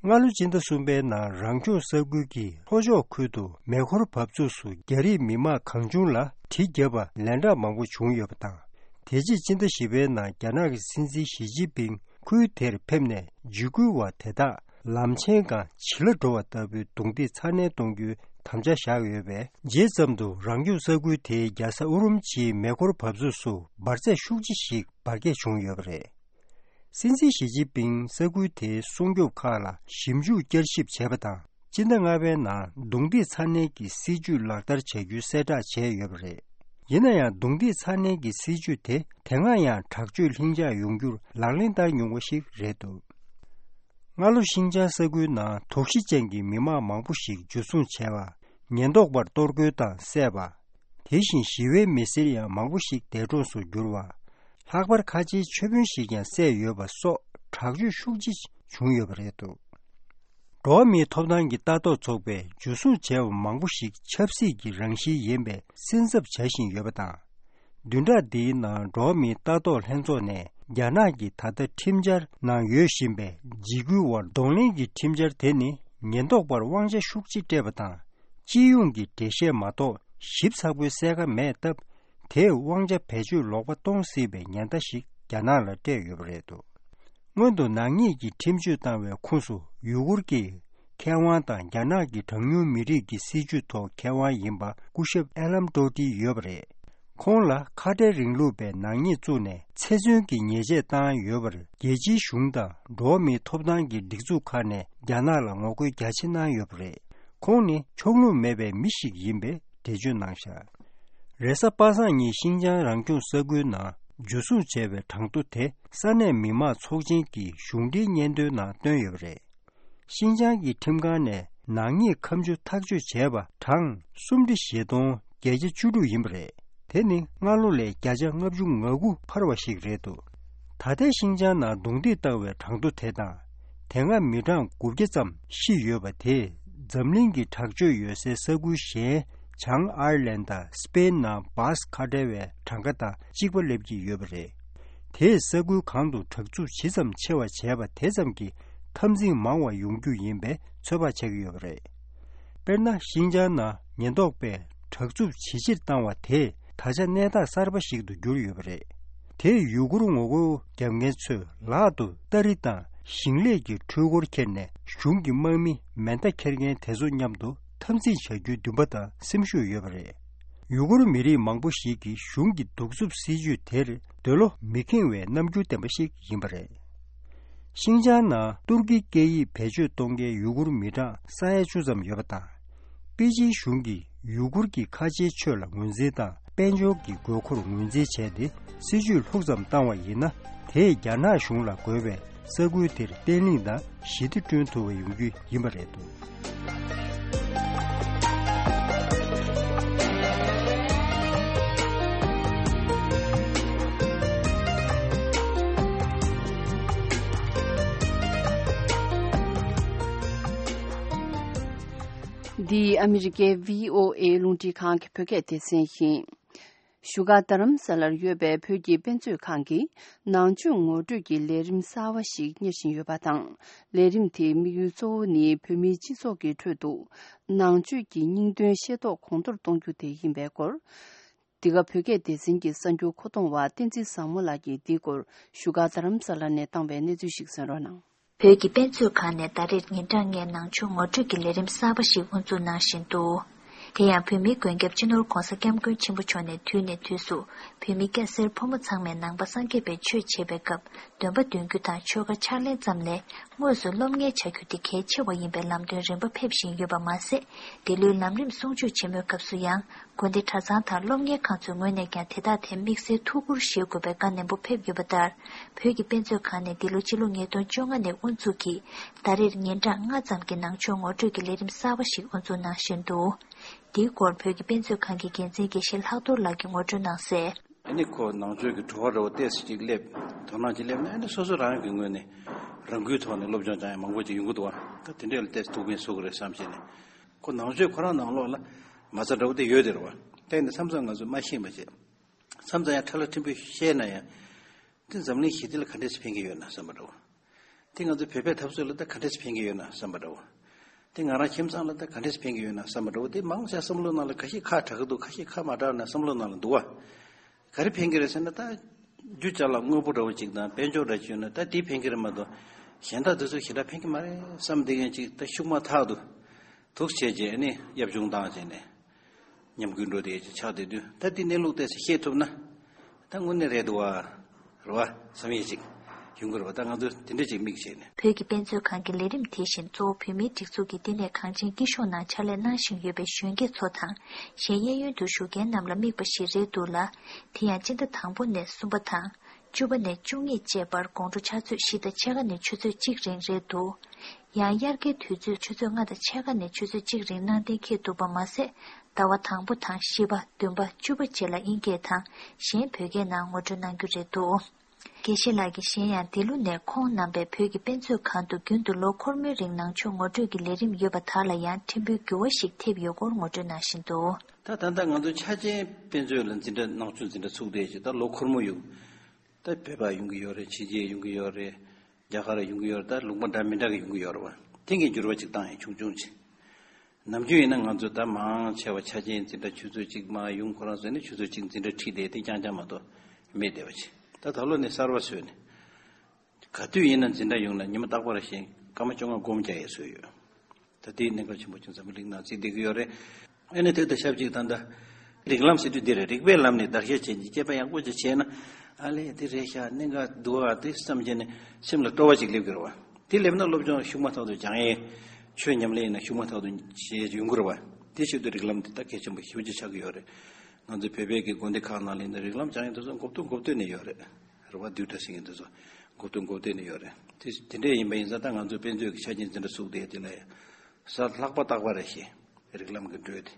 སྔ་ལོ་སྤྱི་ཟླ་གསུམ་པའི་ནང་རང་སྐྱོང་ས་ཁུལ་གྱི་ལྷོ་ཕྱོགས་ཁུལ་དུ་མེ་འཁོར་འབབ་ཚུགས་སུ་རྒྱ་རིགས་མི་མང་གང་བྱུང་ལ་གྲི་བརྒྱབ་པ་ལན་གྲངས་མང་པོ་བྱུང་ཡོད་པ་དང་། དེ་རྗེས་སྤྱི་ཟླ་བཞི་པའི་ནང་རྒྱ་ནག་གི་སྲིད་འཛིན་ཞི་ཅིན་ཕིང་ཁུལ་དེར་ཕེབས་ནས་འཇིགས་སྐུལ་བ་དེ་དག་ལམ་ཆེན་སྒང་བྱི་ལ་འགྲོ་བ་ལྟ་བུའི་རྡུང་རྡེག་ཚ་ནན་གཏོང་རྒྱུའི་དམ་བཅའ་བཞག་ཡོད་པས། རྗེས་ཙམ་དུ་རང་སྐྱོང་ས་ཁུལ་དེའི་རྒྱལ་ས་ཨུ་རུམ་ཆིའི་མེ་འཁོར་འབབ་ཚུགས་སུ་འབར་རྫས་ཤུགས་ཆེ་ཞིག་འབར་གས་བྱུང་ཡོད་པ་རེད། སྲིད་འཛིན་ཞི་ཅིན་ཕིང་ས་ཁུལ་དེའི་སྲུང་སྐྱོབ་ཁག་ལ་ཞིབ་འཇུག་བསྐྱར་ཞིབ་བྱས་པ་དང་། སྤྱི་ཟླ་ལྔ་པའི་ནང་རྡུང་རྡེག་ཚ་ནན་གྱི་སྲིད་ཇུས་ལག་བསྟར་བྱ་རྒྱུའི་གསལ་བསྒྲགས་བྱས་ཡོད་པ་རེད། ཡིན་ན་ཡང་རྡུང་རྡེག་ཚ་ནན་གྱི་སྲིད་ཇུས་དེ་དེ་སྔ་ཡང་དྲག་སྤྱོད་ལྷིང་འཇགས་ཡོང་རྒྱུར་ལག་ལེན་བསྟར་མྱོང་བ་ཞིག་རེད་འདུག་སྔ་ལོ་ཤིང་ཅང་ས་ཁུལ་ནང་དོགས་གཞི་ཅན་གྱི་མི་མང་མང་པོ་ཞིག་འཇུ་བཟུང་བྱས་པ། ཉེན་རྟོག་པར་གཏོར་རྒོལ་དང་བསད་པ། དེ་བཞིན་ཞི་བའི་མི་སེར་ཡང་མང་པོ་ཞིག་འདས་གྲོངས་སུ་གྱུར་བ། ལྷག་པར་ཁ་ཆེའི་ཆོས་དཔོན་ཞིག་ཀྱང་བསད་ཡོད་པ་སོགས་དྲག་སྤྱོད་ཤུགས་ཆེ་བྱུང་ཡོད་པ་རེད་འདུག་འགྲོ་བ་མིའི་ཐོབ་ཐང་གི་ལྟ་རྟོག་ཚོགས་པས་འཇུ་བཟུང་བྱས་པ་མང་པོ་ཞིག་ཆབ་སྲིད་ཀྱི་རང་བཞིན་ཡིན་པའི་སེམས་འཚབ་བྱ་བཞིན་ཡོད་པ་དང་། བདུན་ཕྲག་འདིའི་ནང་འགྲོ་བ་མིའི་ལྟ་རྟོག་ལྷན་ཚོགས་ནས་རྒྱ་ནག་གིས་ད་ལྟ་ཁྲིམས་འཆར་ནང་ཡོད་བཞིན་པའི་འཇིགས་སྐུལ་བར་གདོང་ལེན་གྱི་ཁྲིམས་འཆར་དེ་ནི་ཉེན་རྟོག་པར་དབང་ཆ་ཤུགས་ཆེ་སྤྲད་པ་དང་། སྤྱི་ཡོངས་ཀྱི་འགྲེལ་བཤད་མ་གཏོགས་ཞིབ་ཚགས་པོའི་གསལ་ཁ་མེད་སྟབས། དེས་དབང་ཆ་བེད་སྤྱོད་ལོག་པ་གཏོང་སྲིད་པའི་ཉེན་བརྡ་ཞིག་རྒྱ་ནག་ལ་སྤྲད་ཡོད་པ་རེད་འདུག་སྔོན་དུ་ནག་ཉེས་ཀྱི་ཁྲིམས་གཅོད་བཏང་བའི་ཁོངས་སུ་ཡུ་གུར་གྱི་མཁས་དབང་དང་རྒྱ་ནག་གི་གྲངས་ཉུང་མི་རིགས་ཀྱི་སྲིད་བྱུས་ཐོག་མཁས་དབང་ཡིན་པ་སྐུ་ཞབས་ཨེ་ལམ་ཏོ་ཏི་ཡོད་པ་རེད། ཁོང་ལ་ཁ་བྲལ་རིང་ལུགས་པའི་ནག་ཉེས་བཙུགས་ནས་ཚེ་བཙོན་གྱི་ཉེས་ཆད་བཏང་ཡོད་པར་རྒྱལ་སྤྱིའི་གཞུང་དང་འགྲོ་བ་མིའི་ཐོབ་ཐང་གི་སྒྲིག་འཛུགས་ཁག་ནས་རྒྱ་ནག་ལ་ངོ་རྒོལ་རྒྱ་ཆེ་གནང་ཡོད་པ་རེད། ཁོང་ནི་ཕྱོགས་ལྷུང་མེད་པའི་མི་ཞིག་ཡིན་པའི་འགྲེལ་བརྗོད་གནང་བཞག་རེས་གཟའ་པ་སངས་ཉིན་ཤིང་ཅང་རང་སྐྱོང་ས་ཁུལ་ནང་འཇུ་བཟུང་བྱས་པའི་གྲངས་ཐོ་དེ་ས་གནས་མི་མང་ཚོགས་ཆེན་གྱི་གཞུང་འབྲེལ་སྙན་ཐོའི་ནང་བཏོན་ཡོད་པ་རེད། ཤིང་ཅང་གི་ཁྲིམས་ཁང་ནས་ནག་ཉེས་ཁ་མཆུ་ཐག་གཅོད་བྱས་པ་གྲངས་སུམ་ཁྲི་བཞི་སྟོང་བརྒྱད་བརྒྱ་བཅུ་དྲུག་ཡིན་པ་རེད། དེ་ནི་སྔ་ལོ་ལས་བརྒྱ་ཆ་ལྔ་བཅུ་ང་དགུ་འཕར་བ་ཞིག་རེད་འདུག་ད་ལྟའི་ཤིང་ཅང་ནང་རྡུང་རྡེག་བཏང་བའི་གྲངས་ཐོ་དེ་དང་། དེ་སྔ་མི་གྲངས་དགུ་བརྒྱ་ཙམ་ཤི་ཡོད་པ་དེས་འཛམ་གླིང་གི་དྲག་སྤྱོད་ཡོད་སའི་ས་ཁུལ་གཞན་བྱང་ཨར་ལན་དང་སི་པེན་ནང་སྦ་སི་ཁ་བྲལ་བའི་གྲངས་ཀ་དང་གཅིག་པ་སླེབས་ཀྱི་ཡོད་པ་རེད། དེས་ས་ཁུལ་གང་དུ་དྲག་རྩུབ་ཇི་ཙམ་ཆེ་བ་བྱས་པ་དེ་ཙམ་གྱིས་འཐབ་འཛིང་མང་བ་ཡོང་རྒྱུ་ཡིན་པའི་ཚོད་དཔག་བྱེད་ཀྱི་ཡོད་པ་རེད། དཔེར་ན་ཤིང་ཅང་ནང་ཉེན་རྟོག་པས་དྲག་རྩུབ་ཇེ་ཆེར་བཏང་བ་དེས་ད་ཆ་གནས་སྟངས་གསར་པ་ཞིག་ཏུ་གྱུར་ཡོད་པ་རེད། དེས་ཡུ་གུར་ངོ་རྒོལ་རྒྱབ་མཁན་ཚོས་ལག་ཏུ་སྟ་རི་དང་ཞིང་ལས་ཀྱི་འཕྲུལ་འཁོར་ཁྱེར་ནས་གཞུང་གི་དམག་མི་མེ་མདའ་འཁྱེར་མཁན་དེ་ཚོ་མཉམ་དུ་འཐབ་འཛིང་བྱ་རྒྱུའི་འདུན་པ་དང་སེམས་ཤུགས་ཡོད་པ་རེད། ཡུ་གུར་མི་རིགས་མང་པོ་ཞིག་གིས་གཞུང་གི་གདུག་རྩུབ་སྲིད་ཇུས་དེར་འདོད་བློ་མི་ཁེངས་པའི་རྣམ་འགྱུར་ལྡན་པ་ཞིག་ཡིན་པ་རེད། ཤིང་ཅང་ནང་ཏུར་ཀི་སྐད་ཡིག་བེད་སྤྱོད་གཏོང་མཁན་ཡུ་གུར་མི་གྲངས་ས་ཡ་བཅུ་ཙམ་ཡོད་པ་དང་། པེ་ཅིན་གཞུང་གིས་ཡུ་གུར་གྱི་ཁ་ཆེའི་ཆོས་ལ་ངོས་འཛིན་དང་དཔལ་འབྱོར་གྱི་དགོས་མཁོར་ངོས་འཛིན་བྱས་ཏེ་སྲིད་ཇུས་ལྷུག་ཙམ་བཏང་བ་ཡིན་ན། དེས་རྒྱ་ནག་གཞུང་ལ་རྒོལ་བའི་ས་ཁུལ་དེར་བརྟན་ལྷིང་དང་ཞི་བདེ་བསྐྲུན་ཐུབ་པ་ཡོང་རྒྱུ་ཡིན་པ་རེད་འདུག་འདི་ཨ་མི་རི་ཀའི་བྷི་ཨོ་ཨེ་རླུང་འཕྲིན་ཁང་གི་བོད་སྐད་སྡེ་ཚན་ཡིན། བཞུགས་སྒར་རྡ་རམ་ས་ལར་ཡོད་པའི་བོད་ཀྱི་དཔེ་མཛོད་ཁང་གིས་ནང་ཆོས་ངོ་སྤྲོད་ཀྱི་ལས་རིམ་གསར་བ་ཞིག་གཉེར་བཞིན་ཡོད་པ་དང་། ལས་རིམ་དེའི་དམིགས་ཡུལ་གཙོ་བོ་ནི་བོད་མིའི་སྤྱི་ཚོགས་ཀྱི་ཁྲོད་དུ་ནང་ཆོས་ཀྱི་སྙིང་དོན་ཤེས་རྟོགས་གོང་མཐོར་གཏོང་རྒྱུ་དེ་ཡིན་པའི་སྐོར། འདི་ག་བོད་སྐད་སྡེ་ཚན་གྱི་གསར་འགྱུར་མཁོ་གཏོང་བ་བསྟན་འཛིན་བཟང་མོ་ལགས་ཀྱིས་འདིའི་སྐོར་བཞུགས་སྒར་རྡ་རམ་ས་ལ་ནས་བཏང་བའི་གནས་ཚུལ་ཞིག་གསན་རོགས་གནང་། བོད་ཀྱི་དཔེ་མཛོད་ཁང་ནས་ཟླ་རེར་ཉིན་གྲངས་ལྔའི་ནང་ཆོས་ངོ་སྤྲོད་ཀྱི་ལས་རིམ་གསར་པ་ཞིག་དབུ་འཛུགས་གནང་བཞིན་འདུག་དེ་ཡང་བོད་མིའི་མགོན་སྐྱབས་སྤྱི་ནོར་༧གོང་ས་༧སྐྱབས་མགོན་ཆེན་པོ་མཆོག་ནས་དུས་ནས་དུས་སུ་བོད་མི་སྐྱ་སེར་ཕོ་མོ་ཚང་མས་ནང་པ་སངས་རྒྱས་པའི་ཆོས་བྱེད་པའི་སྐབས་འདོན་པ་འདོན་རྒྱུ་དང་ཆོ་ག་ཕྱག་ལེན་ཙམ་ལས་དངོས་སུ་སློབ་གཉེར་བྱ་རྒྱུ་དེ་གལ་ཆེ་བ་ཡིན་པའི་ལམ་སྟོན་རིམ་པ་ཕེབས་བཞིན་ཡོད་པ་མ་ཟད། འདི་ལོའི་ལམ་རིམ་གསུང་ཆོས་ཆེན་མོའི་སྐབས་སུ་ཡང་དགོན་སྡེ་གྲྭ་ཚང་དང་སློབ་གཉེར་ཁང་ཚོའི་ངོས་ནས་ཀྱང་དེ་དག་ཐད་དམིགས་བསལ་ཐུགས་ཁུར་བཞེས་དགོས་པའི་བཀའ་ནན་པོ་ཕེབས་ཡོད་པ་ལྟར། བོད་ཀྱི་དཔེ་མཛོད་ཁང་ནས་འདི་ལོ་སྤྱི་ལོ་ཉིས་སྟོང་བཅོ་ལྔ་ནས་དབུ་འཛུགས་ཀྱིས་ཟླ་རེར་ཉིན་གྲངས་ལྔ་ཙམ་གྱི་ནང་ཆོས་ངོ་སྤྲོད་ཀྱི་ལས་རིམ་གསར་པ་ཞིག་དབུ་འཛུགས་གནང་བཞིན་འདུག་འདིའི་སྐོར་བོད་ཀྱི་དཔེ་མཛོད་ཁང་གི་འགན་འཛིན་དགེ་བཤེས་ལྷག་རྡོར་ལགས་ཀྱིས་ངོ་སྤྲོད་གནང་གསལ། ཨ་ནི་ཁོ་ནང་ཆོས་ཀྱི་བྲོ་བ་འདྲ་བོ་ཏོག་ཙམ་ཅིག་སླེབས། དོ་སྣང་ཅིག་སླེབས་ན། ཨ་ནི་སོ་སོ་རང་གི་ངོས་ནས་རང་འགུལ་ཐོག་ནས་སློབ་སྦྱོང་སྦྱང་ཡ་མང་པོ་ཅིག་ཡོང་གི་འདུག་བ། ད་དེ་འདྲས་ལ་ཏོག་ཙམ་ཐུགས་ཕན་གསོས་ཀྱི་རེད་བསམ་བྱས་ནས། ཁོ་ནང་ཆོས་ཁོ་རང་ནང་ལོགས་ལ་མ་རྩ་འདྲ་བོ་དེ་ཡོད་དེ་རེད་བ། དེ་ནི་མཚམས་མཚམས་ང་ཚོས་མ་ཤེས་པ་བྱས། མཚམས་མཚམས་ཡང་ཕྲ་ལ་ཕྲན་བུ་བཤད་ན་ཡང་། དེ་འཛམ་གླིང་ཞི་བདེ་ལ་ག་འདྲས་སེ་ཕན་གྱི་ཡོད་ན་བསམ་པ་འདྲ་བོ། དེ་ང་ཚོ་བོད་པའི་འཐབ་རྩོད་ལ་ད་ག་འདྲས་སེ་ཕན་གྱི་ཡོད་ན་བསམ་པ་འདྲ་བོ། དེ་ང་རང་ཁྱིམ་ཚང་ལ་ད་ག་འདྲས་སེ་ཕན་གྱི་ཡོད་ན་བསམ་པ་འདྲ་བོ། དེ་མང་ཆེ་བསམ་བློ་ནང་ལ་ཁ་ཤས་ཁག་དྲག་གི་འདུག་ཁ་ཤས་ཁག་མ་དྲག་ན་བསམ་བློ་ནང་ལ་འདུག་བ། ག་རེ་ཕན་གྱི་རེད་ཟེར་ན། ད་རྒྱུ་ཅ་ལག་དངོས་པོ་འདྲ་བོ་ཅིག་དང་དཔལ་འབྱོར་འདྲ་ཅིག་ཡོད་ན་ད་དེ་ཕན་གྱི་རེད་མ་གཏོགས། གཞན་དག་དེ་ཚོ་ཞེ་དྲག་ཕན་གྱི་མ་རེད་བསམ་བསྡད་མཁན་ཅིག་ད་ཤུགས་མ་ཐག་ཏུ་འདུག་བྱས་རྗེས་ནི་གཡབ་ཆུང་བཏང་བྱས་ནས། ཉམས་རྒུད་འགྲོ་བསྡད་ཀྱི་ཆགས་བསྡད་དུས། ད་འདི་གནས་ལུགས་ཏོག་ཙམ་ཤེས་ཐུབ་ན། ད་དངོས་གནས་རེད་འདུག་བ། རེད་བ་བསམ་ཡས་ཅིག་ཡོང་གི་རེད་བ། ད་ང་ཚོས་དེ་འདྲ་ཅིག་དམིགས་བྱས་ནས། བོད་ཀྱི་དཔེ་མཛོད་ཁང་གི་ལས་རིམ་དེ་བཞིན་གཙོ་བོ་བོད་མིའི་སྒྲིག་འཛུགས་ཀྱིས་འདི་ནས་གངས་ཅན་སྐྱིད་གཤོངས་ནང་ཕྱག་ལས་གནང་བཞིན་ཡོད་པའི་གཞོན་སྐྱེས་ཚོ་དང་། གཞན་གཡས་གཡོན་དུ་བཞུགས་མཁན་རྣམས་ལ་དམིགས་པ་ཞིག་རེད་འདུག་ལ། དེ་ཡང་སྤྱི་ཟླ་དང་པོ་ནས་གསུམ་པ་དང་། བཅུ་པ་ནས་བཅུ་གཉིས་བཅས་བར་དགོང་དྲོ་ཆུ་ཚོད་བཞི་དང་ཕྱེད་ཀ་ནས་ཆུ་ཚོད་གཅིག་རིང་རེད་འདུག་ཡང་དབྱར་ཁའི་དུས་ཚོད་ཆུ་ཚོད་ལྔ་དང་ཕྱེད་ཀ་ནས་ཆུ་ཚོད་གཅིག་རིང་གནང་གཏན་འཁེལ་འདུག་པ་མ་ཟད། ཟླ་བ་དང་པོ་དང་བཞི་པ། བདུན་པ། བཅུ་པ་བཅས་ལ་དབྱིན་སྐད་དང་གཞན་བོད་སྐད་ནང་ངོ་སྤྲོད་གནང་རྒྱུ་རེད་འདུག་དགེ་བཤེས་ལགས་ཀྱིས་གཞན་ཡང་འདི་ལོ་ནས་ཁོང་རྣམ་པས་བོད་ཀྱི་དཔེ་མཛོད་ཁང་དུ་རྒྱུན་དུ་ལོ་འཁོར་མོའི་རིང་ནང་ཆོས་ངོ་སྤྲོད་ཀྱི་ལས་རིམ་ཡོད་པ་དག་ལ་ཡང་ཕྲན་བུའི་འགྱུར་བ་ཞིག་ཐེབས་ཡོད་སྐོར་ངོ་སྤྲོད་གནང་བཞིན་འདུག་ད་ད་ལྟ་ང་ཚོ་ཆ་ཅན་དཔེ་མཛོད་ལ་འཛིན་གྲྭ་ནང་ཆོས་འཛིན་གྲྭ་ཚུགས་བསྡད་ཅིག་ད་ལོ་འཁོར་མོ་ཡོད། ད་བོད་པ་ཡོང་གི་ཡོད་རེད། ཕྱི་རྒྱལ་ཡོང་གི་ཡོད་རེད། རྒྱ་གར་ཡོང་གི་ཡོད་རེད། ད་ལུང་པ་འདྲ་མི་འདྲ་གི་ཡོང་གི་ཡོད་རེད་བ། དེང་གི་འགྱུར་བ་ཅིག་བཏང་ཡང་ཆུང་ཆུང་ཅིག་ནམ་རྒྱུན་ཡིན་ན་ང་ཚོ་ད་མང་ཆེ་བ་ཆ་ཅན་འཛིན་གྲྭ་ཆུ་ཚོད་གཅིག་མ་ཡོང་ཁོ་རང་ཚོ་ནི་ཆུ་ཚོད་གཅིག་འཛིན་གྲྭ་ཁྲིད་བསྡད་དེ་རྐྱང་རྐྱང་མ་གཏོགས་མེད་བསྡད་པ་ཅིག་ད་ད་ལོ་ནི་གསར་བ་བཟོས་ནས། ག་དུས་ཡིན་ན་འཛིན་གྲྭ་ཡོང་ན་ཉི་མ་རྟག་པར་བཞིན་སྐར་མ་བཅོ་ལྔ་སྒོམ་རྒྱག་ཡས་བཟོས་ཡོད། ད་དེའི་གནད་འགག་ཆེན་པོ་ཅིག་འཛམ་བུ་གླིང་ནང་བརྩིས་བསྡད་ཀྱི་ཡོད་རེད། ཨ་ནི་དེ་དང་ཆབས་ཅིག་ད་ལྟ་རིགས་ལམ་ཟེར་དུས་འདི་རེད། རིག་པའི་ལམ་ནས་བརྡར་ཤ་བྱས་ནས་དཔྱད་པ་ཡག་པོ་ཅིག་བྱས་ན། ཨ་ལས་འདི་རེད་ཤག་གནད་འགག་འདུག་ཨ། དེ་བསམ་བྱས་ནས་སེམས་ལ་སྤྲོ་བ་ཅིག་སླེབས་ཀྱི་རེད་བ། དེ་སླེབས་ན་སློབ་སྦྱོང་ཤུགས་མ་ཐག་ཏུ་སྦྱང་ཡས། ཆོས་ཉམས་ལེན་ཡིན་ན་ཤུགས་མ་ཐག་ཏུ་བྱེད་ཡོང་གི་རེད་བ། དེ་ཆེད་དུ་རིགས་ལམ་འདི་ད་གལ་ཆེན་པོ་ཞེ་པོ་ཅིག་ཆགས་ཀྱི་ཡོད་རེད། ང་ཚོ་བོད་པའི་གི་དགོན་སྡེ་ཁག་ནང་ལ་ཡིན་ན་རིགས་ལམ་སྦྱང་ཡས་དེ་ཚོ་འགོ་བསྡུ་འགོ་བསྡུས་ནས་ཡོད་རེད། རེད་བ། བསྡུས་གྲྭ་ཟེར་མཁན་དེ་ཚོ་འགོ་བསྡུ་འགོ་བསྡུས་ནས་ཡོད་རེད། དེ་དེ་འདྲས་ཡིན་པ་ཡིན་ཙང་ད་ང་ཚོ་དཔེ་མཛོད་ཀྱི་ཆ་རྐྱེན་འཛིན་གྲྭ་བཙུགས་དེ་དེ་ལ་ཡང་གཟའ་ལྷག་པ་རྟག་པ་རེ་བཞིན་རིགས་ལམ་གྱི་འགྲོས་དེ་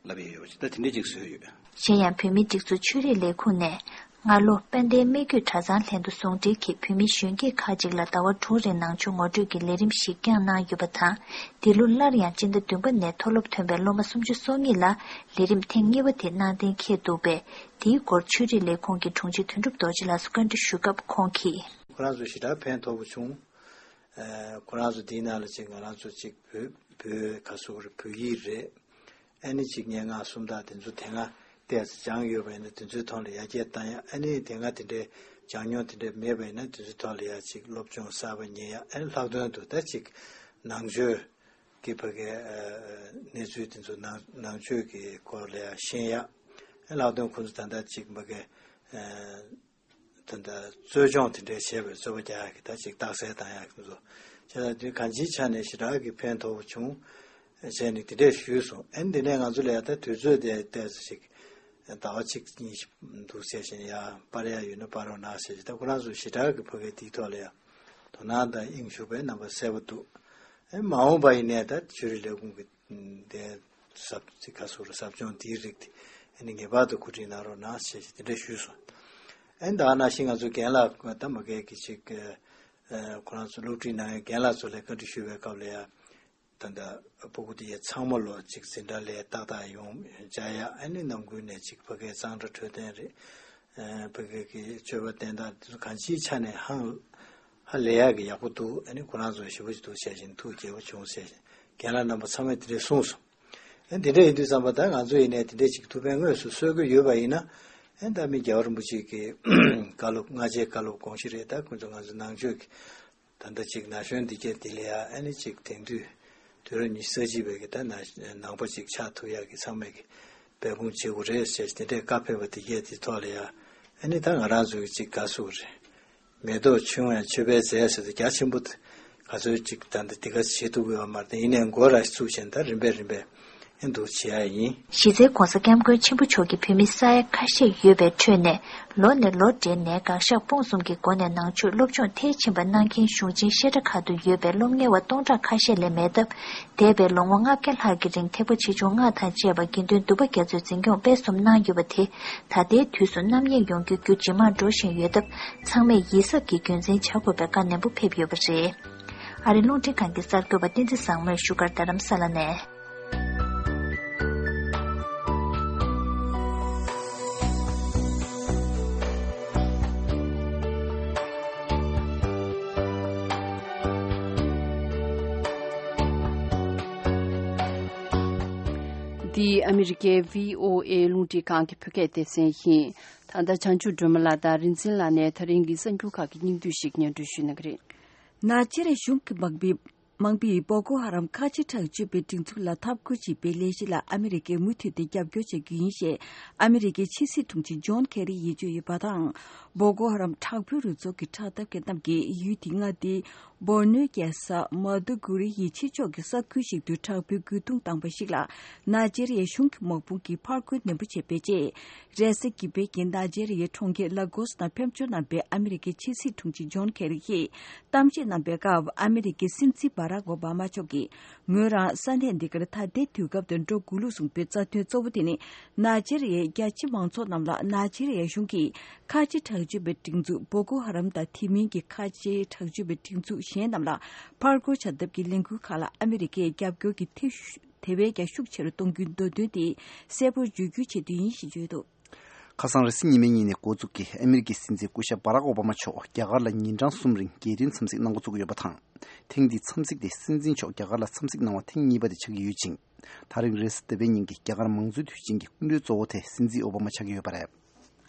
བསླབ་ཡས་ཡོད་པ་ཅིག་ད་དེ་འདྲས་ཅིག་བཟོས་ཡོད། གཞན་ཡང་བོད་མིའི་སྒྲིག་འཛུགས་ཆོས་རིག་ལས་ཁུངས་ནས་སྔ་ལོ་དཔལ་ལྡན་སྨད་རྒྱུད་གྲྭ་ཚང་ལྷན་དུ་ཟུང་འབྲེལ་གྱིས་བོད་མི་གཞོན་སྐྱེས་ཁག་ཅིག་ལ་ཟླ་བ་དྲུག་རིང་ནང་ཆོས་ངོ་སྤྲོད་ཀྱི་ལས་རིམ་ཞིག་བསྐྱངས་གནང་ཡོད་པ་དང་། འདི་ལོ་སླར་ཡང་སྤྱི་ཟླ་བདུན་པ་ནས་མཐོ་སློབ་ཐོན་པའི་སློབ་མ་སུམ་ཅུ་སོ་གཉིས་ལ་ལས་རིམ་ཐེངས་གཉིས་པ་དེ་གནང་གཏན་འཁེལ་འདུག་པས། དེའི་སྐོར་ཆོས་རིག་ལས་ཁུངས་ཀྱི་དྲུང་ཆེ་དོན་གྲུབ་རྡོ་རྗེ་ལགས་སུ་བཀའ་འདྲི་ཞུས་སྐབས་ཁོང་གིས། ཁོ་རང་ཚོ་ཞེ་དྲག་ཕན་ཐོགས་པོ་བྱུང་། ཨ། ཁོ་རང་ཚོ་དེའི་ནང་ལ་ཅིག་ང་རང་ཚོ་ཅིག་བོད་བོད་ག་སོག་རེད། བོད་ཡིག་རེད། ཨ་ནི་ཅིག་སྙན་ངག་སུམ་རྟགས་དེ་ཚོ་དེ་སྔ་ཏོག་ཙམ་སྦྱངས་ཡོད་པ་ཡིན་ན་དེ་ཚོའི་ཐོག་ལ་ཡར་རྒྱས་བཏང་ཡ། ཨ་ནི་དེ་སྔ་དེ་འདྲའི་སྦྱངས་མྱོང་དེ་འདྲ་མེད་པ་ཡིན་ན་དེ་ཚོའི་ཐོག་ལ་ཡར་ཅིག་སློབ་སྦྱོང་གསར་པ་གཉེར་ཡ། ཨ་ནི་ལྷག་དོན་དུ་ད་ཅིག་ནང་ཆོས་ཀྱི་ཕ་གའི་ཨ་གནས་ཚུལ་དེ་ཚོ་ནང་ནང་ཆོས་ཀྱི་སྐོར་ལ་ཡར་ཤེས་ཡ། ཨ་ནི་ལྷག་དོན་ཁོང་ཚོ་ད་ལྟ་ཅིག་ཕ་གའི་ཨ། ད་ལྟ་རྩོལ་སྦྱོང་དེ་འདྲའི་བྱས་པའི་རྩོལ་བ་རྒྱག་ཡག་གི་ད་ཅིག་རྟགས་གསལ་བཏང་ཡག་གི་བཟོ་བྱས་ཙང་དེ་གང་ཅིའི་ཆ་ནས་ཞེ་དྲག་གི་ཕན་ཐོགས་པོ་བྱུང་བྱས་ནས་དེ་འདྲས་ཞུས་སོང་། ཨ་ནི་དེ་ནས་ང་ཚོ་ལ་ཡ་ད་དུས་ཚོད་དེ་ཏོག་ཙམ་ཅིག་ཟླ་བ་གཅིག་གཉིས་ཤིག་འདུག་ཟེར་བཞིན་ཡ་སྤར་ཡ་ཡོད་ན་སྤར་རོགས་གནང་ཟེར་བྱས། ད་ཁོ་རང་ཚོ་ཞེ་དྲག་གི་ཕ་གའི་དེའི་ཐོག་ལ་ཡ་དོ་སྣང་དང་དབྱིངས་ཞུགས་པའི་རྣམ་པ་གསལ་པོ་འདུག་ཨ་ནི་མ་འོངས་པ་ཡིན་ནའི་ད་ཆོས་རིག་ལས་ཁུངས་ཀྱི་དེ་ཟབ་ཅིག་ག་སོག་རེད། ཟབ་སྦྱོང་འདིའི་རིགས་དེ་ཨ་ནི་ངེས་པར་དུ་གོ་སྒྲིག་གནང་རོགས་གནང་ཞེས་དེ་འདྲ་ཞུས་སོང་། ཨ་ནི་ད་ནང་བཞིན་ང་ཚོ་རྒན་ལགས་ད་མ་གལ་གྱི་ཅིག་ཨ་ཁོ་རང་ཚོ་སློབ་ཁྲིད་གནང་ཡ་རྒན་ལགས་ཚོ་ལ་བཀའ་འདྲི་ཞུ་བའི་སྐབས་ལ་ཡ། ད་ལྟ་སྤུ་གུ་དེ་ཡ་ཚང་མ་ལོ་ཅིག་འཛིན་གྲྭ་ལ་ཏག་ཏག་ཡོང་བྱ་ཡ། ཨ་ནི་ནང་ཁུལ་ནས་ཅིག་ཕ་གའི་གཙང་སྦྲ་འཕྲོད་བསྟེན་རེད། ཨ་ཕ་གི་གི་སྤྱོད་པ་བསྟེན་སྟངས་དེ་ཚོ་གང་ཅིའི་ཆ་ནས་ཧང་ཧ་ལས་ཡག་གི་ཡག་པོ་འདུག་ཨ་ནི་ཁོ་རང་ཚོ་ཞེ་པོ་ཅིག་འདུག་བྱས་བཞིན་ཐུགས་དགྱེས་པོ་བྱུང་ཟེར་རྒན་ལགས་རྣམ་པ་ཚང་མས་དེ་འདྲས་གསུངས་སོང་། ཨ་དེ་འདྲས་ཡིན་དུས་ཙམ་པ་ད་ང་ཚོ་ཡིན་ནའི་དེ་འདྲས་ཅིག་ཐུགས་ཕན་དངོས་སུ་གསོས་ཀྱི་ཡོད་པ་ཡིན་ན། ཨ་ད་མི་རྒྱལ་བ་རིན་པོ་ཆེ་གི་བཀའ་སློབ་སྔ་རྗེས་བཀའ་སློབ་དགོངས་གཞི་རེད། ད་ཁོ་ཚོ་ང་ཚོ་ནང་ཆོས་ཀྱི་ ད་ལྟ་ཅིག་ན་གཞོན་འདི་གས་འདི་ལ་ཡ་ཨ་ནི་ཅིག་དེང་དུས་དུས་རབས་ཉི་ཤུ་རྩ་གཅིག་པའི་གི་ད་ན་ནང་པ་ཅིག་ཆགས་ཐུབ་ཡག་གི་ཚང་མས་གི་འབད་འབུངས་བྱེད་དགོས་རེད་ཟེར་དེ་འདྲའི་བཀའ་ཕེབས་པ་འདི་གས་འདི་ཐོག་ལ་ཡ་ཨ་ནི་ད་ང་རང་ཚོ་གི་ཅིག་དགའ་བསུ་རེད། མེ་ཏོག་ཆུང་ཡང་མཆོད་པའི་རྫས་ཟེར་དུས་རྒྱ་ཆེན་པོ་ག་ཚོད་ཅིག་ད་འདི་འདི་ག་བྱེད་ཐུབ་ཀྱི་ཡོད་མ་རེད། ཡིན་ནའི་མགོ་ར་ཚུགས་བཞིན་ད་རིམ་པས་རིམ་པས་ཨེ་འདུག་བྱེད་ཡ་ཡིན། གཞི་རྩའི་༸གོང་ས་༸སྐྱབས་མགོན་ཆེན་པོ་མཆོག་གིས་བོད་མི་ས་ཡ་ཁ་ཤས་ཡོད་པའི་ཁྲོད་ནས་ལོ་ནས་ལོ་བགྲེས་ནས་དགག་བཞག་སྤོང་གསུམ་གྱི་སྒོ་ནས་ནང་ཆོས་སློབ་སྦྱོང་མཐིལ་ཕྱིན་པ་གནང་མཁན་གཞུང་ཆེན་བཤད་གྲྭ་ཁག་ཏུ་ཡོད་པའི་སློབ་གཉེར་བ་སྟོང་ཕྲག་ཁ་ཤས་ལས་མེད་སྟབས། འདས་པའི་ལོ་ངོ་ལྔ་བརྒྱ་ལྷག་གི་རིང་ཐེག་པ་ཆེ་ཆུང་ལྔ་དང་བཅས་པ་དགེ་འདུན་འདུས་པ་རྒྱ་མཚོས་འཛིན་སྐྱོང་སྤེལ་གསུམ་གནང་ཡོད་པ་དེ་ད་ལྟའི་དུས་སུ་རྣམ་གཡེང་ཡོང་རྒྱུ་རྒྱུ་ཇེ་མང་འགྲོ་བཞིན་ཡོད་སྟབས། ཚང་མས་ཡིད་གཟབ་ཀྱིས་རྒྱུན་འཛིན་བྱ་དགོས་པའི་བཀའ་ནན་པོ་ཕེབས་ཡོད་པ་རེད། ཨ་རིའི་རླུང་འཕྲིན་ཁང་གི་གསར་འགོད་པ་བསྟན་འཛིན་བཟང་མོས་བཞུགས་སྒར་རྡ་རམ་ས་ལ་ནས། འདི་ཨ་མི་རི་ཀའི་བྷི་ཨོ་ཨེ་རླུང་འཕྲིན་ཁང་གི་བོད་སྐད་སྡེ་ཚན་ཡིན། ད་ལྟ་བྱང་ཆུབ་སྒྲོལ་མ་ལགས་དང་རིག་འཛིན་ལགས་ནས་ད་རིང་གི་གསར་འགྱུར་ཁག་གི་སྙིང་བསྡུས་ཤིག་སྙན་སྒྲོན་ཞུ་གནང་གི་རེད། ནཱ་ཇེ་རི་ཡའི་གཞུང་གི་དམག་མི་དམག་མིས་བོ་ཀོ་ཧ་རམ་ཁ་ཆེ་དྲག་སྤྱོད་པའི་སྒྲིག་འཛུགས་ལ་འཐབ་རྒོལ་བྱེད་པའི་ལས་གཞི་ལ་ཨ་མི་རི་ཀས་མུ་མཐུད་དེ་རྒྱབ་སྐྱོར་བྱ་རྒྱུ་ཡིན་ཞེས་ཨ་མི་རི་ཀའི་ཕྱི་སྲིད་དྲུང་ཆེ་ཇོན་ཁེ་རིས་ཡིས་བརྗོད་ཡོད་པ་དང་། བོ་ཀོ་ཧ་རམ་དྲག་པོའི་རུ་ཚོགས་ཀྱི་དྲག་འཐབ་མཁན་རྣམས་ཀྱིས་ཡུལ་དེའི་མངའ་སྡེ་བོར་ནོའི་རྒྱལ་ས་མ་དུ་གུ་རི་ཡི་ཕྱི་ཕྱོགས་ཀྱི་ས་ཁུལ་ཞིག་ཏུ་དྲག་པོའི་རྒོལ་རྡུང་བཏང་པ་ཞིག་ལ་ནཱ་ཇེ་རི་ཡའི་གཞུང་གི་དམག་དཔུང་གིས་ཕར་རྒོལ་ནན་པོ་བྱས་པའི་རྗེས། རེས་གཟའ་གི་བོད་ཀྱི་ནཱ་ཇེ་རི་ཡའི་གྲོང་ཁྱེར་ལ་གོ་སི་ནང་ཕེབས་འབྱོར་གནང་པའི་ཨ་མི་རི་ཀའི་ཕྱི་སྲིད་དྲུང་ཆེ་ཇོན་ཁེ་རི་ཡིས་གཏམ་བཤད་གནང་པའི་སྐབས། ཨ་མི་རི་ཀའི་སྲིད་འཛིན་བྷ་རག་ཨོ་བྷ་མ་མཆོག་གིས་ངོས་རང་ས་གནས་འདི་གར་ད་ལྟའི་དུས་སྐབས་དང་འགྲོ་དགོས་ལུགས་གསུངས་པའི་རྩ་དོན་གཙོ་བོ་དེ་ནི། ནཱ་ཇེ་རི་ཡའི་རྒྱ་ཆེ་མང་ཚོགས་རྣམས་ལ་ནཱ་ཇེ་རི་ཡའི་གཞུང་གིས་ཁ་ཆེ་དྲག་སྤྱོད་པའི་སྒྲིག་འཛུགས་བོ་ཀོ་ཧ་རམ་དང་དེ་མིན་གྱི་ཁ་ཆེ་དྲག་སྤྱོད་པའི་སྒྲིག་འཛུགས་གཞན་རྣམས་ལ་ཕར་རྒོལ་བྱ་ཐབས་ཀྱི་ལས་འགུལ་ཁག་ལ་ཨ་མི་རི་ཀས་རྒྱབ་སྐྱོར་གྱི་ཐེ་ཤུ། དེ་བས་ཀྱང་ཤུགས་ཆེ་རུ་གཏོང་རྒྱུའི་འདོད་དོན་དེ་གསལ་པོར་བརྗོད་རྒྱུའི་ཆེད་དུ་ཡིན་ཞེས་བརྗོད་འདུག། ཁ་སང་རེས་གཟའ་ཉི་མའི་ཉིན་ནས་འགོ་བཙུགས་ཀྱིས་ཨ་མི་རི་ཀའི་སྲིད་འཛིན་སྐུ་ཞབས་བྷ་རག་ཨོ་བྷ་མ་མཆོག་རྒྱ་གར་ལ་ཉིན་གྲངས་གསུམ་རིང་རྒྱལ་དོན་འཚམས་གཟིགས་གནང་འགོ་བཙུགས་ཡོད་པ་དང་། ཐེངས་འདིའི་འཚམས་གཟིགས་དེ་སྲིད་འཛིན་མཆོག་རྒྱ་གར་ལ་འཚམས་གཟིགས་གནང་བ་ཐེངས་གཉིས་པ་དེ་ཆགས་ཀྱི་ཡོད་ཅིང་། ད་རིང་རེས་གཟའ་ཟླ་བའི་ཉིན་གྱི་རྒྱ་གར་མང་གཙོའི་དུས་ཆེན་གྱི་སྐུ་མགྲོན་གཙོ་བོ་དེ་སྲིད་འཛིན་ཨོ་བྷ་མ་ཆགས་ཀྱི་ཡོད་པ་རེད།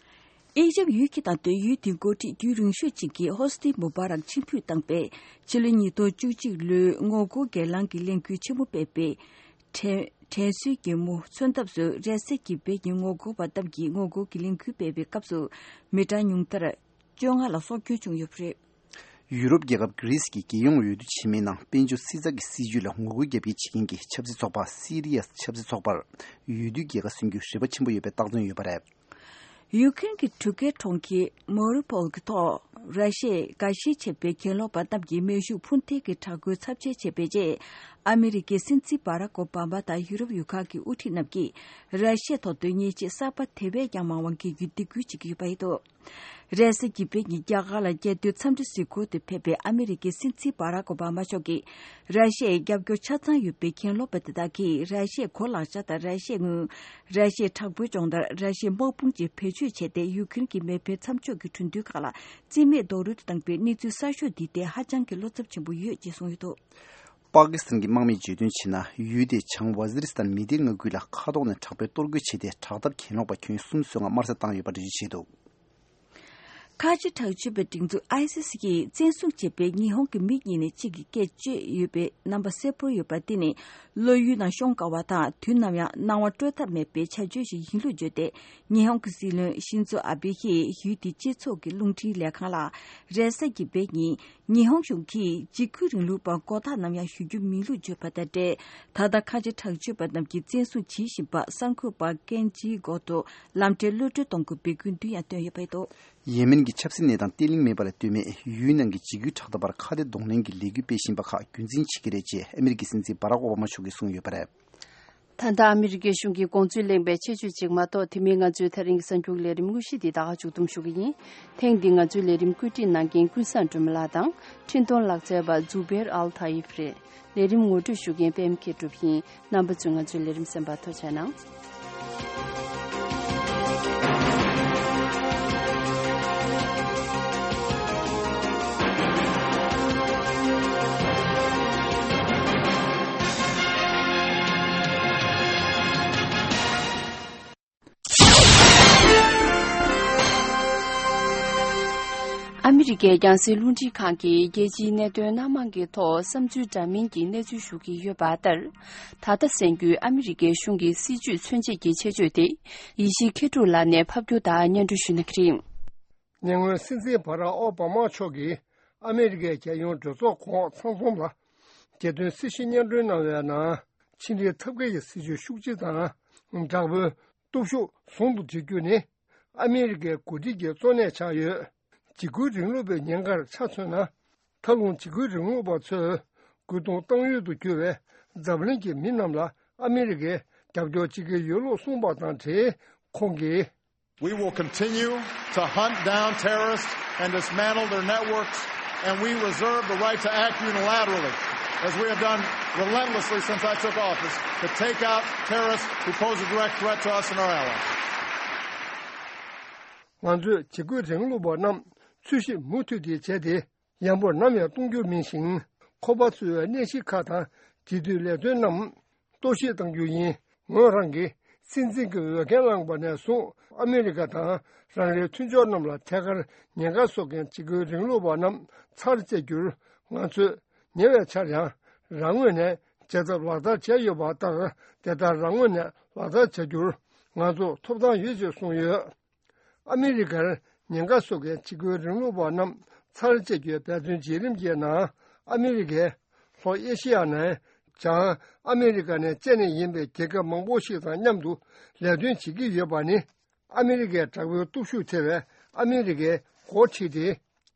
ཨི་ཇིབ་ཡུལ་གྱི་ནང་དུ་ཡུལ་དེའི་འགོ་ཁྲིད་རྒྱུན་རིང་ཤོས་ཅིག་གིས་ཧོ་སི་ཏི་མུ་བྷ་རག་ཆིབས་བསྒྱུར་བཏང་པའི་ཕྱི་ལོ་ཉིས་སྟོང་བཅུ་གཅིག་ལོའི་ངོ་རྒོལ་གྱེན་ལངས་ཀྱི་ལས་འགུལ་ཆེན་མོ་སྤེལ་བའི་དྲན་དྲན་གསོའི་གྱེན་མོ་མཚོན་ཐབས་སུ། རེས་གཟའ་གི་བོད་ཀྱི་ངོ་རྒོལ་བ་རྣམས་ཀྱིས་ངོ་རྒོལ་གྱི་ལས་འགུལ་སྤེལ་བའི་སྐབས་སུ་མི་གྲངས་ཉུང་མཐར་བཅོ་ལྔ་ལ་སྲོག་སྐྱོན་བྱུང་ཡོད་པ་རེད། ཡུ་རོབ་རྒྱལ་ཁབ་གྷི་རིས་ཀྱི་རྒྱལ་ཡོངས་འོས་བསྡུ་ཆེན་མོའི་ནང་དཔལ་འབྱོར་བསྲི་ཚགས་ཀྱི་སྲིད་བྱུས་ལ་ངོ་རྒོལ་རྒྱབ་ཀྱི་བྱེད་མཁན་གྱི་ཆབ་སྲིད་ཚོགས་པ་སི་རི་ཡ་ཆབ་སྲིད་ཚོགས་པར་འོས་བསྡུའི་རྒྱལ་ཁ་སོན་རྒྱུའི་རེ་བ་ཆེན་པོ་ཡོད་པའི་རྟགས་མཚན་ཡོད་པ་རེད། ཡུ་ཀེ་རེན་གྱི་གྲུ་ཁའི་གྲོང་ཁྱེར་མོ་རི་པོལ་གྱི་ཐོག་ར་ཤི་ཡས་དགའ་ཞེན་ཆེ་བའི་གྱེན་ལོག་པ་རྣམས་ཀྱིས་མེ་ཤུགས་འཕུར་མདེལ་གྱི་དྲག་རྒོལ་ཚབས་ཆེན་བྱས་པའི་རྗེས། ཨ་མི་རི་ཀའི་སྲིད་འཛིན་བྷ་རག་ཨོ་བྷ་མ་དང་ཡུ་རོབ་ཡུལ་ཁག་གི་དབུ་ཁྲིད་རྣམས་ཀྱིས་ར་ཤི་ཡའི་ཐོག་ཏུ་ཉེས་ཆད་གསར་པ་དེ་བས་ཀྱང་མང་བ་འགེལ་རྒྱུའི་སྡིགས་སྐུལ་བྱེད་ཀྱི་ཡོད་པ་རེད་འདུག། རེས་གཟའ་གི་བོད་ཉིན་རྒྱ་གར་ལ་རྒྱལ་དོན་འཚམས་འདྲི་གཟིགས་སྐོར་དུ་ཕེབས་པའི་ཨ་མི་རི་ཀའི་སྲིད་འཛིན་བྷ་རག་ཨོ་བྷ་མ་མཆོག་གིས། ར་ཤི་ཡའི་རྒྱབ་སྐྱོར་ཆ་ཚང་ཡོད་པའི་གྱེན་ལོག་པ་དེ་དག་གིས་ར་ཤི་ཡའི་གོ་ལག་ཆ་དང་ར་ཤི་ཡའི་དངུལ། ར་ཤི་ཡའི་དྲག་པོའི་སྦྱོང་བརྡར། ར་ཤི་ཡའི་དམག་དཔུང་བཅས་བེད་སྤྱོད་བྱས་ཏེ། ཡུ་ཀེ་རེན་གྱི་མེ་འཕེན་མཚམས་འཇོག་གི་གྲོས་མཐུན་ཁག་ལ་རྩིས་མེད་རྡོག་རོལ་དུ་བཏང་པའི་གནས་ཚུལ་གསར་ཤོས་འདི་དེ་ཧ་ཅང་གི་བློ་འཚབ་ཆེན་པོ་ཡོད་ཅེས་གསུངས་ཡོད་འདུག། པ་ཀི་སི་ཐན་གྱི་དམག་མིས་བརྗོད་དོན་བྱས་ན། ཡུལ་དེའི་བྱང་ཝ་ཟི་རི་སི་ཐན་མི་སྡེ་མངའ་ཁུལ་ལ་མཁའ་ཐོག་ནས་དྲག་པོའི་གཏོར་རྒོལ་བྱས་ཏེ། དྲག་འཐབ་གྱེན་ལོག་པ་ཁྱོན་སུམ་ཅུ་སོ་ལྔ་དམར་གསོད་བཏང་ཡོད་པ་འགྲེལ་བརྗོད་བྱས་འདུག། ཁ་ཆེ་དྲག་སྤྱོད་པའི་སྒྲིག་འཛུགས་ཨའི་སི་སི་ཡིས་བཙན་བཟུང་བྱས་པའི་ཉི་ཧོང་གི་མི་གཉིས་ནས་གཅིག་གི་སྐད་སྤྱོད་ཡོད་པའི་རྣམ་པ་གསལ་པོ་ཡོད་པ་དེ་ནི། བློ་ཡུལ་ནང་ཤོང་དཀའ་བ་དང་། དུས་ནམ་ཡང་སྣང་བ་སྤྲོད་ཐབས་མེད་པའི་བྱ་སྤྱོད་ཞིག་ཡིན་ལུགས་བརྗོད་དེ། ཉི་ཧོང་གི་སྲིད་བློན་ཤིན་ཛོ་ཨ་བྷེ་ཡིས་ཡུལ་དེའི་སྤྱི་ཚོགས་ཀྱི་རླུང་འཕྲིན་ལས་ཁང་ལ། རེས་གཟའ་གི་བོད་ཉིན། ཉི་ཧོང་གཞུང་གིས་འཇིགས་སྐུལ་རིང་ལུགས་པར་མགོ་བཏགས་ནམ་ཡང་ཞུ་རྒྱུ་མིན་ལུགས་བརྗོད་པ་དང་འབྲེལ། ད་ལྟ་ཁ་ཆེ་དྲག་སྤྱོད་པ་རྣམས་ཀྱིས་བཙན་བཟུང་བྱེད་བཞིན་པ་གསར་འགོད་པ་ཀན་ཅིའི་འགོ་ཐོག་ལམ་འཕྲལ་གློད་གྲོལ་གཏོང་དགོས་པའི་དགོས་འདུན་ཡང་བཏོན་ཡོད་པ་རེད་འདུག། ཡེ་མེན་གྱི་ཆབ་སྲིད་གནས་སྟངས་བརྟན་ལྷིང་མེད་པ་ལ་ལྟོས་མེད། ཡུལ་ནང་གི་འཇིགས་སྐུལ་དྲག་འཐབ་པར་ཁ་གཏད་གདོང་ལེན་གྱི་ལས་འགུལ་སྤེལ་བཞིན་པ་ཁག་རྒྱུན་འཛིན་བྱེད་ཀྱི་རེད་ཅེས་ཨ་མི་རི་ཀའི་སྲིད་འཛིན་བྷ་རག་ཨོ་བྷ་མ་མཆོག་གིས་གསུངས་ཡོད་པ་རེད། ད་ལྟ་ཨ་མི་རི་ཀའི་གཞུང་གིས་དགོངས་ཚུལ་གླེང་བའི་ཆེད་བརྗོད་ཅིག་མ་གཏོགས། དེ་མིན་ང་ཚོའི་ད་རིང་གི་གསར་འགྱུར་ལས་རིམ་དངོས་གཞི་འདི་ད་ག་མཇུག་བསྡོམས་ཞུ་གི་ཡིན། ཐེངས་འདི་ང་ཚོའི་ལས་རིམ་བཀོད་སྒྲིག་གནང་མཁན་ཀུན་བཟང་སྒྲོལ་མ་ལགས་དང་འཕྲིན་གཏོང་ལག་རྩལ་པ་ཛུ་བེར་ཨལ་ཐ་ཡིབ་རེད། ལས་རིམ་ངོ་སྤྲོད་ཞུ་མཁན་པད་མ་མཁས་གྲུབ་ཡིན། རྣམ་པ་ཚོས་ང་ཚོའི་ལས་རིམ་གསན་པར་ཐུགས་རྗེ་གནང་། ཨ་མི་ རི་ཀའི་རྒྱང་སྲིང་རླུང་འཕྲིན་ཁང་གིས་རྒྱལ་སྤྱིའི་གནད་དོན་སྣ་མང་གི་ཐོག་བསམ་ཚུལ་འདྲ་མིན་གྱི་གནས་ཚུལ་ཞུ་གི་ཡོད་པ་ལྟར། ད་ལྟ་གསན་རྒྱུའི་ཨ་མི་རི་ཀའི་གཞུང་གི་སྲིད་བྱུས་མཚོན་བྱེད་ཀྱི་ཆེད་བརྗོད་དེ། ཡེ་ཤེས་མཁས་གྲུབ་ལགས་ནས་ཕབ་སྒྱུར་དང་སྙན་སྒྲོན་ཞུ་གནང་གི་རེད། ཉེ་སྔོན་སྲིད་འཛིན་བྷ་རག་ཨོ་བྷ་མ་མཆོག་གིས་ཨ་མི་རི་ཀའི་རྒྱལ་ཡོངས་གྲོས་ཚོགས་གོང་འོག་ཚང་འཛོམས་ལ། རྒྱལ་དོན་སྲི་ཞུ་སྙན་སྒྲོན་གནང་བའི་ནང་། ཕྱི་འབྲེལ་ཐབས་མཁས་ཀྱི་སྲིད་བྱུས་ཤུགས་ཆེ་དང་། དྲག་པོའི་སྟོབས་ཤུགས་ཟུང་དུ་སྦྲེལ་རྒྱུ་ནི། ཨ་མི་རི་ཀའི་འགོ་ཁྲིད་ཀྱི་གཙོ་གནད་ཆགས་ཡོད། འཇིགས་སྐུལ་རིང་ལུགས་པའི་ཉེན་ཁར་ཆ་མཚོན་ན། མཐའ་ལྷུང་འཇིགས་སྐུལ་རིང་ལུགས་པ་ཚོས་རྒོལ་རྡུང་བཏང་ཡུལ་དུ་གྱུར་བའི་འཛམ་གླིང་གི་མི་རྣམས་ལ་ཨ་མི་རི་ཀས་རྒྱབ་སྐྱོར་བྱེད་ཀྱི་ཡོད་ལུགས་གསུངས་པ་དང་འབྲེལ། ཁོང་གིས། We will continue to hunt down terrorists and dismantle their networks, and we reserve the right to act unilaterally, as we have done relentlessly since I took office, to take out terrorists who pose a direct threat to us and our allies. ང་ཚོས་འཇིགས་སྐུལ་རིང་ལུགས་པ་རྣམས་འཚོལ་ཞིབ་མུ་མཐུད་དེ་བྱས་ཏེ། ཡང་པོར་ནམ་ཡང་གཏོང་རྒྱུ་མིན་ཞིང་། ཁོ་པ་ཚོའི་གནས་གཞི་ཁག་དང་རྒྱུད་སྟོད་ལས་དོན་རྣམས་གཏོར་བཤིག་གཏང་རྒྱུ་ཡིན། ངོས་རང་གིས་སྲིད་འཛིན་གྱི་འོས་འགན་བླངས་པ་ནས་བཟུང་ཨ་མི་རི་ཀ་དང་རང་རེའི་མཐུན་ཕྱོགས་རྣམས་ལ་ཐད་ཀར་ཉེན་ཁ་བཟོ་མཁན་འཇིགས་སྐུལ་རིང་ལུགས་པ་རྣམས་ཚར་བཅད་རྒྱུར་ང་ཚོས་ཉེ་བའི་ཆར་ཡང་རང་ངོས་ནས་བྱེད་ཐབས་ལག་བསྟར་བྱས་ཡོད་པ་ལྟར་དེ་ལྟར་རང་ངོས་ནས་ལག་བསྟར་བྱ་རྒྱུར་ང་ཚོར་ཐོབ་ཐང་ཡོད་ཅེས་གསུངས་ཡོད། ཨ་མི་རི་ཀར་ཉེན་ཁ་བཟོ་མཁན་འཇིགས་སྐུལ་རིང་ལུགས་པ་རྣམས་ཚར་བཅད་རྒྱུའི་འབད་བརྩོན་བརྗེ་རིམ་གྱི་ནང་ཨ་མི་རི་ཀས་ལྷོ་ཨེ་ཤི་ཡ་ནས་བྱང་ཨ་མི་རི་ཀ་ནས་བཅད་ནས་ཡིན་པའི་རྒྱལ་ཁབ་མང་པོ་ཞིག་དང་མཉམ་དུ་ལས་དོན་བྱེད་ཀྱི་ཡོད་པ་ནི། ཨ་མི་རི་ཀའི་དྲག་པོའི་སྟོབས་ཤུགས་ཆེ་བས་ཨ་མི་རི་ཀའི་འགོ་ཁྲིད་དེ་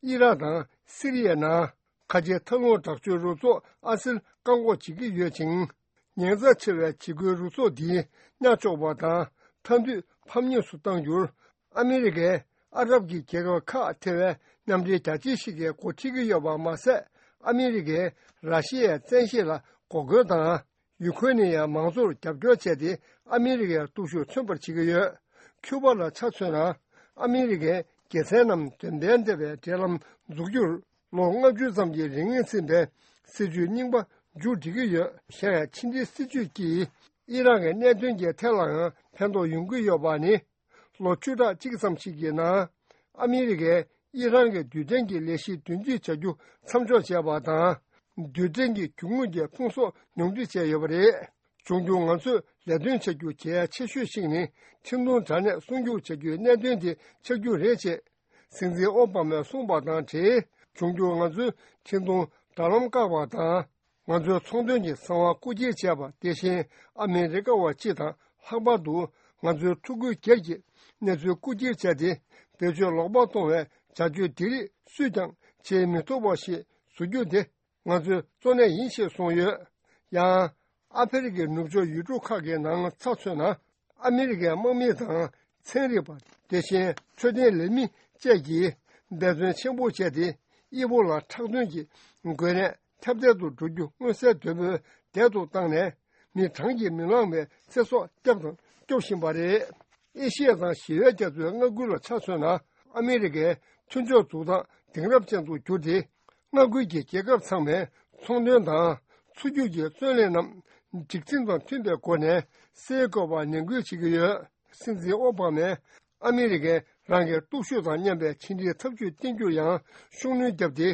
ཨི་རག་དང་སི་རི་ཡའི་ནང་ཁ་ཆེའི་མཐའ་ལྷུང་དྲག་སྤྱོད་རུ་ཚོགས་ཨ་སིལ་བཀག་འགོག་བྱེད་ཀྱི་ཡོད་ཅིང་། ཉེན་ཚབས་ཆེ་བའི་འཇིགས་སྐུལ་རུ་ཚོགས་འདིའི་གནས་འཇོག་པ་དང་མཐའ་འདུས་ཕམ་ཉེས་སུ་གཏང་རྒྱུར་ཨ་མི་རི་ཀས་ཨ་རབ་ཀྱི་རྒྱལ་ཁབ་ཁག་ཐེ་བའི་མཉམ་འབྲེལ་རྒྱ་ཆེ་ཞིག་གིས་འགོ་ཁྲིད་ཀྱི་ཡོད་པ་མ་ཟད། ཨ་མི་རི་ཀས་ར་ཤི་ཡའི་བཙན་ཤེད་ལ་འགོག་རྒོལ་དང་། ཡུ་ཁུ་རེན་ནི་ཡང་མང་གཙོར་རྒྱབ་སྐྱོར་བྱས་ཏེ་ཨ་མི་རི་ཀའི་སྟོབས་ཤུགས་མཚོན་པར་བྱེད་ཀྱི་ཡོད། ཁྱུ་པ་ལ་ཆ་མཚོན་ན། ཨ་མི་རི་ཀས་དགེ་མཚན་རྣམས་འདོན་སྤེལ་འདེབས་པའི་འབྲེལ་ལམ་འཛུགས་རྒྱུར། ལོ་ལྔ་བཅུ་ཙམ་གྱི་རིང་ངེས་ཟིན་པའི་སྲིད་བྱུས་རྙིང་པ་མཇུག་སྒྲིལ་གྱི་ཡོད། གཞན་ཡང་ཕྱི་འབྲེལ་སྲིད་བྱུས་ཀྱིས་ཨི་རན་གྱི་གནད་དོན་གྱི་ཐད་ལའང་ཕན་ཐོགས་ཡོང་གི་ཡོད་པ་ནི། ལོ་བཅུ་ཕྲག་གཅིག་ཙམ་ཞིག་གི་ནང་ཨ་མི་རི་ཀས་ཨི་རན་གྱི་རྡུལ་ཕྲན་གྱི་ལས་གཞི་བདུན་ཅུ་བྱ་རྒྱུ་མཚམས་འཇོག་བྱས་པ་དང་། རྡུལ་ཕྲན་གྱི་རྒྱུ་དངོས་ཀྱི་ཕུང་གསོག་ཉུང་འཕྲི་བྱས་ཡོད་པ་རེད། འབྱུང་འགྱུར་ང་ཚོས་ལས་དོན་བྱ་རྒྱུ་གལ་ཆེ་ཤོས་ཤིག་ནི་འཕྲིན་གཏོང་དྲ་གནས་སྲུང་སྐྱོབ་བྱ་རྒྱུའི་གནད་དོན་དེ་ཆགས་རྒྱུ་རེད་ཅེས། སྲིད་འཛིན་ཨོ་བྷ་མས་གསུངས་པ་དང་འབྲེལ། འབྱུང་འགྱུར་ང་ཚོའི་འཕྲིན་གཏོང་དྲ་ལམ་བཀག་པ་དང་། ང་ཚོའི་ཚོང་དོན་གྱི་གསང་བ་རྐུ་འཁྱེར་བྱས་པ་དེ་བཞིན་ཨ་མི་རི་ཀ་བ་སྤྱི་དང་ལྷག་པར་དུ་ང་ཚོའི་ཕྲུ་གུའི་སྒེར་གྱི་གནས་ཚུལ་རྐུ་འཁྱེར་བྱས་ཏེ་བེད་སྤྱོད་ལོག་པ་གཏོང་བའི་བྱ་སྤྱོད་དེ་རིགས་སུས་ཀྱང་བྱེད་མི་ཐུབ་པ་ཞིག་བཟོ་རྒྱུ་དེ། ང་ཚོའི་གཙོ་གནད་ཡིན་ཞེས་གསུངས་ཡོད། ཡང་། ཨ་ཕི་རི་ཀའི་ནུབ་ཕྱོགས་ཡུལ་གྲུ་ཁག་གི་ནང་ཆ་མཚོན་ན། ཨ་མི་རི་ཀའི་དམག་མི་དང་ཚན་རིག་པ། དེ་བཞིན་འཕྲོད་བསྟེན་ལས་མི་བཅས་ཀྱིས་འབད་བརྩོན་ཆེན་པོ་བྱས་ཏེ། ཨི་བོ་ལ་ཁྲག་དོན་གྱི་འགོས་ནད་ཁྱབ་གདལ་དུ་འགྲོ་རྒྱུ་མངོན་གསལ་དོད་པོས་བརྡ་ཐོ་བཏང་ནས། མི་གྲངས་ཀྱིས་མི་ལང་བའི་ཚེ་སྲོག་བསྐྱབས་དང་སྐྱོབ་བཞིན་པ་རེད། ཨེ་ཤི་ཡ་དང་ཞི་བའི་རྒྱ་མཚོའི་མངའ་ཁུལ་ལ་ཆ་མཚོན་ན། ཨ་མི་རི་ཀས་མཐུན་ཕྱོགས་འཛུགས་སྟངས་དེང་རབས་ཅན་དུ་བསྒྱུར་ཏེ། མངའ་ཁུལ་གྱི་རྒྱལ་ཁབ་ཚང་མའི་ཚོང་དོན་དང་། འཚོ་རྒྱུ་གྱི་བརྩོན་ལེན་རྣམས་སྒྲིག་འཛིན་དང་མཐུན་པའི་སྒོ་ནས་སེལ་དགོས་པར་ནན་སྐུལ་བྱེད་ཀྱི་ཡོད། སྲིད་འཛིན་ཨོ་བྷ་མས། ཨ་མི་རི་ཀས་རང་གི་སྟོབས་ཤུགས་དང་མཉམ་པའི་ཕྱི་འབྲེལ་ཐབས་ཇུས་བསྟེན་རྒྱུར་ཡང་ཤུགས་སྣོན་བརྒྱབ་སྟེ།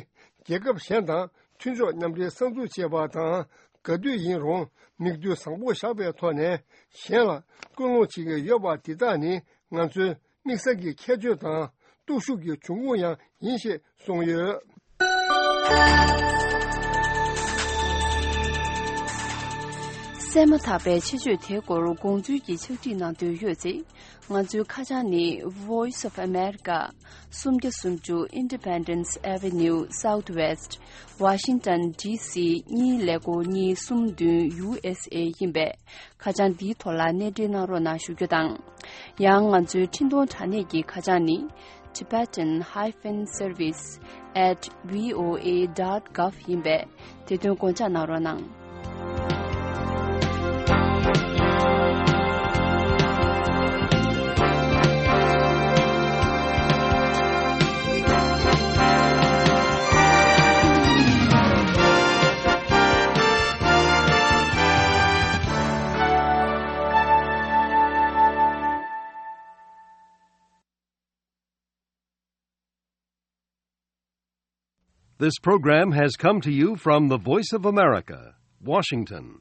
རྒྱལ་ཁབ་གཞན་དང་མཐུན་ཕྱོགས་མཉམ་འབྲེལ་གསར་འཛུགས་བྱེད་པ་དང་། ག་དུས་ཡིན་རུང་མིག་ལྟོས་བཟང་པོ་བཞག་པའི་ཐོག་ནས་གཞན་ལ་སྐུལ་སློང་བྱེད་ཀྱི་ཡོད་པ་འདི་དག་ནི་ང་ཚོའི་དམིགས་བསལ་གྱི་ཁྱད་ཆོས་དང་སྟོབས་ཤུགས་ཀྱི་འབྱུང་ཁུངས་ཡང་ཡིན་ཞེས་གསུངས་ཡོད། གསན་མ་ཐག་པའི་ཆེད་བརྗོད་དེའི་སྐོར་དགོངས་ཚུལ་གྱི་ཕྱག་བྲིས་གནང་འདོད་ཡོད་ཚེ། ང་ཚོའི་ཁ་བྱང་ནི། Voice of America། སུམ་བརྒྱ་སུམ་ཅུ་Independence Avenue Southwest། Washington D C གཉིས་ཀླད་ཀོར་གཉིས་གསུམ་བདུན་U S A ཡིན་པས། ཁ་བྱང་འདིའི་ཐོག་ལ་གནས་འབྲེལ་གནང་རོགས་གནང་ཞུ་རྒྱུ་དང་། ཡང་ང་ཚོའི་འཕྲིན་གཏོང་དྲ་གནས་ཀྱི་ཁ་བྱང་ནི། Tibetan hyphen service at V O A dot gov ཡིན་པས། དེ་དོན་དགོངས་འཇགས་གནང་རོགས་གནང་། This program has come to you from the Voice of America, Washington.